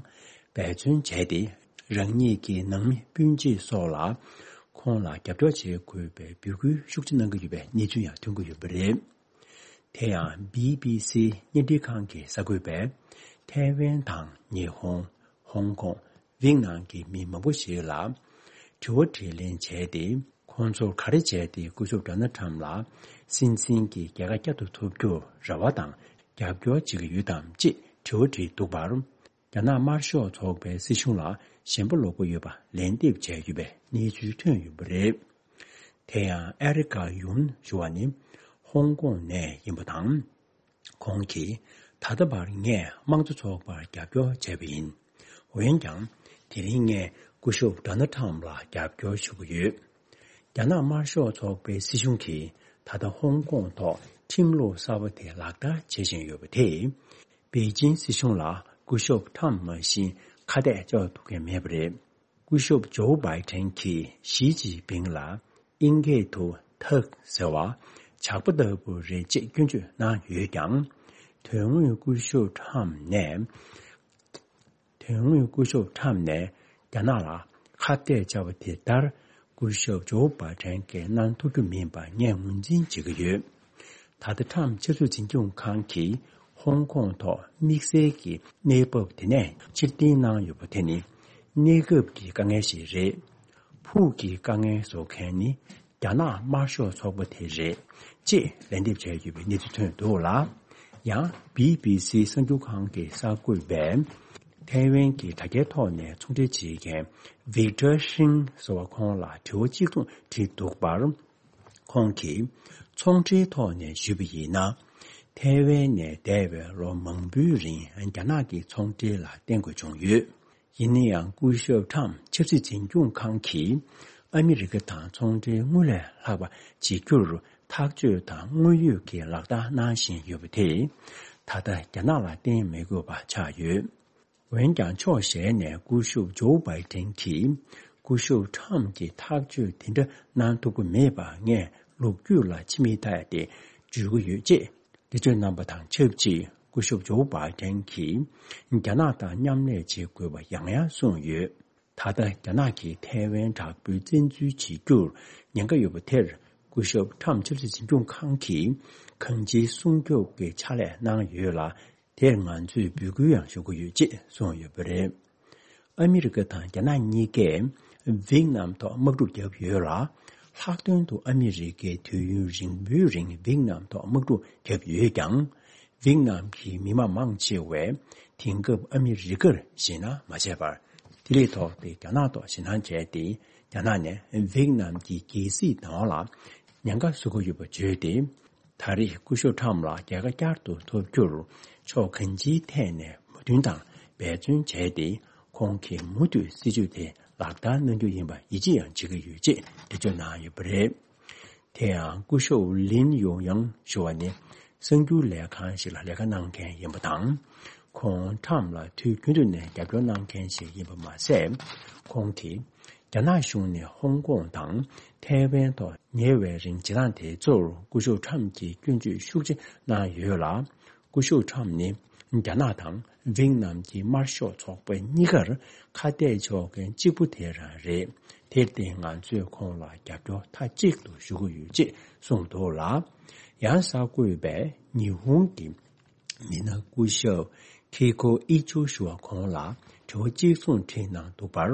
འབད་བརྩོན་བྱས་ཏེ། རང་ཉིད་ཀྱི་ནང་མི་སྤུན་མཆེད་སོགས་ལ་ཁོང་ལ་རྒྱབ་སྐྱོར་བྱེད་དགོས་པའི་འབོད་སྐུལ་ཤུགས་ཆེ་གནང་གི་ཡོད་པའི་གནས་ཚུལ་ཡང་ཐོན་གྱི་ཡོད་པ་རེད། དེ་ཡང་བི་བི་སི་བརྙན་འཕྲིན་ཁང་གི་གསར་འགོད་པས་ཐའེ་ཝན་དང་ཉི་ཧོང་། ཧོང་ཀོང་། ཝེད་ནམ་གྱི་མི་མང་པོ་ཞིག་ལ་དྲི་བ་དྲིས་ལན་བྱས་ཏེ། ཁོང་ཚོར་ག་རེ་བྱས་ཏེ་སྐུ་ཞབས་ཌོ་ནལ་ཁྲམ་ལ་སྲིད་འཛིན་གྱི་རྒྱལ་ཁ་བསྐྱར་དུ་ཐོབ་རྒྱུར་རེ་བ་དང་རྒྱབ་སྐྱོར་བྱེད་ཀྱི་ཡོད་དམ་ཅེས་དྲི་བ་དྲིས་འདུག་པར། རྒྱ་ནག་དམར་ཤོག་ཚོགས་པའི་སྲིད་གཞུང་ལ་ཞེན་པ་ལོག་པ་ཡོད་པ་ལན་འདེབས་བྱས་ཡོད་པའི་གནས་ཚུལ་ཐོན་ཡོད་པ་རེད། དེ་ཡང་ཨེ་རི་ཀ་ཡུན་ཞུ་བ་ནི་ཧོང་ཀོང་ནས་ཡིན་པ་དང་། ཁོང་གིས་ད་ལྟ་བར་ངས་དམངས་གཙོ་ཚོགས་པར་རྒྱབ་སྐྱོར་བྱས་པ་ཡིན། འོན་ཀྱང་དེ་རིང་ངས་སྐུ་ཞབས་ཌོ་ནལ་ཁྲམ་ལ་རྒྱབ་སྐྱོར་ཞུ་གི་ཡོད། རྒྱ་ནག་དམར་ཤོག་ཚོགས་པའི་སྲིད་གཞུང་གིས་ད་ལྟ་ཧོང་ཀོང་ཐོག་ཁྲིམས་ལུགས་གསར་པ་དེ་ལག་བསྟར་བྱེད་བཞིན་ཡོད་པ་དེས། པེ་ཅིན་སྲིད་གཞུང་ལ་སྐུ་ཞབས་ཁྲམ་མ་བཞིན་ཁ་གཏད་གཅོག་ཐུབ་མཁན་མེད་པ་རེད། སྐུ་ཞབས་ཇོ་བྷའི་ཏན་གྱིས་ཞི་ཅིན་ཕིང་ལ་དབྱིན་སྐད་དུ་ཐག་ཟེར་བ་ཇག་པ་ལྟ་བུ་རེད་ཅེས་སྐྱོན་བརྗོད་གནང་ཡོད་ཀྱང་། དོན་དངོས་སྐུ་ཞབས་ཁྲམ་ནས། དོན་དངོས་སྐུ་ཞབས་ཁྲམ་ནས་རྒྱ་ནག་ལ་ཁ་གཏད་བཅག་པ་དེ་ལྟར་སྐུ་ཞབས་ཇོ་བྷའི་ཏན་གྱིས་གནང་ཐུབ་རྒྱུ་མིན་པ་ངས་ངོས་འཛིན་བྱེད་ཀྱི་ཡོད། ད་ལྟ་ཁྲམ་ཆབ་སྲིད་འཛིན་སྐྱོང་ཁང་གིས་ཧོང་ཀོང་ཐོག་དམིགས་བསལ་གྱི་གནས་བབ་དེ་ནས་ཕྱིར་འཐེན་གནང་ཡོད་པ་དེ་ནི་གནས་སྐབས་ཀྱི་དཀའ་ངལ་ཞིག་རེད། ཕུགས་ཀྱི་དཀའ་ངལ་བཟོ་མཁན་ནི་རྒྱ་ནག་དམར་ཤོག་ཚོགས་པ་དེ་རེད་ཅེས་ལན་འདེབས་བྱས་ཡོད་པའི་གནས་ཚུལ་ཐོན་འདུག་ལ། ཡང་བི་བི་སི་གསར་འགྱུར་ཁང་གི་གསར་འགོད་པས་ཐའེ་ཝན་གྱི་དྲ་རྒྱའི་ཐོག་ནས་ཚོང་འབྲེལ་བྱེད་མཁན་ཝིག་ཏར་ཤིང་ཟེར་བ་ཁོང་ལ་དྲི་བ་གཅིག་མཚུངས་དྲིས་འདུག་པར། ཁོང་གིས་ཚོང་འབྲེལ་ཐོག་ནས་ཞུས་པ་ཡིན་ན། ཐའེ་ཝན་ནས་འདས་པའི་ལོ་མང་པོའི་རིང་རྒྱ་ནག་གི་ཚོང་འབྲེལ་ལ་བརྟེན་དགོས་བྱུང་ཡོད། ཡིན་ན་ཡང་སྐུ་ཞབས་ཁྲམ་ཆབ་སྲིད་འཛིན་སྐྱོང་ཁང་གིས་ ཨ་མི་རི་ཀ་དང་ཚོང་འབྲེལ་སྔར་ལས་ལྷག་པ་བྱེད་རྒྱུར་ཐག་གཅོད་དང་དངོས་ཡོད་ཀྱི་ལག་བསྟར་གནང་བཞིན་ཡོད་པ་དེས། ད་ལྟ་རྒྱ་ནག་ལ་བརྟེན་མི་དགོས་པ་ཆགས་ཡོད། འོན་ཀྱང་ཕྱོགས་གཞན་ནས་སྐུ་ཞབས་ཇོ་བྷའི་ཏན་གྱིས་སྐུ་ཞབས་ཁྲམ་གྱིས་ཐག་གཅོད་དེ་འདྲ་གནང་ཐུབ་ཀྱི་མེད་པ་ངས་ལོ་རྒྱུས་ལ་ཕྱི་མིག་ལྟ་ཡ་དེ་འཇུས་ཀྱི་ཡོད་ཅེས་འགྲེལ་བརྗོད་གནང་པ་དང་ཆབས་ཅིག་སྐུ་ཞབས་ཇོ་བྷའི་ཏན་གྱིས་རྒྱ་ནག་དང་མཉམ་ལས་བྱེད་དགོས་པ་ཡང་ཡང་གསུངས་ཡོད། ད་ལྟ་རྒྱ་ནག་གིས་ཐའེ་ཝན་དྲག་པོའི་བཙན་འཛུལ་བྱེད་རྒྱུར་ཉེན་ཁ་ཡོད་པ་དེར་སྐུ་ཞབས་ཁྲམ་ཆབ་སྲིད་འཛིན་སྐྱོང་ཁང་གིས་གང་ཅིའི་སྲུང་སྐྱོབ་ཀྱི་ཕྱག་ལས་གནང་ཡོད་ལ། དེར་ང་ཚོས་འབོད་སྐུལ་ཡང་ཞུ་གི་ཡོད་ཅེས་གསུངས་ཡོད་པ་རེད། ཨ་མི་རི་ཀ་དང་རྒྱ་ནག་གཉིས་ཀས་ཝེད་ནམ་ཐོག་དམག་འཁྲུག་བརྒྱབ་ཡོད་ལ། ལྷག་དོན་དུ་ཨ་མི་རི་ཀས་དུས་ཡུན་རིང་པོའི་རིང་ཝེད་ནམ་ཐོག་དམག་འཁྲུག་བརྒྱབ་ཡོད་ཀྱང་། ཝེད་ནམ་གྱི་མི་དམངས་མང་ཆེ་བས་དེང་སྐབས་ཨ་མི་རི་ཀར་ཞེད་སྣང་མ་བྱས་པར། ལྡི་ལི་ཐོག་སྟེ་རྒྱ་ནག་ཐོག་ཞེད་སྣང་བྱས་ཏེ། རྒྱ་ནག་ནས་ཝེད་ནམ་གྱི་རྒྱལ་སྲིད་བདག་དབང་ལ་ཉེན་ཁ་བཟོ་གི་ཡོད་པ་བརྗོད་དེ། ད་རེས་སྐུ་ཞབས་ཁྲམ་ལ་རྒྱལ་ཁ་བསྐྱར་དུ་ཐོབ་རྒྱུར་ཕྱོགས་གང་ཅིའི་ཐད་ནས་མོས་མཐུན་དང་འབད་བརྩོན་བྱས་ཏེ། ཁོང་གིས་མུ་མཐུད་སྲིད་ཇུས་དེ་ལག་བསྟར་གནང་རྒྱུ་ཡིན་པ་ཡིད་ཆེས་ཡང་བྱེད་ཀྱི་ཡོད་ཅེས་འགྲེལ་བརྗོད་གནང་ཡོད་པ་རེད། དེ་ཡང་སྐུ་ཞབས་ལིན་ཡུང་ཡང་ཞུ་བ་ནི་གསར་འགྱུར་ལས་ཁང་ཞིག་ལ་ལས་ཀ་གནང་མཁན་ཡིན་པ་དང་། ཁོང་ཁྲམ་ལ་དུས་རྒྱུན་དུ་ནས་རྒྱབ་སྐྱོར་གནང་མཁན་ཞིག་ཡིན་པ་མ་ཟད། ཁོང་གིས་རྒྱ་ནག་གཞུང་ནས་ཧོང་ཀོང་དང་ཐའེ་ཝན་ཐོག་ཉེ་བའི་རིང་བྱེད་སྟངས་དེ་ཚོར་སྐུ་ཞབས་ཁྲམ་གྱིས་སྐྱོན་བརྗོད་ཤུགས་ཆེ་གནང་ཡོད་ལ། སྐུ་ཞབས་ཁྲམ་ནི་རྒྱ་ནག་དང་ཝེད་ནམ་གྱི་དམར་ཤོག་ཚོགས་པ་གཉིས་ཀར་ཁ་གཏད་གཅོག་མཁན་གཅིག་པུ་དེ་རང་རེད། དེར་བརྟེན་ང་ཚོས་ཁོང་ལ་རྒྱབ་སྐྱོར་མཐའ་གཅིག་ཏུ་ཞུ་གི་ཡོད་ཅེས་གསུངས་འདུག་ལ། ཡང་གསར་འགོད་པས་ཉི་ཧོང་གི་མི་སྣ་སྐུ་ཞབས་ཁི་ཁོ་ཨི་ཅོ་ཞུ་བ་ཁོང་ལ་དྲི་བ་གཅིག་མཚུངས་དྲིས་གནང་འདུག་པར།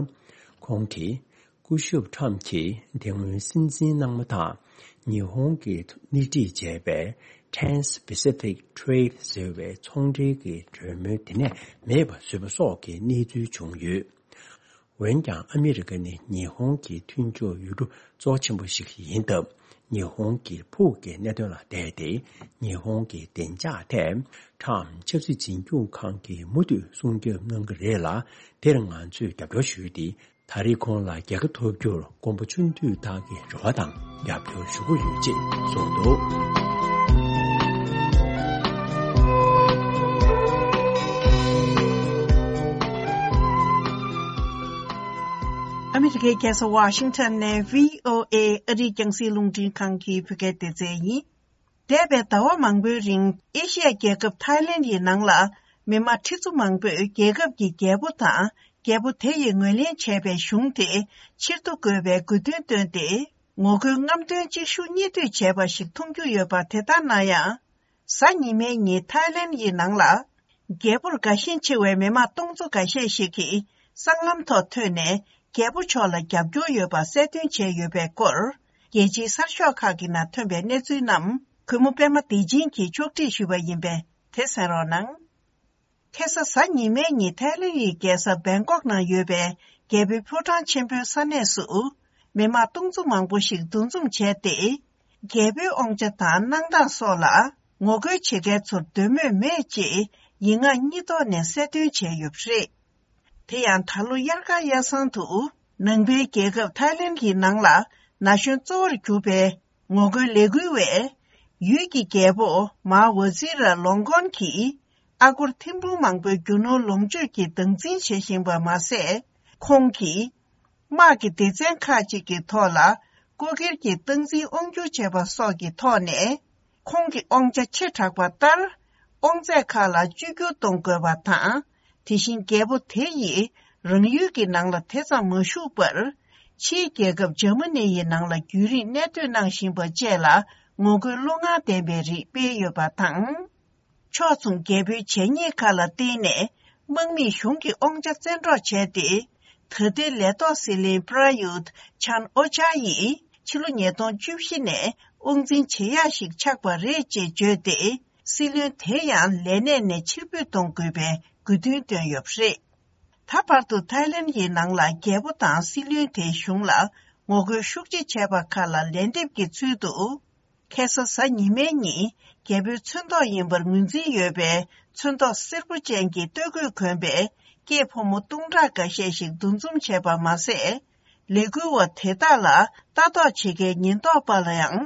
ཁོང་གིས། སྐུ་ཞབས་ཁྲམ་གྱིས་དེ་སྔོན་སྲིད་འཛིན་གནང་མ་ཐག་ཉི་ཧོང་གིས་སྣེ་ཁྲིད་བྱས་པའི་Trans-Pacific Trade ཟེར་བའི་ཚོང་འབྲེལ་གྱི་གྲོས་མོལ་དེ་ནས་མེད་པ་བཟོས་པ་སོགས་ཀྱི་གནས་ཚུལ་བྱུང་ཡོད། འོན་ཀྱང་ཨ་མི་རི་ཀ་ནི་ཉི་ཧོང་གི་མཐུན་ཕྱོགས་ཡུལ་གྲུ་གཙོ་ཆེན་པོ་ཞིག་ཡིན་སྟབས། ཉི་ཧོང་གི་ཕུགས་ཀྱི་གནད་དོན་ལ་བལྟས་ཏེ། ཉི་ཧོང་གི་བདེ་འཇགས་ཐད་ཁྲམ་ཆབ་སྲིད་འཛིན་སྐྱོང་ཁང་གིས་མུ་མཐུད་སྲུང་སྐྱོབ་གནང་གི་རེད་ལ། དེར་ང་ཚོས་རྒྱབ་སྐྱོར་ཞུས་ཏེ། ད་རེས་ཁོང་ལ་རྒྱལ་ཁ་ཐོབ་རྒྱུར་མགོན་པོ་ཆུང་དུས་དག་གི་རེ་བ་དང་རྒྱབ་སྐྱོར་ཞུ་གི་ཡོད་ཅེས་གསུངས་འདུག། ཨ་མི་རི་ཀའི་རྒྱལ་ས་ཝ་ཤིང་ཊོན་ནས་བྷི་ཨོ་ཨེ་ཨ་རིའི་རྒྱང་སྲིང་རླུང་འཕྲིན་ཁང་གི་བོད་སྐད་སྡེ་ཚན་ཡིན། འདས་པའི་ཟླ་བ་མང་པོའི་རིང་ཨེ་ཤི་ཡ་རྒྱལ་ཁབ་ཐའི་ལེན་ཡི་ནང་ལ་མི་དམངས་ཁྲི་ཚོ་མང་པོས་རྒྱལ་ཁབ་ཀྱི་རྒྱལ་པོ་དང་རྒྱལ་པོ་དེ་ཡིས་ངོས་ལེན་བྱས་པའི་གཞུང་དེ་ཕྱིར་བསྡུ་དགོས་པའི་དགོས་འདུན་བཏོན་ཏེ། ངོ་རྒོལ་རྔམ་སྟོན་གཅིག་ཤུགས་གཉིས་མཐུད་བྱས་པ་ཞིག་མཐོང་རྒྱུ་ཡོད་པ་དེ་ལྟར་ན་ཡང་། གཟའ་ཉི་མའི་ཉིན་ཐའི་ལེན་ཡི་ནང་ལ། རྒྱལ་པོར་དགའ་ཞེན་ཆེ་བའི་མི་དམངས་སྟོང་ཚོ་འགའ་ཤས་ཤིག་གིས་སྲང་ལམ་ཐོག་ཐོན་ནས་རྒྱལ་པོ་མཆོག་ལ་རྒྱབ་སྐྱོར་ཡོད་པ་གསལ་སྟོན་བྱས་ཡོད་པའི་སྐོར། རྒྱལ་སྤྱིའི་གསར་ཤོག་ཁག་གི་ནང་ཐོན་པའི་གནས་ཚུལ་རྣམས་གུས་མོ་པད་མ་བདེ་ཆེན་གྱིས་ཕྱོགས་སྒྲིག་ཞུས་པ་ཡིན་པས་དེ་གསན་རོགས་གནང་། ཁ་སང་གཟའ་ཉི་མའི་ཉིན་ཐའི་ལེན་ཡི་རྒྱལ་ས་བེང་ཀོག་ནང་ཡོད་པའི་རྒྱལ་པོའི་ཕོ་བྲང་ཆེན་པོའི་ས་གནས་སུ། མི་དམངས་སྟོང་ཚོ་མང་པོ་ཞིག་འདུ་འཛོམས་བྱས་ཏེ། རྒྱལ་པོའི་དབང་ཆ་དང་གནང་སྟངས་སོགས་ལ་ངོ་རྒོལ་བྱེད་མཁན་ཚོར་འདོད་མོས་མེད་ཅེས་ཡིག་ངག་གཉིས་ཐོག་ནས་གསལ་སྟོན་བྱས་ཡོད་པ་རེད། དེ་ཡང་ད་ལོ་དབྱར་ཁ་གཡའ་སང་དུ་ནང་པའི་རྒྱལ་ཁབ་ཐའི་ལེན་གྱི་ནང་ལ་ན་གཞོན་གཙོ་བོར་གྱུར་པའི་ངོ་རྒོལ་ལས་འགུལ་བས། ཡུལ་གྱི་རྒྱལ་པོ་མཱ་ཝ་ཛི་ར་ལོང་ཀོན་གྱིས་ཨ་སྒོར་ཐེར་འབུམ་མང་པོའི་རྒྱུ་ནོར་ལོངས་སྤྱོད་ཀྱི་སྟངས་འཛིན་བྱེད་བཞིན་པ་མ་ཟད། ཁོང་གིས། དམག་གི་སྡེ་ཚན་ཁག་ཅིག་གི་ཐོག་ལ་ལྐོག་འཁྱེར་གྱིས་སྟངས་འཛིན་དབང་སྒྱུར་བྱས་པ་སོགས་ཀྱི་ཐོག་ནས། ཁོང་གི་དབང་ཆ་ཆེ་དྲགས་པ་ལྟར། དབང་ཚད་ཁག་ལ་བཅོས་བསྒྱུར་གཏོང་དགོས་པ་དང་། དེ་བཞིན་རྒྱལ་པོ་དེ་ཡིས་རང་ཡུལ་གྱི་ནང་ལ་དེ་ཙམ་མ་བཞུགས་པར། ཕྱིའི་རྒྱལ་ཁབ་འཇར་མ་ནི་ཡི་ནང་ལ་རྒྱུན་རིང་གནས་སྡོད་གནང་བཞིན་པ་བཅས་ལ་ངོ་རྒོལ་བློ་ངར་ལྡན་པའི་རིགས་སྤེལ་ཡོད་པ་དང་། ཕྱོགས་མཚུངས་རྒྱལ་པོའི་བྱས་ཉེས་ཁག་ལ་བརྟེན་ནས་དམག་མིས་གཞུང་གི་དབང་ཆ་བཙན་འཕྲོག་བྱས་ཏེ། ད་ལྟའི་ལས་ཐོག་སྲིད་བློན་པྲ་ཡུད་ཆན་ཨོ་ཅཱ་ཡིས་ཕྱི་ལོ་ཉིས་སྟོང་བཅུ་བཞི་ནས་དབང་འཛིན་བྱེད་ཡག་ཞིག་ཆགས་པ་རེད་ཅེས་བརྗོད་དེ། སྲིད་བློན་དེ་ཡང་ལས་གནས་ནས་ཕྱིར་འབུད་གཏོང་དགོས་པའི་དགོས་འདུན་བཏོན་ཡོད་པ་རེད། ད་བར་དུ་ཐའི་ལེན་གྱི་ནང་ལ་རྒྱལ་པོ་དང་སྲིད་བློན་དེའི་གཞུང་ལ་ངོ་རྒོལ་ཤུགས་ཆེ་བྱས་པ་ཁག་ལ་ལན་འདེབས་ཀྱི་ཚུལ་དུ། ཁ་སང་གཟའ་ཉི་མའི་ཉིན་རྒྱལ་པོའི་ཚོན་མདོག་ཡིན་པར་ངོས་འཛིན་ཡོད་པའི་ཚོན་མདོག་སེར་པོ་ཅན་གྱི་སྟོད་གོས་གོན་པའི་སྐྱེས་ཕོ་མོ་སྟོང་ཕྲག་འགའ་ཤས་ཤིག་འདུ་འཛོམས་བྱས་པ་མ་ཟད། ལས་འགུལ་བ་དེ་དག་ལ་ལྟ་རྟོག་བྱེད་མཁན་ཉེན་རྟོག་པ་ལ་ཡང་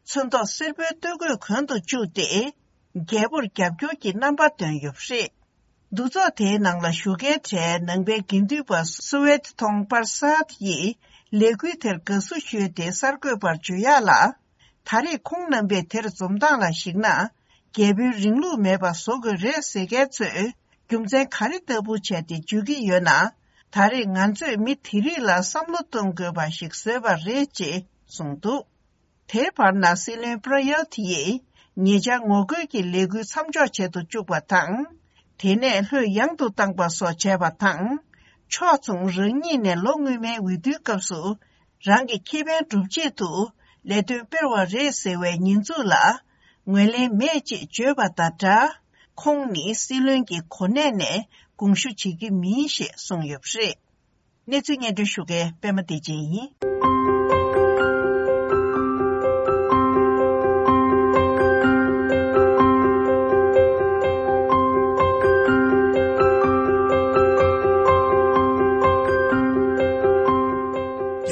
ཚོན་མདོག་སེར་པོའི་སྟོད་གོས་གོན་དུ་བཅུག་སྟེ། རྒྱལ་པོར་རྒྱབ་སྐྱོར་གྱི་རྣམ་པ་སྟོན་ཡོད་པ་རེད། འདུ་ཚོགས་དེའི་ནང་ལ་ཞུགས་མཁན་གྲས་ནང་པའི་དགེ་འདུན་པ་སུ་ཝེད་ཐོང་པར་སཱད་ཡིས་ལས་འགུལ་དེར་དགའ་བསུ་ཞུས་ཏེ་གསར་འགོད་པར་བརྗོད་ཡག་ལ། ད་རེས་ཁོང་རྣམ་པས་དེར་འཛོམས་སྟངས་ལ་གཞིགས་ན། རྒྱལ་པོའི་རིང་ལུགས་མེད་པ་བཟོ་དགོས་རེད་ཟེར་མཁན་ཚོས་རྒྱུ་མཚན་ག་རེ་ལྟ་བུ་བྱས་ཏེ་བརྗོད་ཀྱི་ཡོད་ན། ད་རེས་ང་ཚོས་མི་དེ་རིགས་ལ་བསམ་བློ་གཏོང་དགོས་པ་ཞིག་བཟོས་པ་རེད་ཅེས་གསུངས་འདུག་དེའི་བར་ན་སྲིད་བློན་པྲ་ཡོད་ཡིས་ཉེ་ཆར་ངོ་རྒོལ་གྱི་ལས་འགུལ་མཚམས་འཇོག་བྱེད་དུ་བཅུག་པ་དང་། དེ་ནས་ལྷོད་ཡངས་དུ་བཏང་པ་སོགས་བྱས་པ་དང་། ཕྱོགས་མཚུངས་རང་ཉིད་ནས་ལོ་སྔོན་མའི་འོས་བསྡུའི་སྐབས་སུ་རང་གི་ཁེ་ཕན་སྒྲུབ་ཆེད་དུ་ལས་དོན་སྤེལ་བ་རེད་ཟེར་བའི་ཉེས་འཛུགས་ལ་ངོས་ལེན་མེད་ཅེས་བརྗོད་པ་དང་སྦྲགས། ཁོང་ནི་སྲིད་བློན་གྱི་གོ་གནས་ནས་དགོངས་ཞུ་བྱེད་ཀྱི་མིན་ཞེས་གསུངས་ཡོད་པ་རེད། གནས་ཚུལ་སྙན་སྒྲོན་ཞུ་མཁན་པད་མ་བདེ་ཆེན་ཡིན།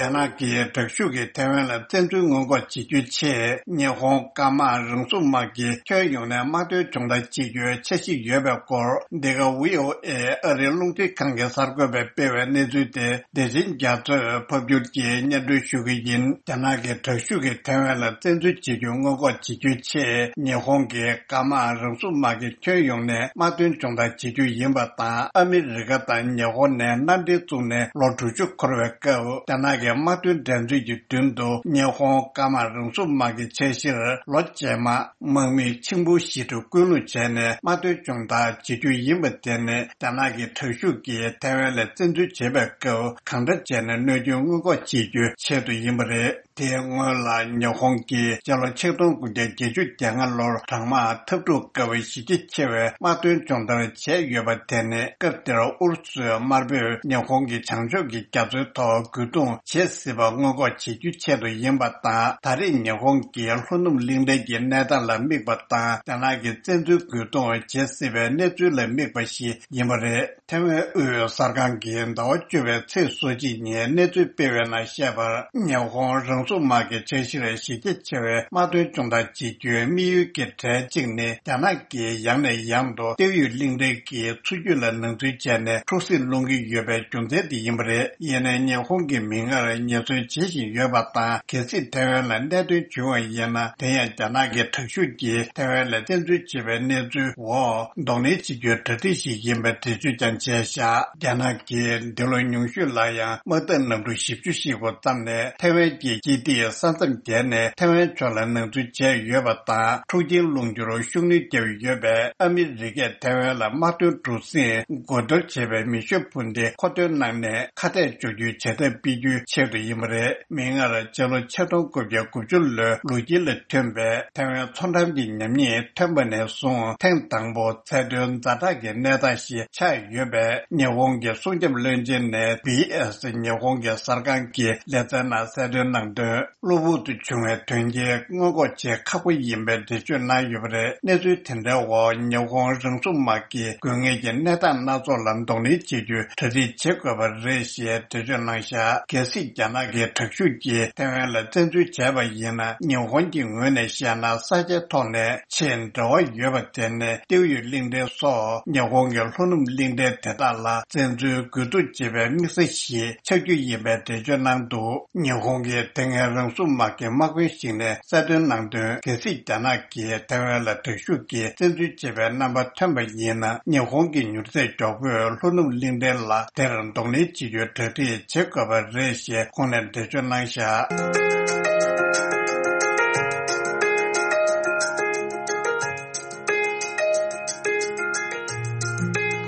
རྒྱ་ནག་གིས་དྲག་ཤུགས་ཀྱིས་ཐའེ་ཝན་ལ་བཙན་འཛུལ་སྔོན་འགོག་བྱེད་རྒྱུའི་ཆེད། ཉི་ཧོང་ཀརྨ་རང་སྲུང་དམག་གིས་ཁྱོན་ཡོངས་ནས་དམག་དོན་སྦྱོང་བརྡར་བྱེད་རྒྱུའི་འཆར་གཞི་ཡོད་པའི་སྐོར། འདི་ག་ཝི་ཨོ་ཨེ་ཨ་རིའི་རླུང་འཕྲིན་ཁང་གི་གསར་འགོད་པས་སྤེལ་བའི་གནས་ཚུལ་དེ། བདེ་ཆེན་རྒྱ་མཚོས་ཕབ་སྒྱུར་གྱིས་སྙན་སྒྲོན་ཞུ་གི་ཡིན། རྒྱ་ནག་གི་དྲག་ཤུགས་ཀྱིས་ཐའེ་ཝན་ལ་བཙན་འཛུལ་བྱེད་རྒྱུ་སྔོན་འགོག་བྱེད་རྒྱུའི་ཆེད། ཉི་ཧོང་གི་ཀརྨ་རང་སྲུང་དམག་གིས་ཁྱོན་ཡོངས་ནས་དམག་དོན་སྦྱོང་བརྡར་བྱེད་རྒྱུ་ཡིན་པ་དང་། ཨ་མི་རི་ཀ་དང་ཉི་ཧོང་ནས་མནའ་འབྲེལ་བཙུགས་ནས་ལོ་དྲུག་ཅུ་འཁོར་བའི་སྐབས། རྒྱ་ནག་གི་དམག་དོན་འགྲན་རྩོད་ཀྱི་མདུན་དུ་ཉི་ཧོང་ཀརྨ་རང་སྲུང་དམག་གི་འཆར་གཞིར་ལོ་རྗེས་མ་དམག་མི་ཆིང་ཕུའུ་ཞི་ཀྲུའུ་སྐུལ་སློང་བྱས་ནས་དམག་དོན་སྦྱོང་བརྡར་བྱེད་རྒྱུ་ཡིན་པ་དེ་ནི། རྒྱ་ནག་གི་དྲག་ཤུགས་ཀྱིས་ཐའེ་ཝན་ལ་བཙན་འཛུལ་བྱེད་པའི་སྐབས་གང་འདྲ་བྱས་ནས་གནོད་སྐྱོན་སྔོན་འགོག་བྱེད་རྒྱུའི་ཆེད་དུ་ཡིན་པ་རེད། དེའི་སྔོན་ལ་ཉི་ཧོང་གིས་སྤྱི་ལོ་ཆིག་སྟོང་དགུ་བརྒྱ་བརྒྱད་ཅུ་གྱ་ལྔ་ལོར་གྲང་དམག་འཐབ་འཁྲུག་སྐབས་གཞི་རྒྱ་ཆེ་བའི་དམག་དོན་སྦྱོང་བརྡར་བྱས་ཡོད་པ་དེ་ནི། སྐབས་དེར་ཨུ་རུ་སུའི་དམར་པོས་ཉི་ཧོང་གི་བྱང་ཕྱོགས་ཀྱི་རྒྱ་མཚོའི་ཐོག་རྒོལ་རྡུང་བྱེད་སྲིད་པ་སྔོན་འགོག་བྱེད་རྒྱུའི་ཆེད་དུ་ཡིན་པ་དང་། ད་རེས་ཉི་ཧོང་གིས་ལྷོ་ནུབ་གླིང་ཕྲན་གྱི་གནས་སྟངས་ལ་དམིགས་པ་དང་། རྒྱ་ནག་གིས་བཙན་འཛུལ་རྒོལ་རྡུང་བྱེད་སྲིད་པའི་གནས་ཚུལ་ལ་དམིགས་པ་ཞིག་ཡིན་པ་རེད། ཐའེ་ཝན་དབུས་གསར་ཁང་གིས་ཟླ་བ་བཅུ་པའི་ཚེས་སོ་གཅིག་ཉིན་གནས་ཚུལ་སྤེལ་བའི་ནང་བཤད་པར། ཉི་ཧོང་རང་སྲུང་དམག་གི་འཆར་གཞིར་གཞི་རྒྱ་ཆེ་བའི་དམག་དོན་སྦྱོང་བརྡར་བྱེད་རྒྱུའི་དམིགས་ཡུལ་གྱི་གྲས་གཅིག་ནི། རྒྱ་ནག་གིས་ཡང་ནས་ཡང་དུ་ཏེའུ་ཡུས་གླིང་ཕྲན་གྱི་མཚོ་རྒྱུད་ལ་ནང་འཛུལ་བྱས་ནས་འཁྲུག་སྲིད་སློང་གི་ཡོད་པའི་རྒྱུ་མཚན་དེ་ཡིན་པ་རེད། ཡིན་ནའི་ཉི་ཧོང་གིས་མིག་སྔར་ཉེས་འཛུགས་བྱེད་བཞིན་ཡོད་པ་དང་། གལ་སྲིད་ཐའེ་ཝན་ལ་གནད་དོན་བྱུང་བ་ཡིན་ན། དེ་ཡང་རྒྱ་ནག་གི་དྲག་ཤུགས་ཀྱིས་ཐའེ་ཝན་ལ་བཙན་འཛུལ་བྱེད་པའི་གནས་ཚུལ་འོག་གདོང་ལེན་བྱེད་རྒྱུའི་གྲ་སྒྲིག་ཞིག་ཡིན་པའི་འགྲེལ་བརྗོད་ཀྱང་བྱས་བཞག་རྒྱ་ནག་གིས་འདི་ལོ་ཉུང་ཤོས་ལ་ཡང་དམག་འཐབ་གནམ་གྲུ་བཞི་བཅུ་ཞིག་གོ་བརྩམས་ནས། ཐའེ་ཝན་གྱི་སྐྱིད་སྡེའི་ས་མཚམས་བརྒལ་ནས་ཐའེ་ཝན་ཕྱོགས་ལ་ནང་འཛུལ་བྱས་ཡོད་པ་དང་། འཁྲུག་རྐྱེན་སློང་རྒྱུར་ཤུགས་སྣོན་བརྒྱབ་ཡོད་པས། ཨ་མི་རི་ཀས་ཐའེ་ཝན་ལ་དམག་དོན་གྲུ་གཟིངས་རྒོལ་རྡོལ་བྱས་པའི་མེ་ཤུགས་འཕུར་མདེལ་མཁོ་འདོན་གནང་ནས་ཁ་གཏད་གཅོག་རྒྱུའི་བྱེད་ཐབས་སྤེལ་རྒྱུའི་ཆེད་དུ་ཡིན་པ་རེད། མིག་སྔར་ཕྱི་ལོ་ཆིག་སྟོང་དགུ་བརྒྱ་དགུ་བཅུ་ལོའི་ལོ་དཀྱིལ་ལ་ཐོན་པའི་ཐའེ་ཝན་མཚོ་འགྲམ་གྱི་ཉམས་ཉེས་ཐོན་པ་ནས་བཟུང་ཐེངས་དང་པོ་ཚད་མཐོའི་ཛ་དྲག་གི་གནས་སྟངས་ཤིག་ཆགས་ཡོད་པས། ཉི་ཧོང་གི་སྲུང་སྐྱོབ་བློན་ཆེན་ནས་བི་ཨེ་སི་ཉི་ཧོང་གི་གསར་ཁང་གི་ལེ་ཚན་ནང་གསལ་སྟོན་གནང་དོན། གློ་བུར་དུ་བྱུང་བའི་དོན་རྐྱེན་སྔོན་འགོག་བྱེད་ཁག་པོ་ཡིན་པའི་འགྲེལ་བརྗོད་གནང་ཡོད་པ་རེད། གནས་ཚུལ་དེ་འདྲའི་འོག་ཉི་ཧོང་རང་སྲུང་དམག་གིས་དགོས་ངེས་ཀྱི་གནས་སྟངས་སྣ་ཚོགས་ལ་གདོང་ལེན་བྱེད་རྒྱུའི་གྲ་སྒྲིག་བྱེད་དགོས་པ་རེད་ཞེས་འགྲེལ་བརྗོད་གནང་བཞག་གལ་སྲིད་རྒྱ་ནག་གི་དྲག་ཤུགས་ཀྱིས་ཐའེ་ཝན་ལ་བཙན་འཛུལ་བྱས་པ་ཡིན་ན། ཉི་ཧོང་གི་ངོས་ནས་བཤད་ན། ས་ཆའི་ཐོག་ནས་ཆེས་འབྲེལ་བ་ཡོད་པ་དེ་ནི་ཏེའུ་ཡུས་གླིང་ཕྲན་སོགས་ཉི་ཧོང་གི་ལྷོ་ནུབ་གླིང་ཕྲན་དེ་དག་ལ་བཙན་འཛུལ་རྒོལ་རྡུང་བྱེད་པའི་དམིགས་ས་ཞིག་ཆགས་རྒྱུ་ཡིན་པའི་འགྲེལ་བརྗོད་གནང་འདུག་ཉི་ཧོང་གི་དེ་སྔའི་རང་སྲུང་དམག་གི་དམག་དཔོན་ཞིག་ནས་གསལ་སྟོན་གནང་དོན། གལ་སྲིད་རྒྱ་ནག་གིས་ཐའེ་ཝན་ལ་དྲག་ཤུགས་ཀྱིས་བཙན་འཛུལ་བྱེད་པའི་རྣམ་པ་ཐོན་པ་ཡིན་ན། ཉི་ཧོང་གི་མྱུར་ཚད་མགྱོགས་པོས་ལྷོ་ནུབ་གླིང་ཕྲན་ལ་དེར་གདོང་ལེན་བྱེད་རྒྱུའི་གྲ་སྒྲིག་བྱེད་དགོས་པ་རེད་ཞེས་ཁོང་ནས་འགྲེལ་བརྗོད་གནང་བཞག་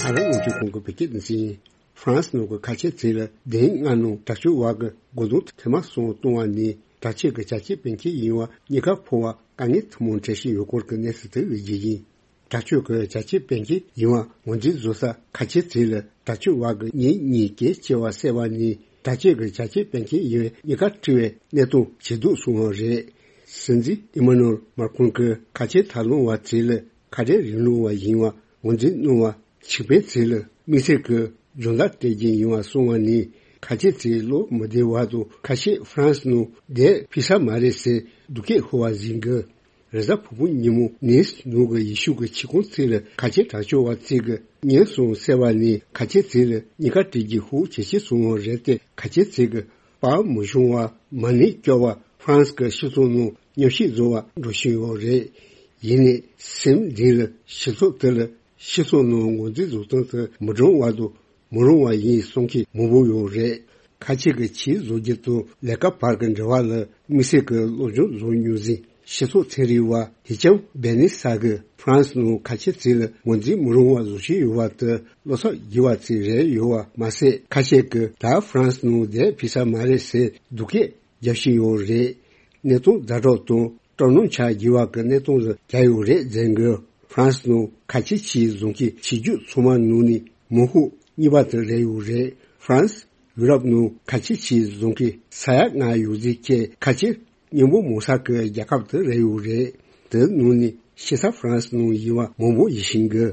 ཨ་རི་རླུང་འཕྲིན་ཁང་གི་བོད་སྐད་སྡེ་ཚན་ཡིན། ཧྥ་རན་སི་ནང་གི་ཁ་ཆེ་ཚིག་ལ་བདུན་ལྔ་ནང་དྲག་སྤྱོད་བར་གྱི་རྒོལ་རྡུང་ཐེངས་མ་གསུམ་བཏང་བ་ནས་དྲག་ཆས་ཀྱི་བྱ་སྤྱོད་སྤེལ་མཁན་ཡིན་པ་གཉིས་ཀ་ཕོ་བ་དཀའ་ངལ་ཐུན་མོང་འཕྲད་བཞིན་ཡོད་སྐོར་གྱི་གནས་ཚུལ་དེ་རིགས་ཀྱི་ཡིན། དྲག་སྤྱོད་ཀྱི་བྱ་སྤྱོད་སྤེལ་མཁན་ཡིན་པ་ངོས་འཛིན་བཟོ་ས་ཁ་ཆེ་ཚིག་ལ་དྲག་སྤྱོད་བར་གྱི་གཉེན་ཉེ་གལ་ཆེ་བ་གསལ་བ་ནས་དྲག་སྤྱོད་ཀྱི་བྱ་སྤྱོད་སྤེལ་མཁན་ཡིན་པའི་གཉིས་ཀ་འཁྲུལ་བའི་གནས་སྟངས་ཇེ་སྡུག་སོང་བ་རེད། སྲིད་འཛིན་ཨི་མ་ནུ་ཨེལ་མཱ་ཁྲོན་གྱིས་ཁ་ཆེ་ཐབས་ལམ་བ་ཚིག་ལ་ཁ་བྲལ་རིང་ལུགས་པ་ཡིན་པ་ངོས་འཛིན་གནང་བ། ཕྱུག་པའི་ཚིག་ལ་དམིགས་བསལ་གྱི་སྦྱོང་བརྡར་སྤྲད་ཀྱི་ཡིན་པ་གསུངས་པ་ནི་ ཁ་ཆེ་ཚེ་བློ་མི་བདེ་བ་དང་ཁ་ཤས་ཧྥ་རན་སི་ནང་བསྡད་ཕི་ས་མ་རེད་ཟེར་སྡུག་སྐད་ཤོར་བ་ཟིན་གི། རེས་གཟའ་ཕུར་བུ་ཉིན་མོ་ནིས་ནང་གི་ཡེ་ཤུ་གི་ཆིག་ཁོང་ཚེ་ལ་ཁ་ཆེ་དྲག་སྤྱོད་བ་ཚེ་གི་ཉེན་སོང་ཟེར་བ་ནི་ཁ་ཆེ་ཚེ་ལ་གཉིས་ཀ་བྲིས་ཀྱི་ཤུགས་ཇེ་ཆེ་སོང་བ་རེད་དེ། ཁ་ཆེ་ཚེ་གི་པར་མི་ཤོང་བ་མ་ཎི་སྐྱོར་བ་ཧྥ་རན་སི་གི་སྤྱི་ཚོགས་ནང་ཉམས་ཞིབ་བཟོ་བ་འགྲོ་བཞིན་ཡོད་རེད། ཡིན་ནའི་སེམས་བདེ་ལ་སྤྱི་ཚོགས་དེ་ལ་སྤྱི་ཚོགས་ནང་ངོས་འཛིན་བཟོ་སྟངས་དེ་མི་འདྲ་བ་དང་མི་རུང་བ་ཡིན་གསུང་མཁན་མང་པོ་ཡོད་རེད། ཁ་ཆེ་གི་ཆེད་བཟོ་རྒྱུ་དང་ལས་ཀ་བར་གྱི་འབྲེལ་བ་ལ་དམིགས་བསལ་གྱི་སློབ་སྦྱོང་བཟོ་མྱོང་ཟིན་སྤྱི་ཚོགས་ཚན་རིག་པ་ཧི་ཅམ་བེ་ནི་ས་གིས་ཧྥ་རན་སི་ནང་ཁ་ཆེ་ཚེ་ལ་ངོས་འཛིན་མི་རུང་བ་བཟོ་བཞིན་ཡོད་པ་དེ་བློ་འཚབ་རྒྱས་པ་ཅིག་རེད་ཡོད་པ་མ་ཟད། ཁ་ཆེ་གིས་ད་ཧྥ་རན་སི་ནང་བསྡད་ཕི་ས་མ་རེད་ཟེར་སྡུག་སྐད་རྒྱབ་བཞིན་ཡོད་རེད། གནས་སྟངས་ཛ་དྲག་དང་སྤྲོ་སྣང་ཆགས་རྒྱུ་བ་གི་གནས་སྟངས་ལ་གྱར་ཡོད་རེད་ཟེར་གི། ཧྥ་རན་སི་ནང་ཁ་ཆེ་ཆེད་བཟོ་མཁན་ཆེ་རྒྱུ་ཚང་མ་ནང་ནས་མང་ཤོས་གཉིས་པ་དེ་རེད་ཡོད་རེད། ཧྥ་རན་སི་ཡུ་རོབ་ནང་ཁ་ཆེ་ཆེད་བཟོ་མཁན་ས་ཡ་ལྔ་ཡོད་ཚད་ཀྱི་ཁ་ཆེ་སྙིང་པོ་མང་ས་གི་རྒྱལ་ཁབ་དེ་རེད་ཡོད་རེད། དེ་ནང་ནས་ཤི་ས་ཧྥ་རན་སི་ནང་ཡིན་པ་མང་པོ་ཡིན་བཞིན་གི།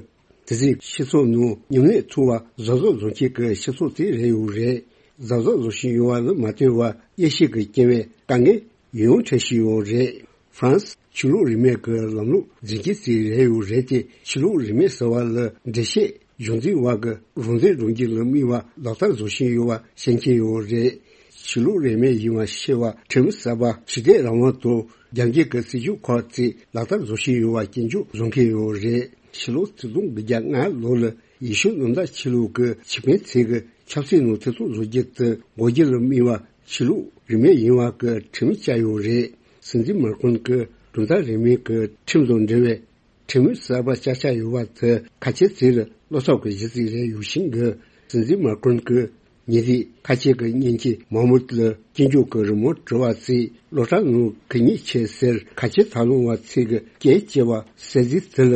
དེ་ཚེ་སྤྱི་ཚོགས་ནང་མཉམ་ལས་ཐུབ་པ་གཟབ་གཟབ་བཟོ་མཁན་གྱི་སྤྱི་ཚོགས་དེ་རེད་ཡོད་རེད། གཟབ་གཟབ་བཟོ་བཞིན་ཡོད་པ་ལ་མ་ལྟོས་པར་དབྱེ་ཞིབ་ཀྱི་སྐྱེ་བའི་དཀའ་ངལ་ཡང་འཕྲད་བཞིན་ཡོད་རེད། ཧྥ་རན་སི་ཆོས་ལུགས་རིས་མེད་ཀྱི་ལམ་ལུགས་འཛིན་གྱི་རྩིས་རེད་ཡོད་རེད་དེ། ཆོས་ལུགས་རིས་མེད་ཟེར་བ་ལ་འགྲེལ་བཤད་སྦྱོང་འཛིན་བ་གི་རང་བཙན་སྒྲུབ་རྒྱུ་ལ་དམིགས་པ་ལག་བསྟར་བཟོ་བཞིན་ཡོད་པ་ཤེས་ཀྱི་ཡོད་རེད། ཆོས་ལུགས་རིས་མེད་ཡིན་པ་ཤེས་པ་ཁྲིམས་གསར་པ་ཞི་བདེ་རང་དབང་དང་རྒྱ་སྐྱེད་ཀྱི་སྲིད་ཇུས་ཁག་ཅིག་ལག་བསྟར་བཟོ་བཞིན་ཡོད་པ་སྐྱོན་བརྗོད་བཟོ་མཁན་ཡོད་རེད། ཕྱི་ལོ་ཆིག་སྟོང་དགུ་བརྒྱ་ལྔ་ལོ་ལ་ཡེ་ཤུ་གནམ་བདག་ཆོས་ལུགས་ཀྱི་ཆོས་དཔོན་ཚོས་ཀྱི་ཆབ་སྲིད་ནང་ཐེ་གཏོགས་བཟོ་རྒྱུ་དེ་འགོག་རྒྱུ་ལ་དམིགས་པ་ཆོས་ལུགས་རིས་མེད་ཡིན་པ་གི་ཁྲིམས་བཅའ་ཡོད་རེད། སྲིད་འཛིན་མཱ་ཀྲོན་གྱི་གྲུབ་མཐའ་རིས་མེད་ཀྱི་ཁྲིམས་དང་འབྲེལ་བའི་ཁྲིམས་གསར་པ་བཅའ་བཞག་ཡོད་པ་དེ་ཁ་ཆེ་ཚོ་ལ་བློ་འཚབ་ཀྱི་གཞི་རྩ་རེད་ཡོད་བཞིན་གི། སྲིད་འཛིན་མཱ་ཀྲོན་གྱིས་ཉེ་དུས་ཁ་ཆེ་གི་གཉེན་སྐྱེས་མཱ་མུད་ལ་སྐྱོན་བརྗོད་ཀྱི་རི་མོ་བྲིས་པ་ཚོས་སློབ་གྲྭ་ནང་གད་སྙིགས་ཆེ་ཟེར་ཁ་ཆེ་ཐབས་ལམ་པ་ཚོས་ཀྱི་སྐད་ཅེས་པ་གསལ་གཟིགས་དེ་ལ།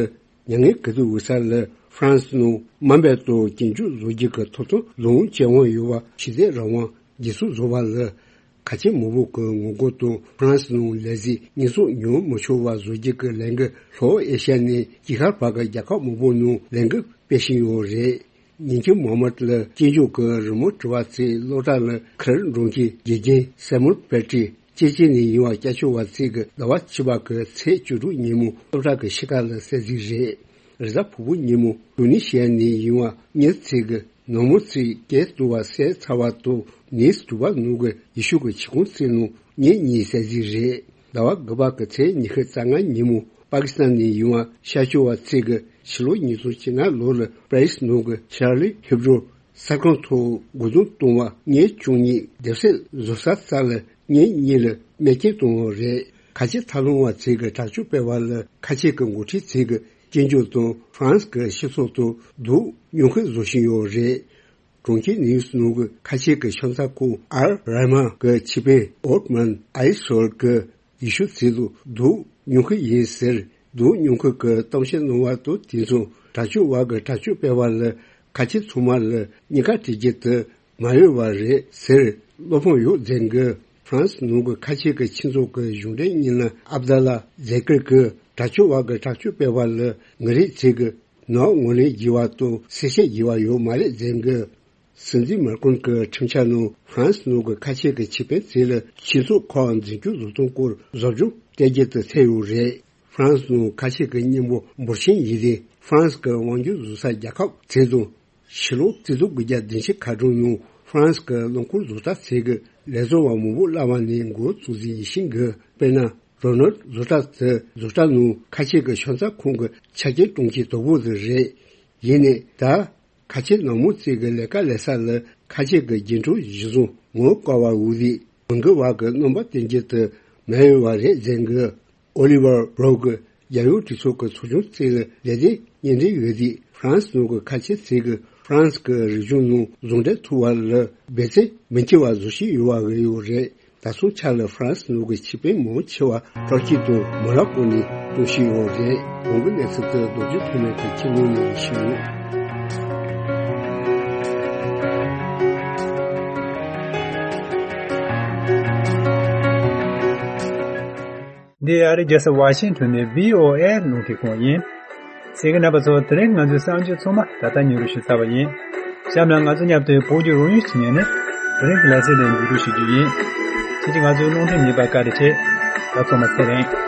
མྱ་ངན་གུ་དུ་འོད་ས་ལ་ཧྥ་རན་སི་ནང་དམའ་འབེབས་དང་སྐྱོན་བརྗོད་བཟོ་རྒྱུ་གི་ཐོབ་ཐང་ལོངས་སྤྱོད་དབང་ཡོད་པ་ཞི་བདེ་རང་དབང་སྒེར་ཚུགས་བཟོ་བ་ལ་ཁ་ཆེ་མང་པོ་གི་ངོ་རྒོལ་དང་ཧྥ་རན་སི་ནང་ལས་གཞི་ཉེས་གསོག་མྱོང་མི་ཆོག་པ་བཟོ་རྒྱུ་གི་ལས་འགུལ་ལྷོ་ཨེ་ཤ་ནས་དཀྱིལ་ཤར་བར་གྱི་རྒྱལ་ཁབ་མང་པོ་ནང་ལས་འགུལ་སྤེལ་བཞིན་ཡོད་རེད། ཉིན་གྱི་མ་མར་ལ་སྐྱིད་འཇུག་གི་རི་མོ་བྲི་བ་ཚོས་སློབ་གྲྭ་ལ་ཁེར་འགྲོ་མཁན་དགེ་རྒན་སེ་མུར་པེ་ཏྲི་ཅེ་ཅེ་ནས་ཡིན་པ་སྐྱབས་བཅོལ་བ་ཚོས་ཀྱི་ཟླ་བ་བཅུ་པ་གི་ཚེས་བཅུ་དྲུག་ཉིན་མོ་སློབ་གྲྭ་གི་ཤིས་ཀ་ལ་གསལ་གཟིགས་རེད། རེས་གཟའ་ཕུར་བུ་ཉིན་མོ་ཏུ་ནི་ཤི་ཡ་ནས་ཡིན་པ་གཉིས་ཚོས་ཀྱི་ནང་མི་ཚོས་སྐད་བཏུབ་པ་གསལ་ཚར་བ་དང་ནིས་དྲུག་པ་ནང་གི་ཡེ་ཤུ་གི་ཆིག་ཁོངས་ཚོའི་ནང་ཉིན་གཉིས་གསལ་གཟིགས་རེད། ཟླ་བ་དགུ་པ་གི་ཚེས་ཉི་ཤུ་རྩ་ལྔ་ཉིན་མོ་པ་ཀི་སི་ཐན་ནས་ཡིན་པ་ཤར་ཕྱོགས་པ་ཚོས་ཀྱི་ཕྱི་ལོ་ཉིས་སྟོང་བཅོ་ལྔ་ལོ་ལ་པ་རི་སི་ནང་གི་ཆར་ལི་ཧེབ་རོ་གསར་ཁང་ཐོག་རྒོལ་རྡུང་གཏོང་བ་ཉིན་བཅུ་གཉིས་སྡེབ་གསོད་བཟོ་ས་རྩ་ལ་ཉིན་གཉིས་ལ་རྨས་སྐྱོན་བཏང་བ་རེད། ཁ་ཆེ་ཐབས་ལམ་པ་ཚོས་ཀྱི་དྲག་སྤྱོད་སྤེལ་བ་ལ་ཁ་ཆེ་གི་འགོ་ཁྲིད་ཚོས་ཀྱི་སྐྱོན་བརྗོད་དང་ཧྥ་རན་སི་གི་སྤྱི་ཚོགས་དང་སྡུག་མྱོང་ཁུལ་བཟོ་བཞིན་ཡོད་རེད། གྲོང་ཁྱེར་ནིའུ་སི་ནང་གི་ཁ་ཆེ་གི་ཤམ་ཚ་ཁོངས་ཨལ་ར་མ་གི་ཆེད་དཔོན་ཨོ་ཏ་མན་ཨའི་སོལ་གྱིས་ཡེ་ཤུ་ཚོ་ལ་སྡུག་མྱོང་གི་ཡིན་ཟེར། སྡུག་མྱོང་མཁན་གྱི་གཏམ་བཤད་གནང་བ་དང་དེ་མཚུངས་དྲག་སྤྱོད་པ་གི་དྲག་སྤྱོད་སྤེལ་བ་ལ་ཁ་ཆེ་ཚང་མ་ལ་གཉིས་ཀ་སྤྲད་རྒྱུ་དེ་མ་འོས་པ་རེད་ཟེར་བློ་ཕམ་ཡོད་ཟེར་གི། ཧྥ་རན་སི་ནང་གི་ཁ་ཆེ་གི་ཆོས་ཚོགས་ཀྱི་གཞུང་འབྲེལ་བརྙན་ལམ་ཨབ་དཱ་ལ་ཛེ་ཀིར་གྱིས་དྲག་སྤྱོད་པ་གི་དྲག་སྤྱོད་སྤེལ་བ་ལ་ངེད་རིགས་ཚོས་ཀྱི་ནག་ངོས་ལེན་བགྱི་བ་དང་གསལ་བཤད་བགྱི་བ་ཡོད་མ་རེད་ཟེར་གི། སྲིད་འཛིན་མཱ་ཀྲོན་གྱི་ཁྲིམས་འཆར་ནང་ཧྥ་རན་སི་ནང་གི་ཁ་ཆེ་གི་ཆོས་དཔོན་ཚོ་ལ་ཆོས་ཚོགས་ཁག་འཛིན་སྐྱོང་བཟོ་སྟངས་སྐོར་བཟོ་སྦྱོང་སྤྲད་རྒྱུ་དེ་ཚུད་ཡོད་རེད། ཧྥ་རན་སི་ནང་ཁ་ཆེ་གི་མཉན་པ་འབོར་ཆེན་ཡིན་ཏེ་ཧྥ་རན་སི་གི་དབང་སྒྱུར་བཟོ་ས་རྒྱལ་ཁབ་ཚོ་དང་། ཕྱི་ལོ་ཆིག་སྟོང་དགུ་བརྒྱ་བདུན་ཅུ་ཁ་གྲངས་ནང་ཧྥ་རན་སི་གི་རླངས་འཁོར་བཟོ་གྲྭ་ཚོ་གི་ལས་བཟོ་བ་མང་པོ་བླ་མ་ནས་འགོ་བཙུགས་ཟིན་ཡིན་ཤིང་གི། དཔེར་ན་རོ་ནལ་བཟོ་གྲྭ་དེ་བཟོ་གྲྭ་ནང་ཁ་ཆེ་གི་ཤམ་ཚ་ཁོངས་ཀྱི་ཆ་རྐྱེན་གྲོང་ཁྱེར་དོག་པོ་དེ་རེད། ཡིན་ནའི་ད་ཁ་ཆེ་ནང་མི་ཚོ་གི་ལས་ཀ་ལས་ས་ལ་ཁ་ཆེ་གི་རྒྱུན་གྲོན་གཞི་བཟུང་ངོ་དཀར་བ་འུ་ལི་མི་འགི་བ་གི་རྣམ་པ་སྟོན་རྒྱུ་དེ་མ་ཡོད་པ་རེད་ཟེར་གི། ཨོ་ལི་ཝར་བྷྲོ་གི་རྒྱལ་ཡོངས་གྲོས་ཚོགས་ཀྱི་ཚོགས་ཆུང་གཅིག་ལ་ལས་དོན་གཉེར་འབྲེལ་ཡོད་དུས་ཧྥ་རན་སི་ནང་གི་ཁ་ཆེ་ཚོས་ཀྱི་ཧྥ་རན་སི་གི་རིག་གཞུང་ནང་ཟུང་འབྲེལ་ཐུབ་པ་ལ་འབད་བརྩོན་མི་བྱེད་པ་བཟོ་བཞིན་ཡོད་པ་རེད་ཡོད་རེད། ད་སོང་ཆ་ལ་ཧྥ་རན་སི་ནང་གི་ཆོས་དཔོན་མང་ཆེ་བ་ཏུར་ཀི་དང་མོ་རོ་ཀོ་ནས་གཏོང་བཞིན་ཡོད་རེད། གོང་གི་གནས་ཚུལ་དེ་རྡོ་རྗེ་ཐོན་མེད་ཀྱི་ཁྱིམ་ནང་ནས་ཡིན་ཞུ། འདི་ཨ་རིའི་རྒྱལ་ས་ཝ་ཤིང་ཊོན་ནས་བྷི་ཨོ་ཨེ་རླུང་འཕྲིན་ཁང་ཡིན། གསན་མཁན་རྣམ་པ་ཚོ། དེ་རིང་ང་ཚོའི་གསར་འགྱུར་ཚང་མ་ད་ལྟ་སྙན་སྒྲོན་ཞུས་ཚར་བ་ཡིན། གཤམ་ལ་ང་ཚོ་མཉམ་དུ་བོད་ཀྱི་རང་ཡུལ་གྱི་ཉིན་ནས་ དེ་རིང་གི་ལེ་ཚན་དེ་མཇུག་སྒྲིལ་ཞུ་རྒྱུ་ཡིན། ཁྱེད་ཀྱིས་ང་ཚོའི་རླུང་འཕྲིན་ཉན་པར་བཀའ་དྲིན་ཆེ། ད་ཚང་མ་ཚེ་རིང་།